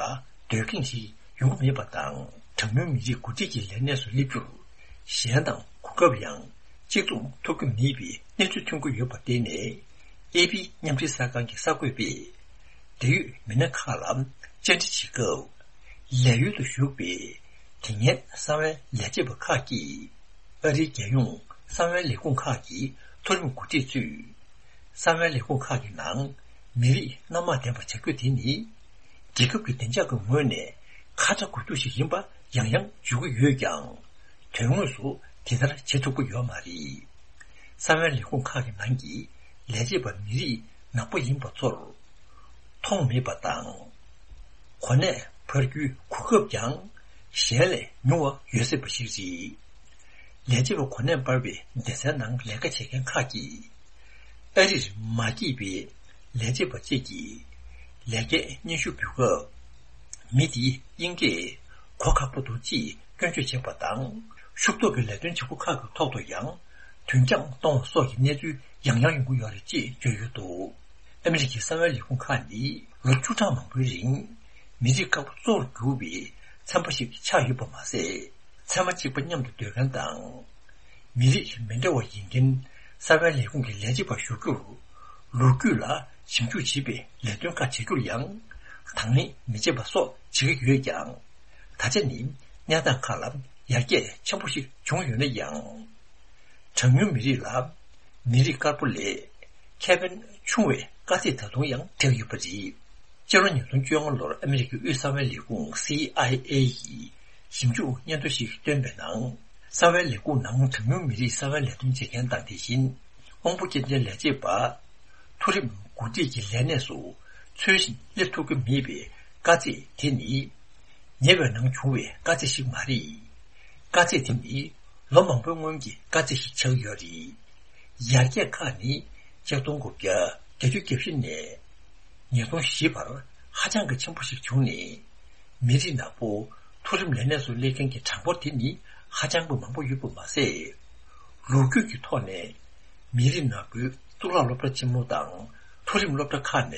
འདོད་མཁན་ཞིག་ཡོང་གི་མེད་པ་དང་། གྲངས་ཉུང་མི་རིགས་འགོ་ཁྲིད་ཀྱི་ལས་གནས་སུ་སླེབས་རྒྱུར་གཞན་དང་གོ་སྐབས་ཡང་གཅིག་མཚུངས་ཐོབ་ཀྱི་མེད་པའི་གནས་ཚུལ་ཐོན་གྱི་ཡོད་པར་བརྟེན་ནས། ཨེ་པི་མཉམ་འབྲེལ་གསར་ཁང་གི་གསར་འགོད་པས་འབྲེལ་ཡོད་མི་སྣ་ཁག་ལ་བཅར་འདྲི་བྱེད་སྐབས། ལས་ཡུལ་དུ་བཞུགས་པའི་དེ་སྔའི་གསང་བའི་ལས་བྱེད་པ་ཁག་གིས། ཨ་རིའི་རྒྱལ་ཡོངས་གསང་བའི་ལས་ཁུངས་ཁག་གི་མཐོ་རིམ་འགོ་ཁྲིད་ཚོས། གསང་བའི་ལས་ཁུངས་ཁག་གི་ནང་མི་རིགས་སྣ་མང་ལྡན་པ་བྱ་རྒྱུ་དེ་ནི། རྒྱལ་ཁབ་ཀྱི་བདེ་འཇགས་ཀྱི་ངོས་ནས་ཁ་ཚ་དགོས་གཏུགས་ཤིག་ཡིན་པ་ཡང་ཡང་བརྗོད་ཀྱི་ཡོད་ཀྱང་། དོན་དངོས་སུ་དེ་ལྟར་བྱེད་ཐུབ་ཀྱི་ཡོད་མ་རེད། གསང་བའི་ལས་ཁུངས་ཁག་གི་ནང་གི་ལས་བྱེད་པ་མི་རིགས་ནག་པོ་ཡིན་པ་ཚོར་མཐོང་མེད་པ་དང་། གོ་གནས་འཕར་རྒྱུའི་གོ་སྐབས་ཀྱང་གཞན་ལས་ཉུང་བ་ཡོད་སྲིད་པ་ཞིག་རེད། ལས་བྱེད་པ་གོ་གནས་འཕར་བའི་སྡེ་ཚན་ནང་ལས་ཀ་བྱེད་མཁན་ཁག་གིས། ཨ་རིར་མ་སྐྱེས་པའི་ལས་བྱེད་པ་གཅིག་གིས་ལས་ཀའི་སྙན་ཞུ་ཕུལ་སྐབས། མི་དེས་དབྱིན་སྐད་གོ་ཁག་པོ་འདུག་ཅེས་སྐྱོན་བརྗོད་བྱས་པ་དང་། ཤུགས་ཐོག་གི་ལས་དོན་བྱེད་སྒོ་ཁག་གི་ཐོག་ཏུ་ཡང་དུས་འགྱངས་གཏོང་བ་སོགས་ཀྱི་གནས་ཚུལ་ཡང་ཡང་ཡོང་གི་ཡོད་རེད་ཅེས་བརྗོད་ཡོད་འདུག་ཨ་མི་རི་ཀའི་གསང་བའི་ལས་ཁུངས་ཁག་ནི་ལོ་བཅུ་ཕྲག་མང་པོའི་རིང་མི་རིགས་དཀར་པོ་གཙོ་བོར་གྱུར་པའི་ཚན་པ་ཞིག་ཆགས་ཡོད་པ་མ་ཟད། ཚད་མ་གཅིག་པ་མཉམ་དུ་སྡོད་མཁན་དང་། མི་རིགས་མི་འདྲ་བ་ཡིན་མཁན་གསང་བའི་ལས་ཁུངས་ཀྱི་ལས་བྱེད་པ་ཞུགས་རྒྱུར། ལོ་རྒྱུས་ལ་ཞིབ་འཇུག་བྱེད་པའི་ལས་དོན་ཁག་བྱེད་རྒྱུར་ཡང་དང་ལེན་མི་བྱེད་པ་སོགས་བྱེད་ཀྱི་ཡོད་ཀྱང་། ད་ཆ་ནི་གནས་སྟངས་ཁག་ལ་ཡར་རྒྱས་ཆེན་པོ་ཞིག་བྱུང་ཡོད་ན་ཡང་། གྲངས་ཉུང་མི་རིགས་ལ་མི་རིགས་དཀར་པོ་ལས་ཁེ་ཕན་ཆུང་བའི་དཀའ་ཚེགས་ད་དུང་ཡང་འཕྲད་ཡོད་པ་རེད། སྤྱི་ལོ་ཉིས་སྟོང་བཅོ་ལྔ་ལོར་ཨ་མི་རི་ཀའི་དབུས་གསང་བའི་ལས་ཁུངས་སི་ཨའི་ཨེ་ཡིས་ཞིབ་འཇུག་སྙན་ཐོ་ཞིག་བཏོན་པའི་ནང་། གསང་བའི་ལས་ཁུངས་ནང་གྲངས་ཉུང་མི་རིགས་གསང་བའི་ལས་དོན་བྱེད་མཁན་དང་། དེ་བཞིན་དབང་པོ་སྐྱོན་ཅན་ལས་བྱེད་པ། མཐོ་རིམ་འགོ་ཁྲིད་ཀྱི་ལས་གནས་སུ་འཚོལ་ཞིང་སླེབས་ཐུབ་ཀྱི་མེད་པའི་དཀའ་ཚེགས་དེ་ནི། ཉེ་བའི་ནང་བྱུང་བའི་དཀའ་ཚེགས་ཤིག་མ་རེད། དཀའ་ཚེགས་དེ་ནི་ལོ་མང་པོའི་སྔོན་གྱི་དཀའ་ཚེགས་ཤིག་ཆགས་ཡོད་རེད། ཡར་རྒྱས་ཁག་ནི་ཆིག་སྟོང་དགུ་བརྒྱ་བརྒྱད་ཅུ་གྱ་བཞི་ནས་ཉིས་སྟོང་བཞི་བར་ཧ་ཅང་གི་ཆེན་པོ་ཞིག་བྱུང་ནས། མི་རིགས་ནག་པོ་མཐོ་རིམ་ལས་གནས་སུ་སླེབས་མཁན་གྱི་གྲངས་འབོར་དེ་ནི་ཧ་ཅང་གི་མང་པོ་ཡོད་པ་མ་ཟད། ལོ་རྒྱུས་ཀྱི་ཐོག་ནས་མི་རིགས་ནག་པོའི་གཙུག་ལག་སློབ་གྲྭ་ཆེན་མོ་དང་མཐོ་རིམ་སློབ་གྲྭ་ཁག་ནས་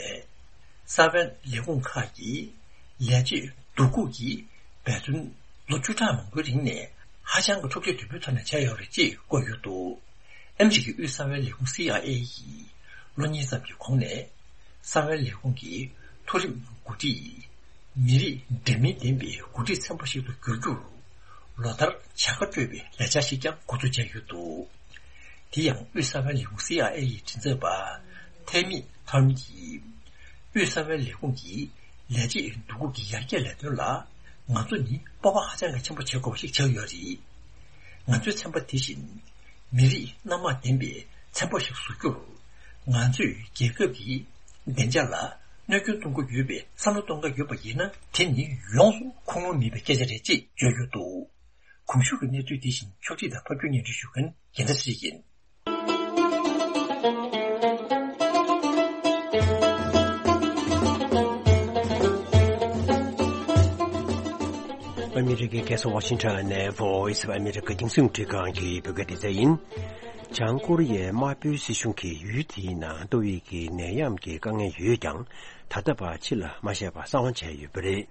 གསང་བའི་ལས་ཁུངས་ཁག་གི་ལས་བྱེད་བསྡུ་སྒུག་གི་འབད་བརྩོན་ལོ་བཅུ་ཕྲག་མང་པོའི་རིང་ནས་ཧ་ཅང་གི་འཁྲུག་ཆ་དོད་པོའི་ཐོག་ནས་བྱས་ཡོད་རེད་ཅེས་བཀོད་ཡོད་འདུག་ཨ་མི་རི་ཀའི་དབུས་གསང་བའི་ལས་ཁུངས་སི་ཨའི་ཨེ་ཡིས་ལོ་གཉིས་ཙམ་གྱི་གོང་ནས་གསང་བའི་ལས་ཁུངས་ཀྱི་མཐོ་རིམ་འགོ་ཁྲིད་མི་རིགས་འདྲ་མིན་ལྡན་པའི་འགོ་ཁྲིད་ཚན་པ་ཞིག་ཏུ་འགྱུར་རྒྱུར་ལོ་ལྟར་བྱ་དགའ་སྤྲོད་པའི་ལས་འཆར་ཞིག་ཀྱང་འགོ་འཛུགས་བྱས་ཡོད་འདུག་དེ་ཡང་དབུས་གསང་བའི་ལས་ཁུངས་སི་ཨའི་ཨེ་ཡི་མགྲིན་ཚབ་པ་ཐེ་མི་ཐོམ་གྱིས། དབུས་གསང་བའི་ལས་ཁུངས་ཀྱི་ལས་བྱེད་བསྡུ་སྒུག་གི་ཡར་རྒྱས་ལས་དོན་ལ་ང་ཚོ་ནི་སྤོབས་པ་ཧ་ཅང་གི་ཆེན་པོ་བྱེད་དགོས་པ་ཞིག་ཆགས་ཡོད་རེད། ང་ཚོའི་ཚན་པ་དེ་བཞིན་མི་རིགས་སྣ་མང་ལྡན་པའི་ཚན་པ་ཞིག་བཟོ་རྒྱུར། ང་ཚོས་རྒྱལ་ཁབ་ཀྱི་བདེ་འཇགས་ལ་གནོད་སྐྱོན་གཏོང་གི་ཡོད་པའི་བསམ་བློ་གཏོང་གི་ཡོད་པ་ཡིན་ན། དེ་ནི་ཡོངས་སུ་ཁུངས་ལུང་མེད་པའི་སྐད་ཆ་རེད་ཅེས་བརྗོད་ཡོད་འདུག་གོང་ཞུས་ཀྱི་གནས་ཚུལ་འདི་བཞིན་ཕྱོགས་སྒྲིག་དང་ཕབ་སྒྱུར་སྙན་སྒྲོན་ཞུ་མཁན་རྒྱལ་མཚན་ཚེ་རིང་ཡིན། ཨ་མི་རི་ཀའི་རྒྱལ་ས་ཝ་ཤིང་ཊོན་ནས་Voice of America རྒྱང་སྲིང་རླུང་འཕྲིན་ཁང་གི་བོད་སྐད་སྡེ་ཚན་ཡིན། བྱང་ཀོ་རི་ཡའི་དམར་པོའི་སྲིད་གཞུང་གིས་ཡུལ་དེའི་ནང་ཏོག་དབྱིབས་ཀྱི་ནད་ཡམས་ཀྱི་དཀའ་ངལ་ཡོད་ཀྱང་། ད་ལྟ་བར་ཕྱི་ལ་མ་བཤད་པར་གསང་བ་བྱས་ཡོད་པ་རེད།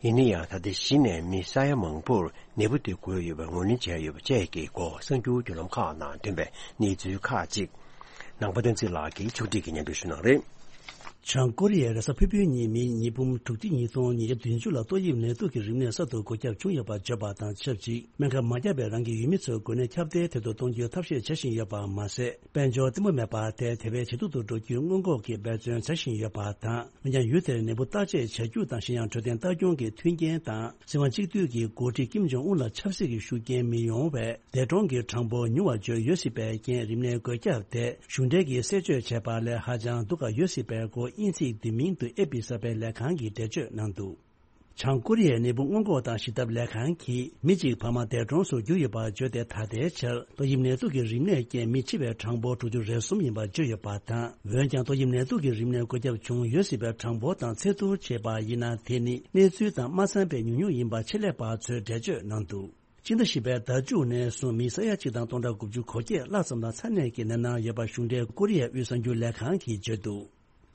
ཡིན་ན་ཡང་། ད་ལྟ་གཞི་ནས་མི་ས་ཡ་མང་པོར་ནད་འབུ་དེ་འགོས་ཡོད་པར་ངོས་ལེན་བྱས་ཡོད་པ་བཅས་ཀྱི་སྐོར་གསར་འགྱུར་བརྒྱུད་ལམ་ཁག་ནང་ཐོན་པའི་གནས་ཚུལ་ཁག་ཅིག་ནང་པ་བསྟན་འཛིན་ལགས་ཀྱིས་ཕྱོགས་སྒྲིག་གིས་སྙན་སྒྲོན་ཞུ་གནང་རེད། བྱང་ཀོ་རི་ཡའི་རེས་གཟའ་ཕུར་བུའི་ཉིན་མི་ཉིས་འབུམ་དྲུག་ཁྲི་ཉིས་སྟོང་ཉིས་བརྒྱ་བདུན་ཅུ་ལ་ཏོག་དབྱིབས་ནད་དུག་གི་རིམས་ནད་གསར་དུ་འགོས་ཁྱབ་བྱུང་ཡོད་པར་བརྗོད་པ་དང་ཆབས་ཅིག་སྨན་ཁབ་མ་བརྒྱབ་པའི་རང་གི་ཡུལ་མི་ཚོར་འགོས་ནད་ཁྱབ་གདལ་ཐེབས་དུ་གཏོང་རྒྱུའི་ཐབས་ཤེས་བྱ་བཞིན་ཡོད་པ་མ་ཟད། དཔལ་འབྱོར་བརྟན་པོ་མེད་པར་ཐལ། དེ་བས་ཇེ་སྡུག་ཏུ་འགྲོ་རྒྱུའི་སྔོན་འགོག་གི་འབད་བརྩོན་བྱ་བཞིན་ཡོད་པ་དང་། འོན་ཀྱང་ཡུལ་དེར་ནད་འབུ་བརྟག་དཔྱད་བྱ་རྒྱུ་དང་། གཞན་ཡང་འཕྲོད་བསྟེན་ལྟ་སྐྱོང་གི་མཐུན་རྐྱེན་དང་། སྲིད་དབང་གཅིག་སྡུད་ཀྱི་འགོ་ཁྲིད་ཀིམ་ཇོང་ཨུན་ལ་ཆབ་སྲིད་ཀྱི་ཤུགས་རྐྱེན་མི་ཡོང་བས། འདས་གྲོངས་ཀྱི་གྲངས་འབོར་ཉུང་བར་བརྗོད་ཡོད་སྲིད་པའི་རྐྱེན། རིམས་ནད་འགོས་ཁྱབ་དེ་གཞུང་འབྲེལ་གྱིས་གསལ་བརྗོད་བྱས་པ་ལས་ཧ་ཅང་སྡུག་ག་ཡོད་སྲིད་པའི་སྐོར་དབྱིན་ཚིག་འདི་མིང་དུ་ཨེ་པི་གསར་སྤེལ་ལས་ཁང་གིས་འགྲེལ་བརྗོད་གནང་འདུག་བྱང་ཀོ་རི་ཡའི་ནད་འབུ་སྔོན་འགོག་དང་ཞི་ཐབས་ལས་ཁང་གིས། མི་གཅིག་བར་མ་འདས་གྲོངས་སུ་གྱུར་ཡོད་པར་བརྗོད་དེ། ད་ལྟའི་ཆར་ཏོག་དབྱིབས་ནད་དུག་གི་རིམས་ནད་རྐྱེན་མི་འཆི་བའི་གྲངས་འབོར་དྲུག་ཅུ་རེ་གསུམ་ཡིན་པར་བརྗོད་ཡོད་པ་དང་། འོན་ཀྱང་ཏོག་དབྱིབས་ནད་དུག་གི་རིམས་ནད་འགོས་ཁྱབ་བྱུང་ཡོད་སྲིད་པའི་གྲངས་འབོར་དང་ཚད་བསྡུར་བྱས་པ་ཡིན་ན། དེ་ནི་གནས་ཚུལ་དང་མ་འཚམས་པའི་ཉུང་ཉུང་ཡིན་པ་ཆེད་ལས་པ་ཚོས་འགྲེལ་བརྗོད་གནང་འདུག་སྤྱི་ཟླ་བཞི་པའི་ཟླ་མཇུག་ནས་བཟུང་མི་ས་ཡ་གཅིག་དང་སྟོང་ཕྲག་དགུ་བཅུ་གོ་བརྒྱད་ལྷག་ཙམ་ལ་ཚ་ནད་ཀྱི་ནད་མནར་ཡོད་པ་གཞུང་འབྲེལ་ཀོ་རི་ཡའི་དབུས་གསར་འགྱུར་ལས་ཁང་གིས་བརྗོད་འདུག་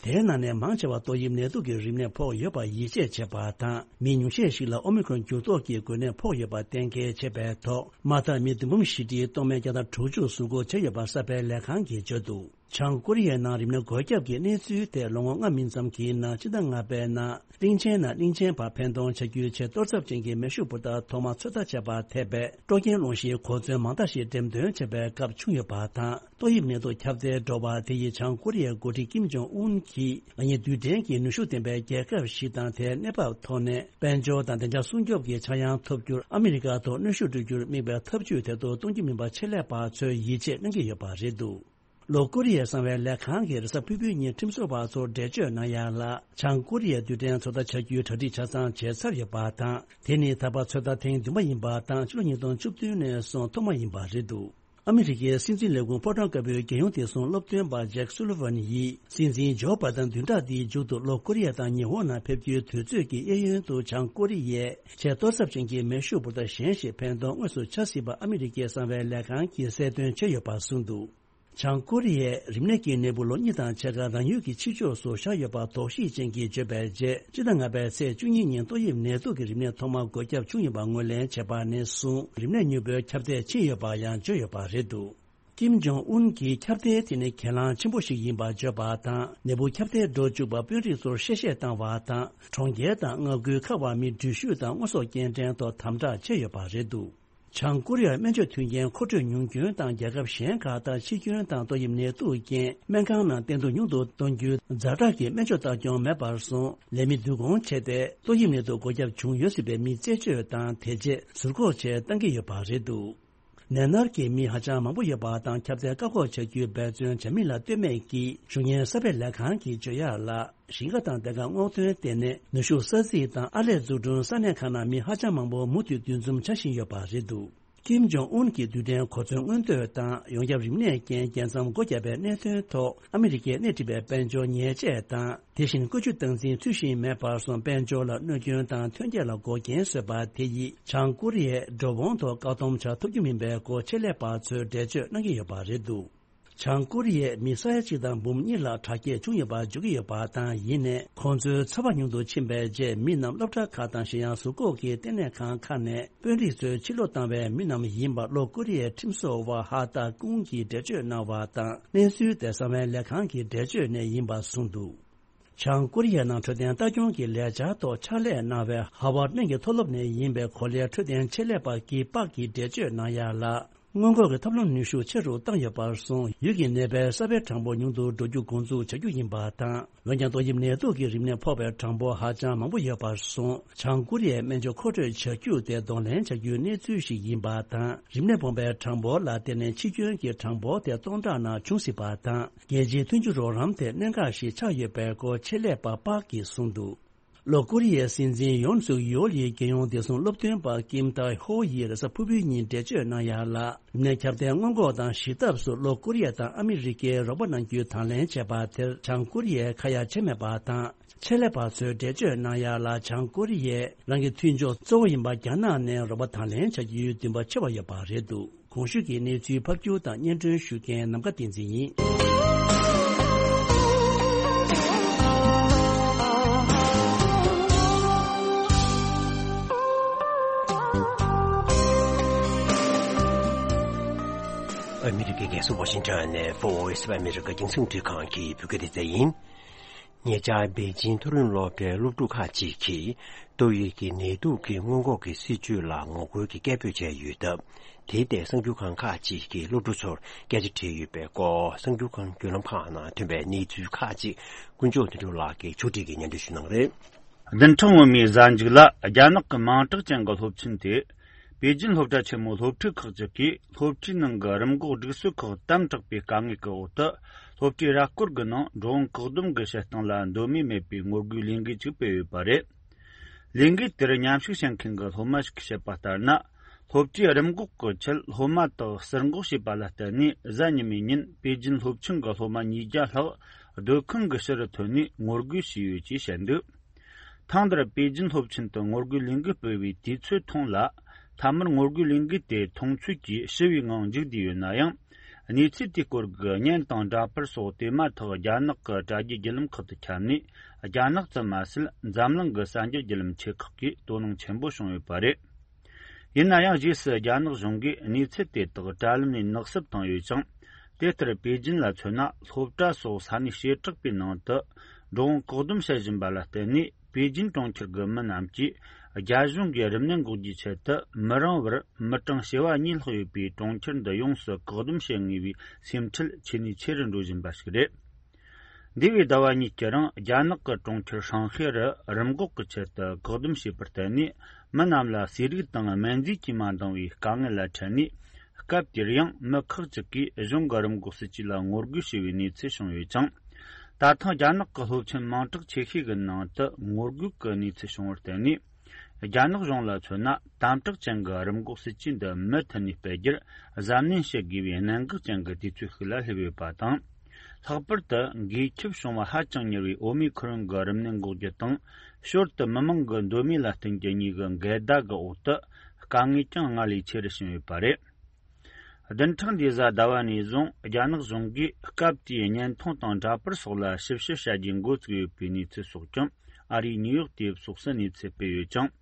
དེའི་ནང་ནས་མང་ཆེ་བ་ཏོག་དབྱིབས་ནད་དུག་གི་རིམས་ནད་ཕོག་ཡོད་པར་ཡིད་ཆེས་བྱེད་པ་དང་། མི་ཉུང་ཤས་ཤིག་ལ་ཨོ་མི་ཁོན་འགྱུར་ལྡོག་གི་འགོས་ནད་ཕོག་ཡོད་པ་གཏན་འཁེལ་བྱས་པའི་ཐོག་མ་མཐར་མི་བདུན་འབུམ་བཞི་ཁྲི་སྟོང་མེད་བརྒྱ་དང་དྲུག་ཅུ་ཟུར་འགོག་བྱས་ཡོད་པ་གསར་སྤེལ་ལས་ཁང་གིས་བརྗོད་འདུག་བྱང་ཀོ་རི་ཡའི་ནང་རིམས་ནད་འགོས་ཁྱབ་ཀྱི་གནས་ཚུལ་དེ་ལོ་ངོ་ལྔ་མིན་ཙམ་གྱི་ནང་། སྤྱི་ཟླ་ལྔ་པའི་ནང་གླིང་ཆེན་ནས་གླིང་ཆེན་བར་འཕེན་གཏོང་བྱ་རྒྱུའི་ཆེས་གཏོར་ཚབས་ཅན་གྱི་མེ་ཤུགས་འབུར་ཐག་ཐོག་མ་ཚོད་ལྟ་བྱས་པར་ཐེབས་པའི་སྤྲོ་སྐྱེན་སློང་གཞིའི་གོ་མཚོན་མང་དག་ཞིག་འགྲེམས་སྟོན་བྱས་པའི་སྐབས་བྱུང་ཡོད་པ་དང་། ཏོག་དབྱིབས་ནད་དུག་ཁྱབ་གདལ་འགྲོ་བ་དེ་ཡིས་བྱང་ཀོ་རི་ཡའི་འགོ་ཁྲིད་ཀིམ་ཇོང་ཨུན་གྱིས། ལག་གཉིས་རྡུལ་ཕྲན་གྱི་ནུས་ཤུགས་ལྡན་པའི་རྒྱལ་ཁབ་ཞིག་དང་། དེའི་གནས་བབ་ཐོག་ནས་དཔལ་འབྱོར་དང་བདེ་འཇགས་སྲུང་སྐྱོབ་ཀྱི་ཆག་ཡང་ཐོབ་རྒྱུར། ཨ་མི་རི་ཀ་ཐོག་གནོན་ཤུགས་སྤྲོད་རྒྱུར་དམིགས་པའི་ཐབས་ཇུས་དེ་ཐོག་གཏོང་རྒྱུ་མིན་པ་ཆེད་ལས་པ་ཚོས་ཡིད་ཆེས་གནང་གི་ཡོད་པ་རེད་འདུག་ལྷོ་ཀོ་རི་ཡའི་གསང་བའི་ལས་ཁང་གིས་རེས་གཟའ་ཕུར་བུའི་ཉིན་ཁྲིམས་བཟོ་བ་ཚོར་འགྲེལ་བརྗོད་གནང་ཡ་ལ། བྱང་ཀོ་རི་ཡའི་རྡུལ་ཕྲན་ཚོད་ལྟ་བྱ་རྒྱུའི་གྲ་སྒྲིག་ཆ་ཚང་བྱས་ཚར་ཡོད་པ་དང་། དེ་ནི་ད་བར་ཚོད་ལྟ་ཐེངས་བདུན་པ་ཡིན་པ་དང་། ཕྱི་ལོ་ཉིས་སྟོང་བཅུ་བདུན་ནས་བཟུང་ཐོག་མ་ཡིན་པ་རེད་འདུག་ཨ་མི་རི་ཀའི་སྲིད་འཛིན་ལས་ཁུངས་ཕོ་བྲང་དཀར་པོའི་རྒྱལ་ཡོངས་བདེ་སྲུང་སློབ་སྟོན་པ་ཇེག་སུ་ལི་ཝན་ཡིས། སྲིད་འཛིན་ཇོ་བྷ་དན་བདུན་ཕྲག་འདིའི་མཇུག་ཏུ་ལྷོ་ཀོ་རི་ཡ་དང་ཉི་ཧོང་ནང་ཕེབས་རྒྱུའི་དུས་ཚོད་ཀྱི་གཡས་གཡོན་དུ། བྱང་ཀོ་རི་ཡས་ཆེས་གཏོར་ཚབས་ཅན་གྱི་མེ་ཤུགས་འབུར་ཐག་གཞན་ཞིག་འཕེན་གཏོང་དངོས་སུ་བྱ་སྲིད་པ་ཨ་མི་རི་ཀའི་གསང་བའི་ལས་ཁང་གིས་གསལ་སྟོན་བྱས་ཡོད་པ་གསུངས་འདུག་བྱང་ཀོ་རི་ཡས་རིམས་ནད་ཀྱི་ནད་འབུ་ལོ་གཉིས་དང་ཕྱེད་ཀ་རང་ཡུལ་གྱི་ཕྱི་ཕྱོགས་སུ་བཞག་ཡོད་པ་དོགས་གཞི་ཅན་གྱིས་བརྗོད་པའི་རྗེས། སྤྱི་ཟླ་ལྔ་པའི་ཚེས་བཅུ་གཉིས་ཉིན་ཏོག་དབྱིབས་ནད་དུག་གི་རིམས་ནད་ཐོག་མ་འགོས་ཁྱབ་བྱུང་ཡོད་པ་ངོས་ལེན་བྱས་པ་ནས་བཟུང་། རིམས་ནད་མྱུར་པོའི་ཁྱབ་གདལ་ཕྱིན་ཡོད་པ་ཡང་བརྗོད་ཡོད་པ་རེད་འདུག་ཀིམ་ཇོང་ཨུན་གྱིས་ཁྱབ་གདལ་དེ་ནི་གྱེན་ལངས་ཆེན་པོ་ཞིག་ཡིན་པར་བརྗོད་པ་དང་། ནད་འབུ་ཁྱབ་གདལ་འགྲོ་བཅུག་པར་དཔོན་རིགས་ཚོར་གཤེ་གཤེ་བཏང་བ་དང་། གྲོང་ཁྱེར་དང་མངའ་ཁུལ་ཁག་བར་མི་འགྲུལ་བཞུད་དང་དངོས་ཟོག་སྐྱེལ་འདྲེན་ཐོག་དམ་དྲག་བྱས་ཡོད་པ་རེད་འདུག་བྱང་ཀོ་རི་ཡར་སྨན་བཅོས་མཐུན་རྐྱེན་མཁོ་སྤྲོད་ཉུང་སྐྱོན་དང་། རྒྱལ་ཁབ་གཞན་ཁག་ལྟར་འཆི་སྐྱོན་དང་ཏོག་དབྱིབས་ནད་དུག་རྐྱེན་སྨན་ཁང་ནང་བསྟེན་གཏོང་ཉུང་དུ་གཏོང་རྒྱུའི་ཛ་དྲག་གི་སྨན་བཅོས་ལྟ་སྐྱོང་མེད་པར་སོང་། ལས་མི་བསྡུ་སྐོང་བྱས་ཏེ། ཏོག་དབྱིབས་ནད་དུག་འགོས་ཁྱབ་བྱུང་ཡོད་སྲིད་པའི་མི་རྩད་གཅོད་དང་། དེ་རྗེས་ཟུར་འགོག་བྱེད་གཏང་གི་ཡོད་པ་རེད་འདུག་ནད་མནར་གྱི་མི་ཧ་ཅང་མང་པོ་ཡོད་པ་དང་། ཁྱབ་གདལ་བཀག་འགོག་བྱ་རྒྱུའི་འབད་བརྩོན་བྱ་མིན་ལ་ལྟོས་མེད་ཀྱིས། གཞུང་གཉེར་གསར་སྤེལ་ལས་ཁང་གིས་བརྗོད་ཡག་ལ། ཞིང་ཁ་དང་སྡེ་ཁག་སྔོག་འདོན་ལྟེ་གནས། ནུས་ཤུགས་ས་ཚིགས་དང་ཨར་ལས་འཛུགས་སྐྲུན་ས་གནས་ཁག་ནང་མི་ཧ་ཅང་མང་པོ་མུ་མཐུད་འདུ་འཛོམས་བྱ་བཞིན་ཡོད་པ་རེད་འདུག་ཀིམ་ཇོང་ཨུན་གྱི་རྡུལ་ཕྲན་གོ་མཚོན་མངོན་འདོད་དང་། ཡོངས་ཁྱབ་རིམས་ནད་རྐྱེན་རྒྱལ་མཚམས་སྒོ་བརྒྱབ་པའི་གནད་དོན་ཐོག་ཨ་མི་རི་ཀས་སྣེ་ཁྲིད་པའི་དཔལ་འབྱོར་ཉེས་ཆད་དང་། དེ་བཞིན་བཀོལ་སྤྱོད་སྟངས་འཛིན་ཚུལ་བཞིན་མེད་པར་སོང་། དཔལ་འབྱོར་ལ་གནོད་སྐྱོན་དང་ཐོན་སྐྱེད་ལ་འགོག་རྐྱེན་བཟོས་པ་དེ་ཡིས། བྱང་ཀོ་རི་ཡས་འགྲོ་འོང་ཐོག་བཀག་སྡོམ་བྱ་ཐུབ་རྒྱུ་མིན་པའི་སྐོར་ཆེད་ལས་པ་ཚོས་འགྲེལ་བརྗོད་གནང་གི་ཡོད་པ་རེད་འདུག་བྱང་ཀོ་རི་ཡས་མི་ས་ཡ་གཅིག་དང་འབུམ་གཉིས་ལ་དྲག་སྐྱེད་བྱུང་ཡོད་པ་བརྗོད་ཀྱི་ཡོད་པ་དང་། ཡིན་ནའི་ཁོང་ཚོའི་ཚ་བ་ཉུང་དུ་ཕྱིན་པའི་རྗེས། མི་རྣམས་སློབ་གྲྭ་ཁག་དང་། གཞན་ཡང་ཟུར་འགོག་གི་ལྟེ་གནས་ཁང་ཁག་ནས་དཔོན་རིགས་ཚོས་ཕྱིར་ལོག་བཏང་བའི་མི་རྣམས་ཡིན་པ་ལྷོ་ཀོ་རི་ཡའི་ཁྲིམས་བཟོ་བ་ཧ་ཏཱ་ཀུང་གིས་འགྲེལ་བརྗོད་གནང་བ་དང་། གནས་ཚུལ་དེ་གསང་བའི་ལས་ཁང་གི་འགྲེལ་བརྗོད་ནས་ཡིན་པ་གསུངས་འདུག་བྱང་ཀོ་རི་ཡའི་ནང་འཕྲོད་བསྟེན་ལྟ་སྐྱོང་གི་ལས་འཆར་ཐོག་ཕྱག་ལས་གནང་བའི་ཧ་ཝར་གླིང་གི་མཐོ་སློབ་ནས་ཡིན་པའི་གོ་ལའི་འཕྲོད་བསྟེན་ཆེད་ལས་པ་ཀི་པག་གིས་འགྲེལ་བརྗོད་གནང་ཡ་ལ། སྔོན་འགོག་གི་ཐབས་ལམ་ནུས་ཤུགས་ཆེ་རུ་བཏང་ཡོད་པར་སོང་། ཡུལ་གྱི་ནད་པའི་གསར་པའི་གྲངས་འབོར་ཉུང་དུ་འགྲོ་རྒྱུ་འགོ་འཛུགས་བྱ་རྒྱུ་ཡིན་པ་དང་། འོན་ཀྱང་ཏོག་དབྱིབས་ནད་དུག་གི་རིམས་ནད་ཕོག་པའི་གྲངས་འབོར་ཧ་ཅང་མང་པོ་ཡོད་པར་སོང་། བྱང་ཀོ་རི་ཡའི་སྨན་བཅོས་མཁོ་སྤྲོད་བྱ་རྒྱུ་དེ་གདོང་ལེན་བྱ་རྒྱུའི་གནས་ཚུལ་ཞིག་ཡིན་པ་དང་། རིམས་ནད་སྤོང་པའི་གྲངས་འབོར་ལ་བརྟེན་ནས་འཆི་སྐྱོན་གྱི་གྲངས་འབོར་དེ་སྟོང་ཕྲག་ནང་བྱུང་སྲིད་པ་དང་། རྒྱལ་སྤྱིའི་མཐུན་འགྱུར་རོགས་རམ་དེ་གནད་འགག་ཞིག་ཆགས་ཡོད་པའི་སྐོར་ཆེད་ལས་པ་པག་གིས་གསུངས་འདུག་ལྷོ་ཀོ་རི་ཡའི་སྲིད་འཛིན་ཡོན་སུག་ཡོལ་ཡིས་རྒྱལ་ཡོངས་བདེ་སྲུང་སློབ་སྟོན་པ་ཀིམ་ཏཱ་ཧོ་ཡིས་རེས་གཟའ་ཕུར་བུའི་ཉིན་འགྲེལ་བརྗོད་གནང་ཡ་ལ། རིམས་ནད་ཁྱབ་གདལ་སྔོན་འགོག་དང་ཞི་ཐབས་སུ་ལྷོ་ཀོ་རི་ཡ་དང་ཨ་མི་རི་ཀས་རོགས་པ་གནང་རྒྱུའི་དང་ལེན་བྱས་པ་དེར། བྱང་ཀོ་རི་ཡས་ཁ་ཡ་བྱས་མེད་པ་དང་། ཆེད་ལས་པ་ཚོས་འགྲེལ་བརྗོད་གནང་ཡ་ལ། བྱང་ཀོ་རི་ཡས་རང་གི་མཐུན་ཕྱོགས་གཙོ་བོ་ཡིན་པ་རྒྱ་ནག་ནས་རོགས་པ་དང་ལེན་བྱ་རྒྱུའི་འདུན་པ་ཆེ་བ་ཡོད་པ་རེད་འདུག་གོང་ཞུས་ཀྱི་གནས་ཚུལ་ཕབ་སྒྱུར་དང་སྙན་སྒྲོན་ཞུ་མཁན་ནམ་མཁའ་བསྟན་འཛིན་ཡིན། ཨ་མི་རི་ཀའི་རྒྱལ་ས་ཝ་ཤིང་ཊོན་ནས་Voice of America རྒྱང་སྲིང་འཕྲིན་ཁང་གི་བོད་སྐད་སྡེ་ཚན་ཡིན། ཉེ་ཆར་པེ་ཅིན་མཐོ་རིམ་སློབ་གྲྭའི་སློབ་ཕྲུག་ཁག་ཅིག་གིས་ཏོག་དབྱིབས་ཀྱི་ནད་དུག་གི་སྔོན་འགོག་གི་སྲིད་བྱུས་ལ་ངོ་རྒོལ་གྱི་སྐད་འབོད་བྱས་ཡོད་སྟབས། དེའི་ཐད་གསར་འགྱུར་ཁང་ཁག་ཅིག་གིས་སློབ་ཕྲུག་ཚོར་སྐད་ཆ་དྲིས་ཡོད་པའི་སྐོར། གསར་འགྱུར་ཁང་བརྒྱུད་ལམ་ཁག་ནང་ཐོན་པའི་གནས་ཚུལ་ཁག་ཅིག་དཀོན་མཆོག་དོན་གྲུབ་ལགས་ཀྱིས་ཕྱོགས་སྒྲིག་གིས་སྙན་སྒྲོན་ཞུ་གནང་གི་རེད། བདུན་ཕྲག་སྔོན་མའི་གཟའ་མཇུག་ལ། རྒྱ་ནག་གི་མིང་གྲགས་ཅན་གྱི་སློབ་ཆེན་དེ། པེ་ཅིན་སློབ་གྲྭ་ཆེན་མོའི་སློབ་ཕྲུག་ཁག་ཅིག་གིས་སློབ་གྲྭའི་ནང་གི་རིམས་འགོག་སྒྲིག་སྲོལ་ཁག་དམ་དྲག་པའི་དཀའ་ངལ་གྱི་འོག་ཏུ། སློབ་གྲྭའི་ར་སྐོར་གྱི་ནང་འགྲོ་འོང་བཀག་སྡོམ་གྱི་བྱེད་སྟངས་ལ་འདོད་མོས་མེད་པའི་ངོ་རྒོལ་ལས་འགུལ་ཅིག་སྤེལ་ཡོད་པ་རེད། ལས་འགུལ་དེར་མཉམ་ཞུགས་བྱེད་མཁན་གྱི་སློབ་མ་ཞིག་གིས་བཤད་པ་ལྟར་ན། སློབ་གྲྭའི་རིམས་འགོག་གི་ཆེད་སློབ་མ་དག་ཟུར་འགོག་བྱས་པ་ལ་བརྟེན་ནས། གཟའ་ཉི་མའི་ཉིན་པེ་ཅིན་སློབ་ཆུང་གི་སློབ་མ་ཉིས་བརྒྱ་ལྷག་སྡོད་ཁང་གི་ཕྱི་རུ་ཐོན་ནས་ངོ་རྒོལ་བྱས་ཡོད་ཅེས་བཤད་འདུག་ཐེངས་འདིར་པེ་ཅིན་སློབ་ཆེན་དུ་ངོ་རྒོལ་ལས་འགུལ་སྤེལ་བའི་དུས་ཚོད་ཐུང་ལ། མཐའ་མར་ངོ་རྒོལ་ལས་འགུལ་དེ་མཐོང་ཆོས་ཀྱིས་ཞི་བའི་ངང་མཇུག་བསྡུས་ཡོད་ན་ཡང་། གནས་ཚུལ་དེའི་སྐོར་གྱི་བརྙན་དང་འདྲ་པར་སོགས་དེ་མ་ཐག་རྒྱ་ནག་གི་དྲ་རྒྱའི་བརྒྱུད་ལམ་ཁག་ཏུ་ཁྱབ་ནས། རྒྱ་ནག་ཙམ་མ་ཟད། འཛམ་གླིང་གི་གསར་འགྱུར་བརྒྱུད་ལམ་ཆེ་ཁག་གིས་དོ་སྣང་ཆེན་པོ་བྱུང་ཡོད་པ་རེད། ཡིན་ན་ཡང་། རྗེས་སུ་རྒྱ་ནག་གཞུང་གིས་གནས་ཚུལ་དེ་དག་དྲ་ལམ་ནས་ནག་བསུབ་བཏང་ཡོད་ཅིང་། དེ་ལྟར་པེ་ཅིན་ལ་མཚོན་ན། སློབ་གྲྭ་སོགས་ས་གནས་བྱེ་བྲག་པའི་ནང་དུ་འགྲོ་འོང་བཀག་སྡོམ་བྱེད་བཞིན་པ་ལ་བརྟེན་ནས། པེ་ཅིན་གྲོང་ཁྱེར་གྱི་མི་རྣམས་ཀྱིས་རྒྱ་གཞུང་གིས་རིམས་ནད་འགོག་རྒྱུའི་ཆེད་དུ་མི་རིང་བར་མི་གྲངས་བྱེ་བ་གཉིས་ལྷག་ཡོད་པའི་གྲོང་ཁྱེར་འདི་ཡོངས་སུ་བཀག་སྡོམ་བྱེད་ངེས་པའི་སེམས་ཁྲལ་ཆེ་ནས་ཆེ་རུ་འགྲོ་བཞིན་པ་ཞིག་རེད། འདས་པའི་ཟླ་བ་གཉིས་ཀྱི་རིང་རྒྱ་ནག་གི་གྲོང་ཁྱེར་ཧྲང་ཧའེ་རུ་རིམས་འགོག་གི་ཆེད་དུ་བཀག་སྡོམ་བྱས་པར་བརྟེན་ནས། མི་རྣམས་ལ་ཟས་རིགས་དང་སྨན་རྫས་ཀྱིས་མ་འདང་བའི་དཀའ་ངལ་ལ་འཕྲད་ནས། སྐབས་དེར་ཡང་མི་ཁག་ཅིག་གིས་གཞུང་གི་རིམས་འགོག་སྲིད་ཇུས་ལ་ངོ་རྒོལ་བྱས་པའི་གནས་ཚུལ་བྱུང་ཡོད་ཅིང་། ད་ཐེངས་རྒྱ་ནག་གི་སློབ་ཆེན་མིང་གྲགས་ཆེ་ཤོས་ཀྱི་ནང་དུ་ངོ་རྒོལ་གྱི་གནས་ཚུལ་བྱུང་བར་བརྟེན་ནས། རྒྱ་ནག་གཞུང་ལ་མཚོན་ན། དམ་དྲག་ཅན་གྱི་རིམས་འགོག་སྲིད་ཇུས་འདི་མུ་མཐུད་ནས་སྤེལ་རྒྱུར་གཟབ་ནན་བྱེད་དགོས་པའི་གནད་འགག་ཅན་གྱི་དུས་ཚོད་ཤིག་ལ་སླེབས་ཡོད་པ་དང་། ལྷག་པར་དུ་འགོས་ཁྱབ་བྱུང་བ་ཧ་ཅང་མྱུར་བའི་ཨོ་མི་ཁི་རོན་གྱི་རིམས་ནད་འགོག་རྒྱུ་དང་། ཞོར་དུ་མི་མང་གི་འདོད་མོས་ལ་བརྟེན་རྒྱུ་གཉིས་ཀྱི་འགལ་ཟླ་གི་འོག་ཏུ། དཀའ་ངལ་ཀྱང་སྔར་ལས་ཆེ་རུ་ཕྱིན་ཡོད་པ་རེད། བདུན་ཕྲག་འདིའི་གཟའ་ཟླ་བ་ནས་བཟུང་རྒྱ་ནག་གཞུང་གིས་སྐབས་དེའི་བརྙན་ཐུང་དང་འདྲ་པར་སོགས་ལ་ཞིབ་བཤེར་བྱ་རྒྱུའི་འགོ་བཙུགས་ཡོད་པའི་གནས་ཚུལ་སོགས་ཀྱང་ཨ་རིའི་ནིའུ་ཡོག་དེབ་སོགས་སུ་གནས་ཚུལ་སྤེལ་ཡོད་ཅིང་།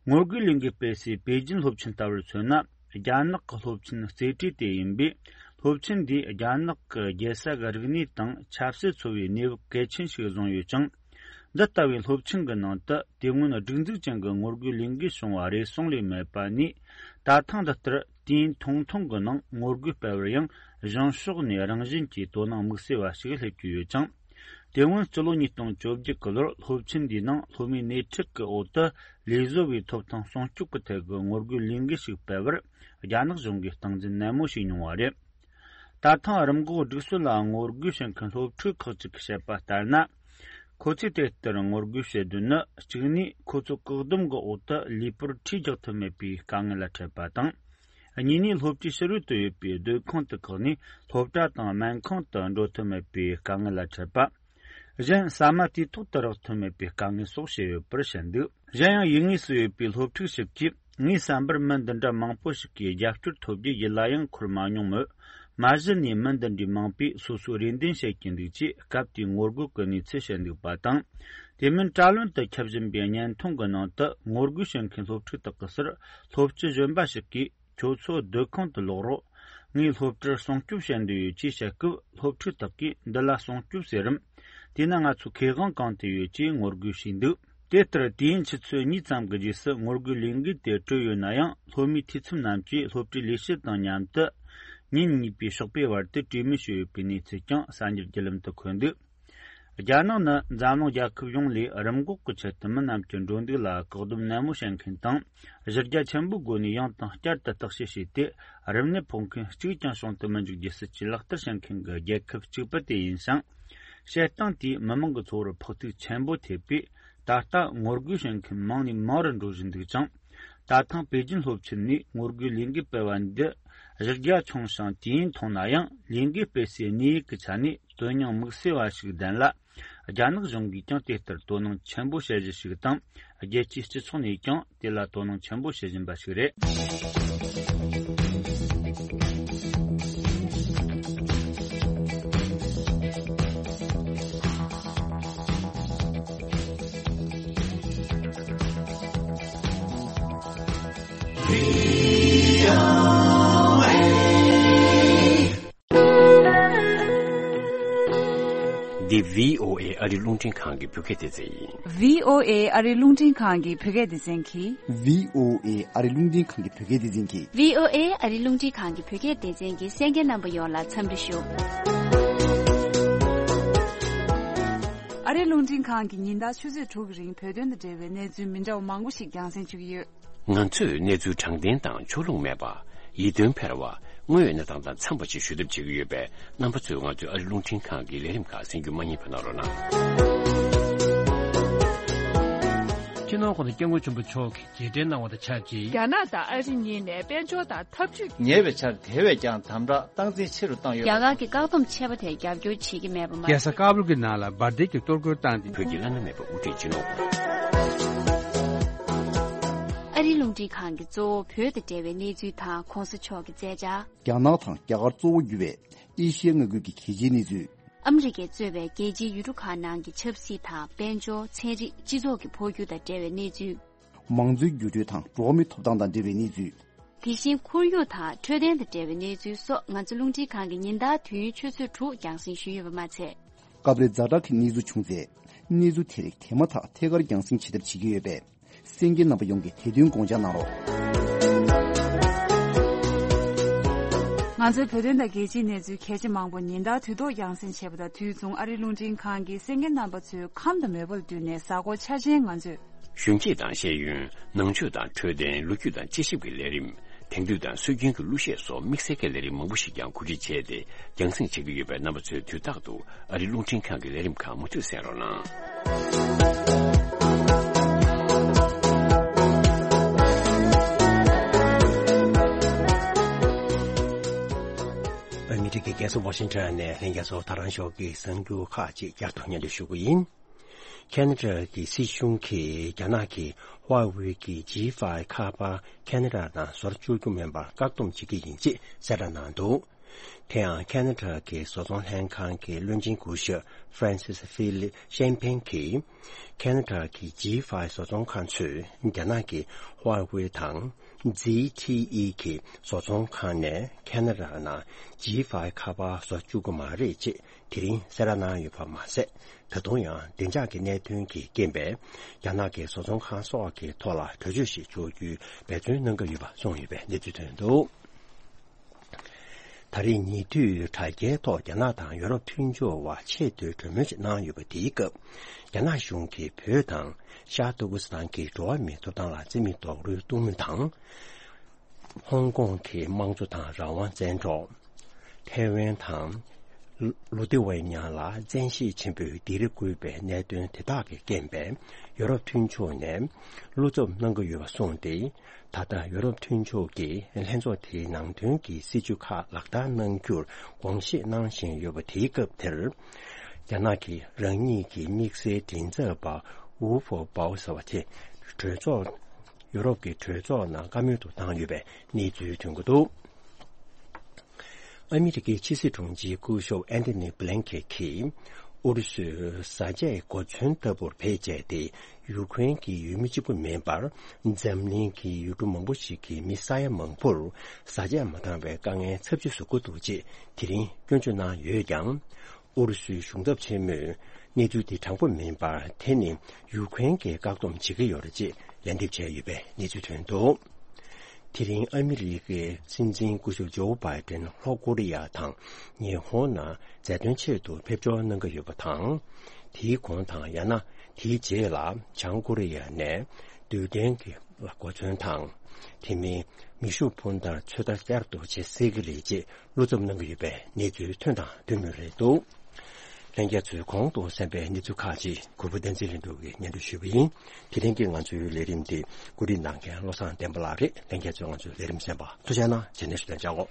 ངོ་རྒོལ་ལས་འགུལ་སྤེལ་སའི་པེ་ཅིན་སློབ་ཆེན་ལྟ་བུར་མཚོན་ན། རྒྱ་ནག་གི་སློབ་ཆེན་རྩེ་གྲས་དེ་ཡིན་པས། སློབ་ཆེན་འདིས་རྒྱ་ནག་གི་རྒྱལ་ས་གི་རིག་གནས་དང་ཆབ་སྲིད་འཚོ་བའི་གནས་བབ་གལ་ཆེན་ཞིག་བཟུང་ཡོད་ཅིང་། འདི་ལྟ་བུའི་སློབ་ཆེན་གྱི་ནང་དུ་དེ་སྔོན་སྒྲིག་འཛུགས་ཅན་གྱི་ངོ་རྒོལ་ལས་འགུལ་བྱུང་བ་རེ་ཟུང་ལས་མེད་པ་ནས། ད་ཐེངས་འདི་ལྟར་དུས་ཡུན་ཐུང་ཐུང་གི་ནང་ངོ་རྒོལ་སྤེལ་བར་ཡང་གཞུང་ཕྱོགས་ནས་རང་བཞིན་གྱིས་དོ་སྣང་དམིགས་བསལ་བ་ཞིག་སླེབས་ཀྱི་ཡོད་ཅིང་། དེ་སྔོན་སྤྱི་ལོ་ཉིས་སྟོང་བཅོ་བརྒྱད་ཀྱི་ལོར་སློབ་ཆེན་འདིའི་ནང་སློབ་མའི་སྣེ་ཁྲིད་ཀྱི་འོག་ཏུ་ལས་བཟོ་བའི་ཐོབ་ཐང་སྲུང་སྐྱོབ་ཀྱི་ཐད་ཀྱི་ངོ་རྒོལ་ལས་འགུལ་ཞིག་སྤེལ་བར་རྒྱ་ནག་གཞུང་གིས་སྟངས་འཛིན་ནན་མོ་བྱས་མྱོང་བ་རེད། ད་ཐེངས་རིམས་འགོག་སྒྲིག་སྲོལ་ལ་ངོ་རྒོལ་བྱེད་མཁན་སློབ་ཕྲུག་ཁག་ཅིག་གིས་བཤད་པ་ལྟར་ན། ཁོ་ཚོས་དེ་ལྟར་ངོ་རྒོལ་བྱེད་དོན་ནི། གཅིག་ནས་ཁོ་ཚོ་བཀག་སྡོམ་གྱི་འོག་ཏུ་ལུས་པོར་ཁྲིས་རྒྱག་ཐུབ་མེད་པའི་དཀའ་ངལ་ལ་འཕྲད་པ་དང་། གཉིས་ནས་སློབ་གྲྭའི་ཕྱི་རོལ་དུ་ཡོད་པའི་སྡོད་ཁང་དུ་བཀག་ནས་སློབ་གྲྭ་དང་སྨན་ཁང་དུ་འགྲོ་ཐུབ་མེད་པའི་དཀའ་ངལ་ལ་འཕྲད་པ། གཞན་ཟ་མ་དུས་ཐོག་ཏུ་རག་ཐུབ་མེད་པའི་དཀའ་ངལ་སོགས་བཤད་ཡོད་པར་བཤད་འདུག་གཞན་ཡང་ཡུལ་དངོས་སུ་ཡོད་པའི་སློབ་ཕྲུག་ཞིག་གིས། ངའི་བསམ་པར་མི་འདི་འདྲ་མང་པོ་ཞིག་གིས་རྒྱབ་སྐྱོར་ཐོབ་རྒྱུ་ཡིད་ལ་ཡང་འཁོར་མ་མྱོང་མོད། མ་གཞི་ནས་མི་འདི་འདྲའི་མང་པོས་སོ་སོའི་རེ་འདུན་བཤད་ཀྱིན་འདུག་ཅེས་སྐབས་དེའི་ངོ་རྒོལ་གྱི་གནས་ཚུལ་བཤད་འདུག་པ་དང་། དེ་མིན་དྲ་ལམ་དུ་ཁྱབ་བཞིན་པའི་བརྙན་ཐུང་གི་ནང་དུ་ངོ་རྒོལ་བྱེད་མཁན་སློབ་ཕྲུག་དག་གི་སར་སློབ་སྤྱི་གཞོན་པ་ཞིག་གིས། ཁྱོད་ཚོ་སྡོད་ཁང་དུ་ལོག་རོགས། ངས་སློབ་གྲྭར་སྲུང་སྐྱོབ་བྱེད་འདོད་ཡོད་ཅེས་བཤད་སྐབས། སློབ་ཕྲུག་དག་གིས་འདི་ལ་སྲུང་སྐྱོབ་ཟེར་རམ། དེས་ན་ང་ཚོའི་ཁེ་དབང་གང་དུ་ཡོད་ཅེས་ངོ་རྒོལ་བྱས་འདུག་དེ་ལྟར་དུས་ཡུན་ཆུ་ཚོད་གཉིས་ཙམ་གྱི་རྗེས་སུ་ངོ་རྒོལ་ལས་འགུལ་དེ་གྲོལ་ཡོད་ན་ཡང་། སློབ་མའི་འཐུས་ཚབ་རྣམས་ཀྱིས་སློབ་གྲྭའི་ལས་བྱེད་དང་མཉམ་དུ་ཉིན་གཉིས་པའི་ཞོགས་པའི་བར་དུ་གྲོས་མོལ་བྱས་ཡོད་པའི་གནས་ཚུལ་ཀྱང་གསར་འགྱུར་བརྒྱུད་ལམ་དུ་འཁོད་འདུག་རྒྱ་ནག་ནི་འཛམ་གླིང་རྒྱལ་ཁབ་ཡོངས་ལས་རིམས་འགོག་གི་ཆེད་དུ་མི་རྣམས་ཀྱི་འགྲོ་འདུག་ལ་བཀག་སྡོམ་ནན་མོ་བྱེད་མཁན་དང་། གཞི་རྒྱ་ཆེན་པོའི་སྒོ་ནས་ཡང་དང་བསྐྱར་དུ་བརྟག་དཔྱད་བྱས་ཏེ། རིམས་ནད་ཕོག་མཁན་གཅིག་ཀྱང་བྱུང་དུ་མི་འཇུག་རྒྱུའི་སྲིད་ཇུས་ལག་བསྟར་བྱེད་མཁན་གྱི་རྒྱལ་ཁབ་གཅིག་པུ་དེ་ཡིན་ཞིང་། བྱེད་སྟངས་དེས་མི་མང་གི་འཚོ་བར་ཕོག་ཐུག་ཆེན་པོ་ཐེབས་པས། ད་ལྟ་ངོ་རྒོལ་བྱེད་མཁན་མང་ནས་མང་རུ་འགྲོ་བཞིན་འདུག་ཅིང་། ད་ཐེངས་པེ་ཅིན་སློབ་ཆེན་ནས་ངོ་རྒོལ་ལས་འགུལ་སྤེལ་བ་འདི་གཞི་རྒྱ་ཆུང་ཞིང་དུས་ཡུན་ཐུང་ན་ཡང་། ལས་འགུལ་སྤེལ་སའི་གནས་ཡུལ་གྱི་ཆ་ནས་དོན་སྙིང་དམིགས་བསལ་བ་ཞིག་ལྡན་ལ། རྒྱ་ནག་གཞུང་གིས་ཀྱང་དེ་ལྟར་དོ་སྣང་ཆེན་པོ་བྱེད་གཞི་ཞིག་དང་། རྒྱལ་སྤྱིའི་སྤྱི་ཚོགས་ནས་ཀྱང་དེ་ལ་དོ་སྣང་ཆེན་པོ་བྱེད་བཞིན་པ་ཞིག་རེད། འདི་བྷི་ཨོ་ཨེ་ཨ་རིའི་རླུང་འཕྲིན་ཁང་གི་བོད་སྐད་སྡེ་ཚན་ཡིན། བྷི་ཨོ་ཨེ་ཨ་རིའི་རླུང་འཕྲིན་ཁང་གི་བོད་སྐད་སྡེ་ཚན་གྱིས། བྷི་ཨོ་ཨེ་ཨ་རིའི་རླུང་འཕྲིན་ཁང་གི་བོད་སྐད་སྡེ་ཚན་གྱིས། བྷི་ཨོ་ཨེ་ཨ་རིའི་རླུང་འཕྲིན་ཁང་གི་བོད་སྐད་སྡེ་ཚན་གྱི་གསན་མཁན་རྣམ་པ་ཡོངས་ལ་འཚམས་འདྲི་ཞུ། ཨ་རིའི་རླུང་འཕྲིན་ཁང་གིས་ཉིན་ལྟར་ཆུ་ཚོད་དྲུག་གི་རིང་བོད་དོན་དང་འབྲེལ་བའི་གནས་ཚུལ་མི་འདྲ་བ་མང་པོ་ཞིག་རྒྱང་སྲིང་ཞུ་གི་ཡོད། ང་ཚོས་གནས་ཚུལ་དྲང་བདེན་དང་ཕྱོགས་ལྷུང་མེད་པ། ཡིད་རྟོན་འཕེར་བ། དངོས་ཡོད་གནས་སྟངས་དང་འཚམས་པ་ཞིག་ཞུ་ཐབས་བྱེད་ཀྱི་ཡོད་པས། རྣམ་པ་ཚོས་ང་ཚོའི་ཨ་རི་རླུང་འཕྲིན་ཁང་གི་ལས་རིམ་ཁག་གསན་རྒྱུ་མ་བསྙེལ་བ་གནང་རོགས་གནང་། སྤྱི་ནོར་༸གོང་ས་༸སྐྱབས་མགོན་ཆེན་པོ་མཆོག་གིས་མཇལ་འཕྲད་གནང་བ་དང་ཆབས་ཅིག་རྒྱ་ནག་དང་ཨ་རི་གཉིས་ནས་དཔལ་འབྱོར་དང་འཐབ་ཇུས། ཉེ་བའི་ཆར་དེ་བས་ཀྱང་དམ་དྲག་སྟངས་འཛིན་ཆེ་རུ་བཏང་ཡོད་པ། རྒྱ་གར་གྱི་བཀག་སྡོམ་ཆད་པ་དེར་རྒྱབ་སྐྱོར་བྱེད་ཀྱི་མེད་པ་མ་ཟད། རྒྱལ་ས་ཀ་བུལ་གྱི་ནང་ལ་འབར་མདེལ་གྱི་གཏོར་རྒོལ་བཏང་སྟེ། བོད་ཀྱི་བླ་ན་མེད་པ་དབུ་ཁྲིད་སྤྱི་ནོར་ཨ་རིའི་རླུང་འཕྲིན་ཁང་གིས་གཙོ་བོ་བོད་དང་འབྲེལ་བའི་གནས་ཚུལ་དང་གོང་ས་མཆོག་གི་མཛད་འཆར། རྒྱ་ནག་དང་རྒྱ་གར་གཙོ་བོ་གྱུར་བའི་ཨེ་ཤི་ཡའི་མངའ་ཁུལ་གྱི་གལ་ཆེའི་གནས་ཚུལ། ཨ་མི་རི་ཀས་གཙོས་པའི་རྒྱལ་སྤྱིའི་ཡུལ་གྲུ་ཁག་ནང་གི་ཆབ་སྲིད་དང་དཔལ་འབྱོར། ཚན་རིག་སྤྱི་ཚོགས་ཀྱི་འཕོ་འགྱུར་དང་འབྲེལ་བའི་གནས་ཚུལ། མང་གཙོའི་འགྱུར་འགྲོས་དང་འགྲོ་བ་མིའི་ཐོབ་ཐང་དང་འབྲེལ་བའི་གནས་ཚུལ། དེ་བཞིན་ཁོར་ཡུག་དང་འཕྲོད་བསྟེན་དང་འབྲེལ་བའི་གནས་ཚུལ་སོགས་ང་ཚོ་རླུང་འཕྲིན་ཁང་གིས་ཉིན་ལྟར་དུས་ཡུན་ཆུ་ཚོད་དྲུག་རྒྱང་སྲིང་ཞུས་ཡོད་པ་མ་ཚད། སྐབས་རེ་ཛ་དྲག་གི་གནས་ཚུལ་བྱུང་ཚེ། གནས་ཚུལ་དེ་རིགས་དེ་མ་ཐག་ཐད་ཀར་རྒྱང་སྲིང་བྱེད་ཐབས་བྱེད་ཀྱི་ཡོད་པས། གསན་མཁན་རྣམ་པ་ཡོངས་ཀྱིས་དེ་དོན་དགོངས་འཇགས་གནང་རོགས། ང་ཚོའི་བོད་དོན་དང་རྒྱལ་སྤྱིའི་གནས་ཚུལ་གལ་ཆེ་མང་པོ་ཉིན་ལྟར་དུས་ཐོག་རྒྱང་སྲིང་བྱས་པ་དང་དུས་མཚུངས་ཨ་རིའི་རླུང་འཕྲིན་ཁང་གིས་གསན་མཁན་རྣམ་པ་ཚོའི་ཁམས་དང་མོས་པ་ལ་བསྟུན་ནས་གཟའ་འཁོར་འཆར་ཅན་ང་ཚོས། གཞོན་སྐྱེས་དང་ཤེས་ཡོན། ནང་ཆོས་དང་འཕྲོད་བསྟེན། ལོ་རྒྱུས་དང་དཔྱད་ཞིབ་ཀྱི་ལས་རིམ། དེང་དུས་དང་སྲོལ་རྒྱུན་གྱི་གླུ་གཞས་སོགས་དམིགས་བསལ་གྱི་ལས་རིམ་མང་པོ་ཞིག་ཀྱང་གོ་སྒྲིག་བྱས་ཏེ་རྒྱང་སྲིང་བྱེད་ཀྱི་ཡོད་པས། རྣམ་པ་ཚོས་དུས་རྟག་ཏུ་ཨ་རིའི་རླུང་འཕྲིན་ཁང་གི་ལས་རིམ་ཁག་མུ་མཐུད་གསན་རོགས་གནང་། ཨ་མི་རི་ཀའི་རྒྱལ་ས་ཝ་ཤིང་ཊོན་ནས་ལྷན་རྒྱས་ཚོ་ད་རང་ཞོགས་ཀྱི་གསར་འགྱུར་ཁག་ཅིག་བསྐྱར་དུ་སྙན་སྒྲོན་ཞུ་གི་ཡིན། ཁེ་ན་ཌ་གི་སྲིད་གཞུང་གིས་རྒྱ་ནག་གིས་ཧྭ་ཝེ་གི་ཇི་ཕའི་ཁ་པར་ཁེ་ན་ཌ་ནང་བཟོ་བཅུག་རྒྱུ་མིན་པར་བཀག་སྡོམ་བྱེད་ཀྱི་ཡིན་ཅེས་གསལ་བསྒྲགས་གནང་འདུག་དེ་ཡང་ཁེ་ན་ཌ་གི་བཟོ་ཚོང་ལྷན་ཁང་གི་བློན་ཆེན་སྐུ་ཞབས་ཧྥ་རན་སིས་ཧྥི་ལིབ་ཤན་ཕེང་གིས། ཁེ་ན་ཌ་གི་ཇི་ཕའི་བཟོ་ཚོང་ཁང་ཚོས་རྒྱ་ནག་གི་ཧྭ་ཝེ་དང་ཛི་ཐི་ཨི་གི་བཟོ་ཚོང་ཁང་ནས་ཁེ་ན་ཌ་ནང་ཇི་ཕའི་ཁ་པར་བཟོ་བཅུག་གི་མ་རེད་ཅེས། དེ་རིང་གསལ་བསྒྲགས་གནང་ཡོད་པ་མ་ཟད། ད་དུང་ཡང་བདེ་འཇགས་ཀྱི་གནད་དོན་གྱི་རྐྱེན་པས། རྒྱ་ནག་གི་བཟོ་ཚོང་ཁང་སོགས་ཀྱི་ཐོག་ལ་བྲོས་བྱོལ་ཞིག་འཇོག་རྒྱུའི་འབད་བརྩོན་གནང་གི་ཡོད་པ་གསུངས་ཡོད་པའི་གནས་ཚུལ་ཐོན་འདུག་ད་རེས་ཉེ་དུས་དྲ་རྒྱའི་ཐོག་རྒྱ་ནག་དང་ཡོ་རོབ་མཐུན་ཕྱོགས་བར་ཆེས་མཐོའི་གྲོས་མོལ་ཞིག་གནང་ཡོད་པ་དེའི་སྐབས། རྒྱ་ནག་གཞུང་གིས་བོད་དང་ཤར་ཏུར་ཀི་སི་ཐན་གྱི་འགྲོ་བ་མིའི་ཐོབ་ཐང་ལ་བརྩི་མེད་རྡོག་རོལ་གཏོང་མུས་དང་། ཧོང་ཀོང་གི་དམངས་གཙོ་དང་རང་དབང་བཙན་འཕྲོག་ཐའེ་ཝན་དང་། ལུ་ཏེ་ཝའི་ཉ་ལ་བཙན་ཤེད་ཆེན་པོས་སྡིགས་ར་བསྐུལ་བའི་གནད་དོན་དེ་དག་གི་རྐྱེན་པས། ཡོ་རོབ་མཐུན་ཕྱོགས་ནས་བློ་འཚབ་གནང་གི་ཡོད་པ་གསུངས་ཏེ། ད་ལྟ་ཡོ་རོབ་མཐུན་ཕྱོགས་ཀྱིས་ལྷན་ཚོགས་དེའི་ནང་དོན་གྱི་སྲིད་བྱུས་ཁག་ལག་བསྟར་གནང་རྒྱུར་དགོངས་བཞེས་གནང་བཞིན་ཡོད་པ་དེའི་སྐབས་དེར། རྒྱ་ནག་གིས་རང་ཉིད་ཀྱི་དམིགས་བསལ་མགྲིན་ཚབ་པ་ཝུ་ཧྥོ་པའོ་ཟེར་བ་དེ་གྲོས་ཚོགས། ཡུ་རོབ་ཀྱི་གྲོས་ཚོགས་ནང་བཀའ་མོལ་དུ་བཏང་ཡོད་པའི་གནས་ཚུལ་ཐོན་གྱི་འདུག་ཨ་མི་རི་ཀའི་ཕྱི་སྲིད་དྲུང་ཆེ་སྐུ་ཞབས་ཨན་ཐོ་ནི་བྷི་ལན་ཁེ་གིས། ཨུ་རུ་སུས་བཟའ་ཆས་གོ་མཚོན་ལྟ་བུར་བེད་སྤྱད་དེ། ཡུ་ཁུ་རེན་གྱི་ཡུལ་མི་གཅིག་པུ་མིན་པར། འཛམ་གླིང་གི་ཡུལ་གྲུ་མང་པོ་ཞིག་གི་མི་ས་ཡ་མང་པོར། བཟའ་ཆས་མ་འདང་བའི་དཀའ་ངལ་ཚབས་ཆེ་བཟོ་གི་འདུག་ཅེས་དེ་རིང་སྐྱོན་བརྗོད་གནང་ཡོད་ཀྱང་། ཨུ་རུ་སུའི་གཞུང་ཚབ་ཆེན་མོས་གནས་ཚུལ་འདི་དྲང་པོ་མིན་པར། དེ་ནི་ཡུ་ཁུ་རེན་གྱིས་བཀག་སྡོམ་བྱེད་ཀྱི་ཡོད་རེད་ཅེས་ལན་འདེབས་བྱས་ཡོད་པའི་གནས་ཚུལ་ཐོན་འདུག་དེ་རིང་ཨ་མི་རི་ཀའི་སྲིད་འཛིན་སྐུ་ཞབས་ཇོ་བྷའི་ཏན་ལྷོ་ཀོ་རི་ཡ་དང་ཉི་ཧོང་ནང་མཛའ་མཐུན་ཆེད་དུ་ཕེབས་འབྱོར་གནང་གི་ཡོད་པ་དང་། དེའི་གོང་དང་ཡང་ན་དེའི་རྗེས་ལ་བྱང་ཀོ་རི་ཡ་ནས་རྡུལ་ཕྲན་གྱི་ལ་གོ་མཚོན་དང་། དེ་མིན་མེ་ཤུགས་འཕུར་མདའ་ཚོད་ལྟ་བསྐྱར་དུ་བྱེད་སྲིད་ཀྱི་རེད་ཅེས་བློ་འཚབ་གནང་གི་ཡོད་པའི་གནས་ཚུལ་ཐོན་དང་ཐོན་མུས་རེད་འདུག་ལྷན་རྒྱས་ཚོས་གོང་དུ་གསན་པའི་གནས་ཚུལ་ཁག་ཅིག་གུས་པ་བསྟན་འཛིན་ལྷུན་གྲུབ་ཀྱིས་སྙན་སྒྲོན་ཞུས་པ་ཡིན། དེ་རིང་གི་ང་ཚོའི་ལས་རིམ་འདི་བཀོད་སྒྲིག་གནང་མཁན་བློ་བཟང་བསྟན་པ་ལགས་རེད། ལྷན་རྒྱས་ཚོས་ང་ཚོའི་ལས་རིམ་གསན་པར་ཐུགས་རྗེ་གནང་། རྗེས་ནས་ཞུ་དོན་བྱ་འོ།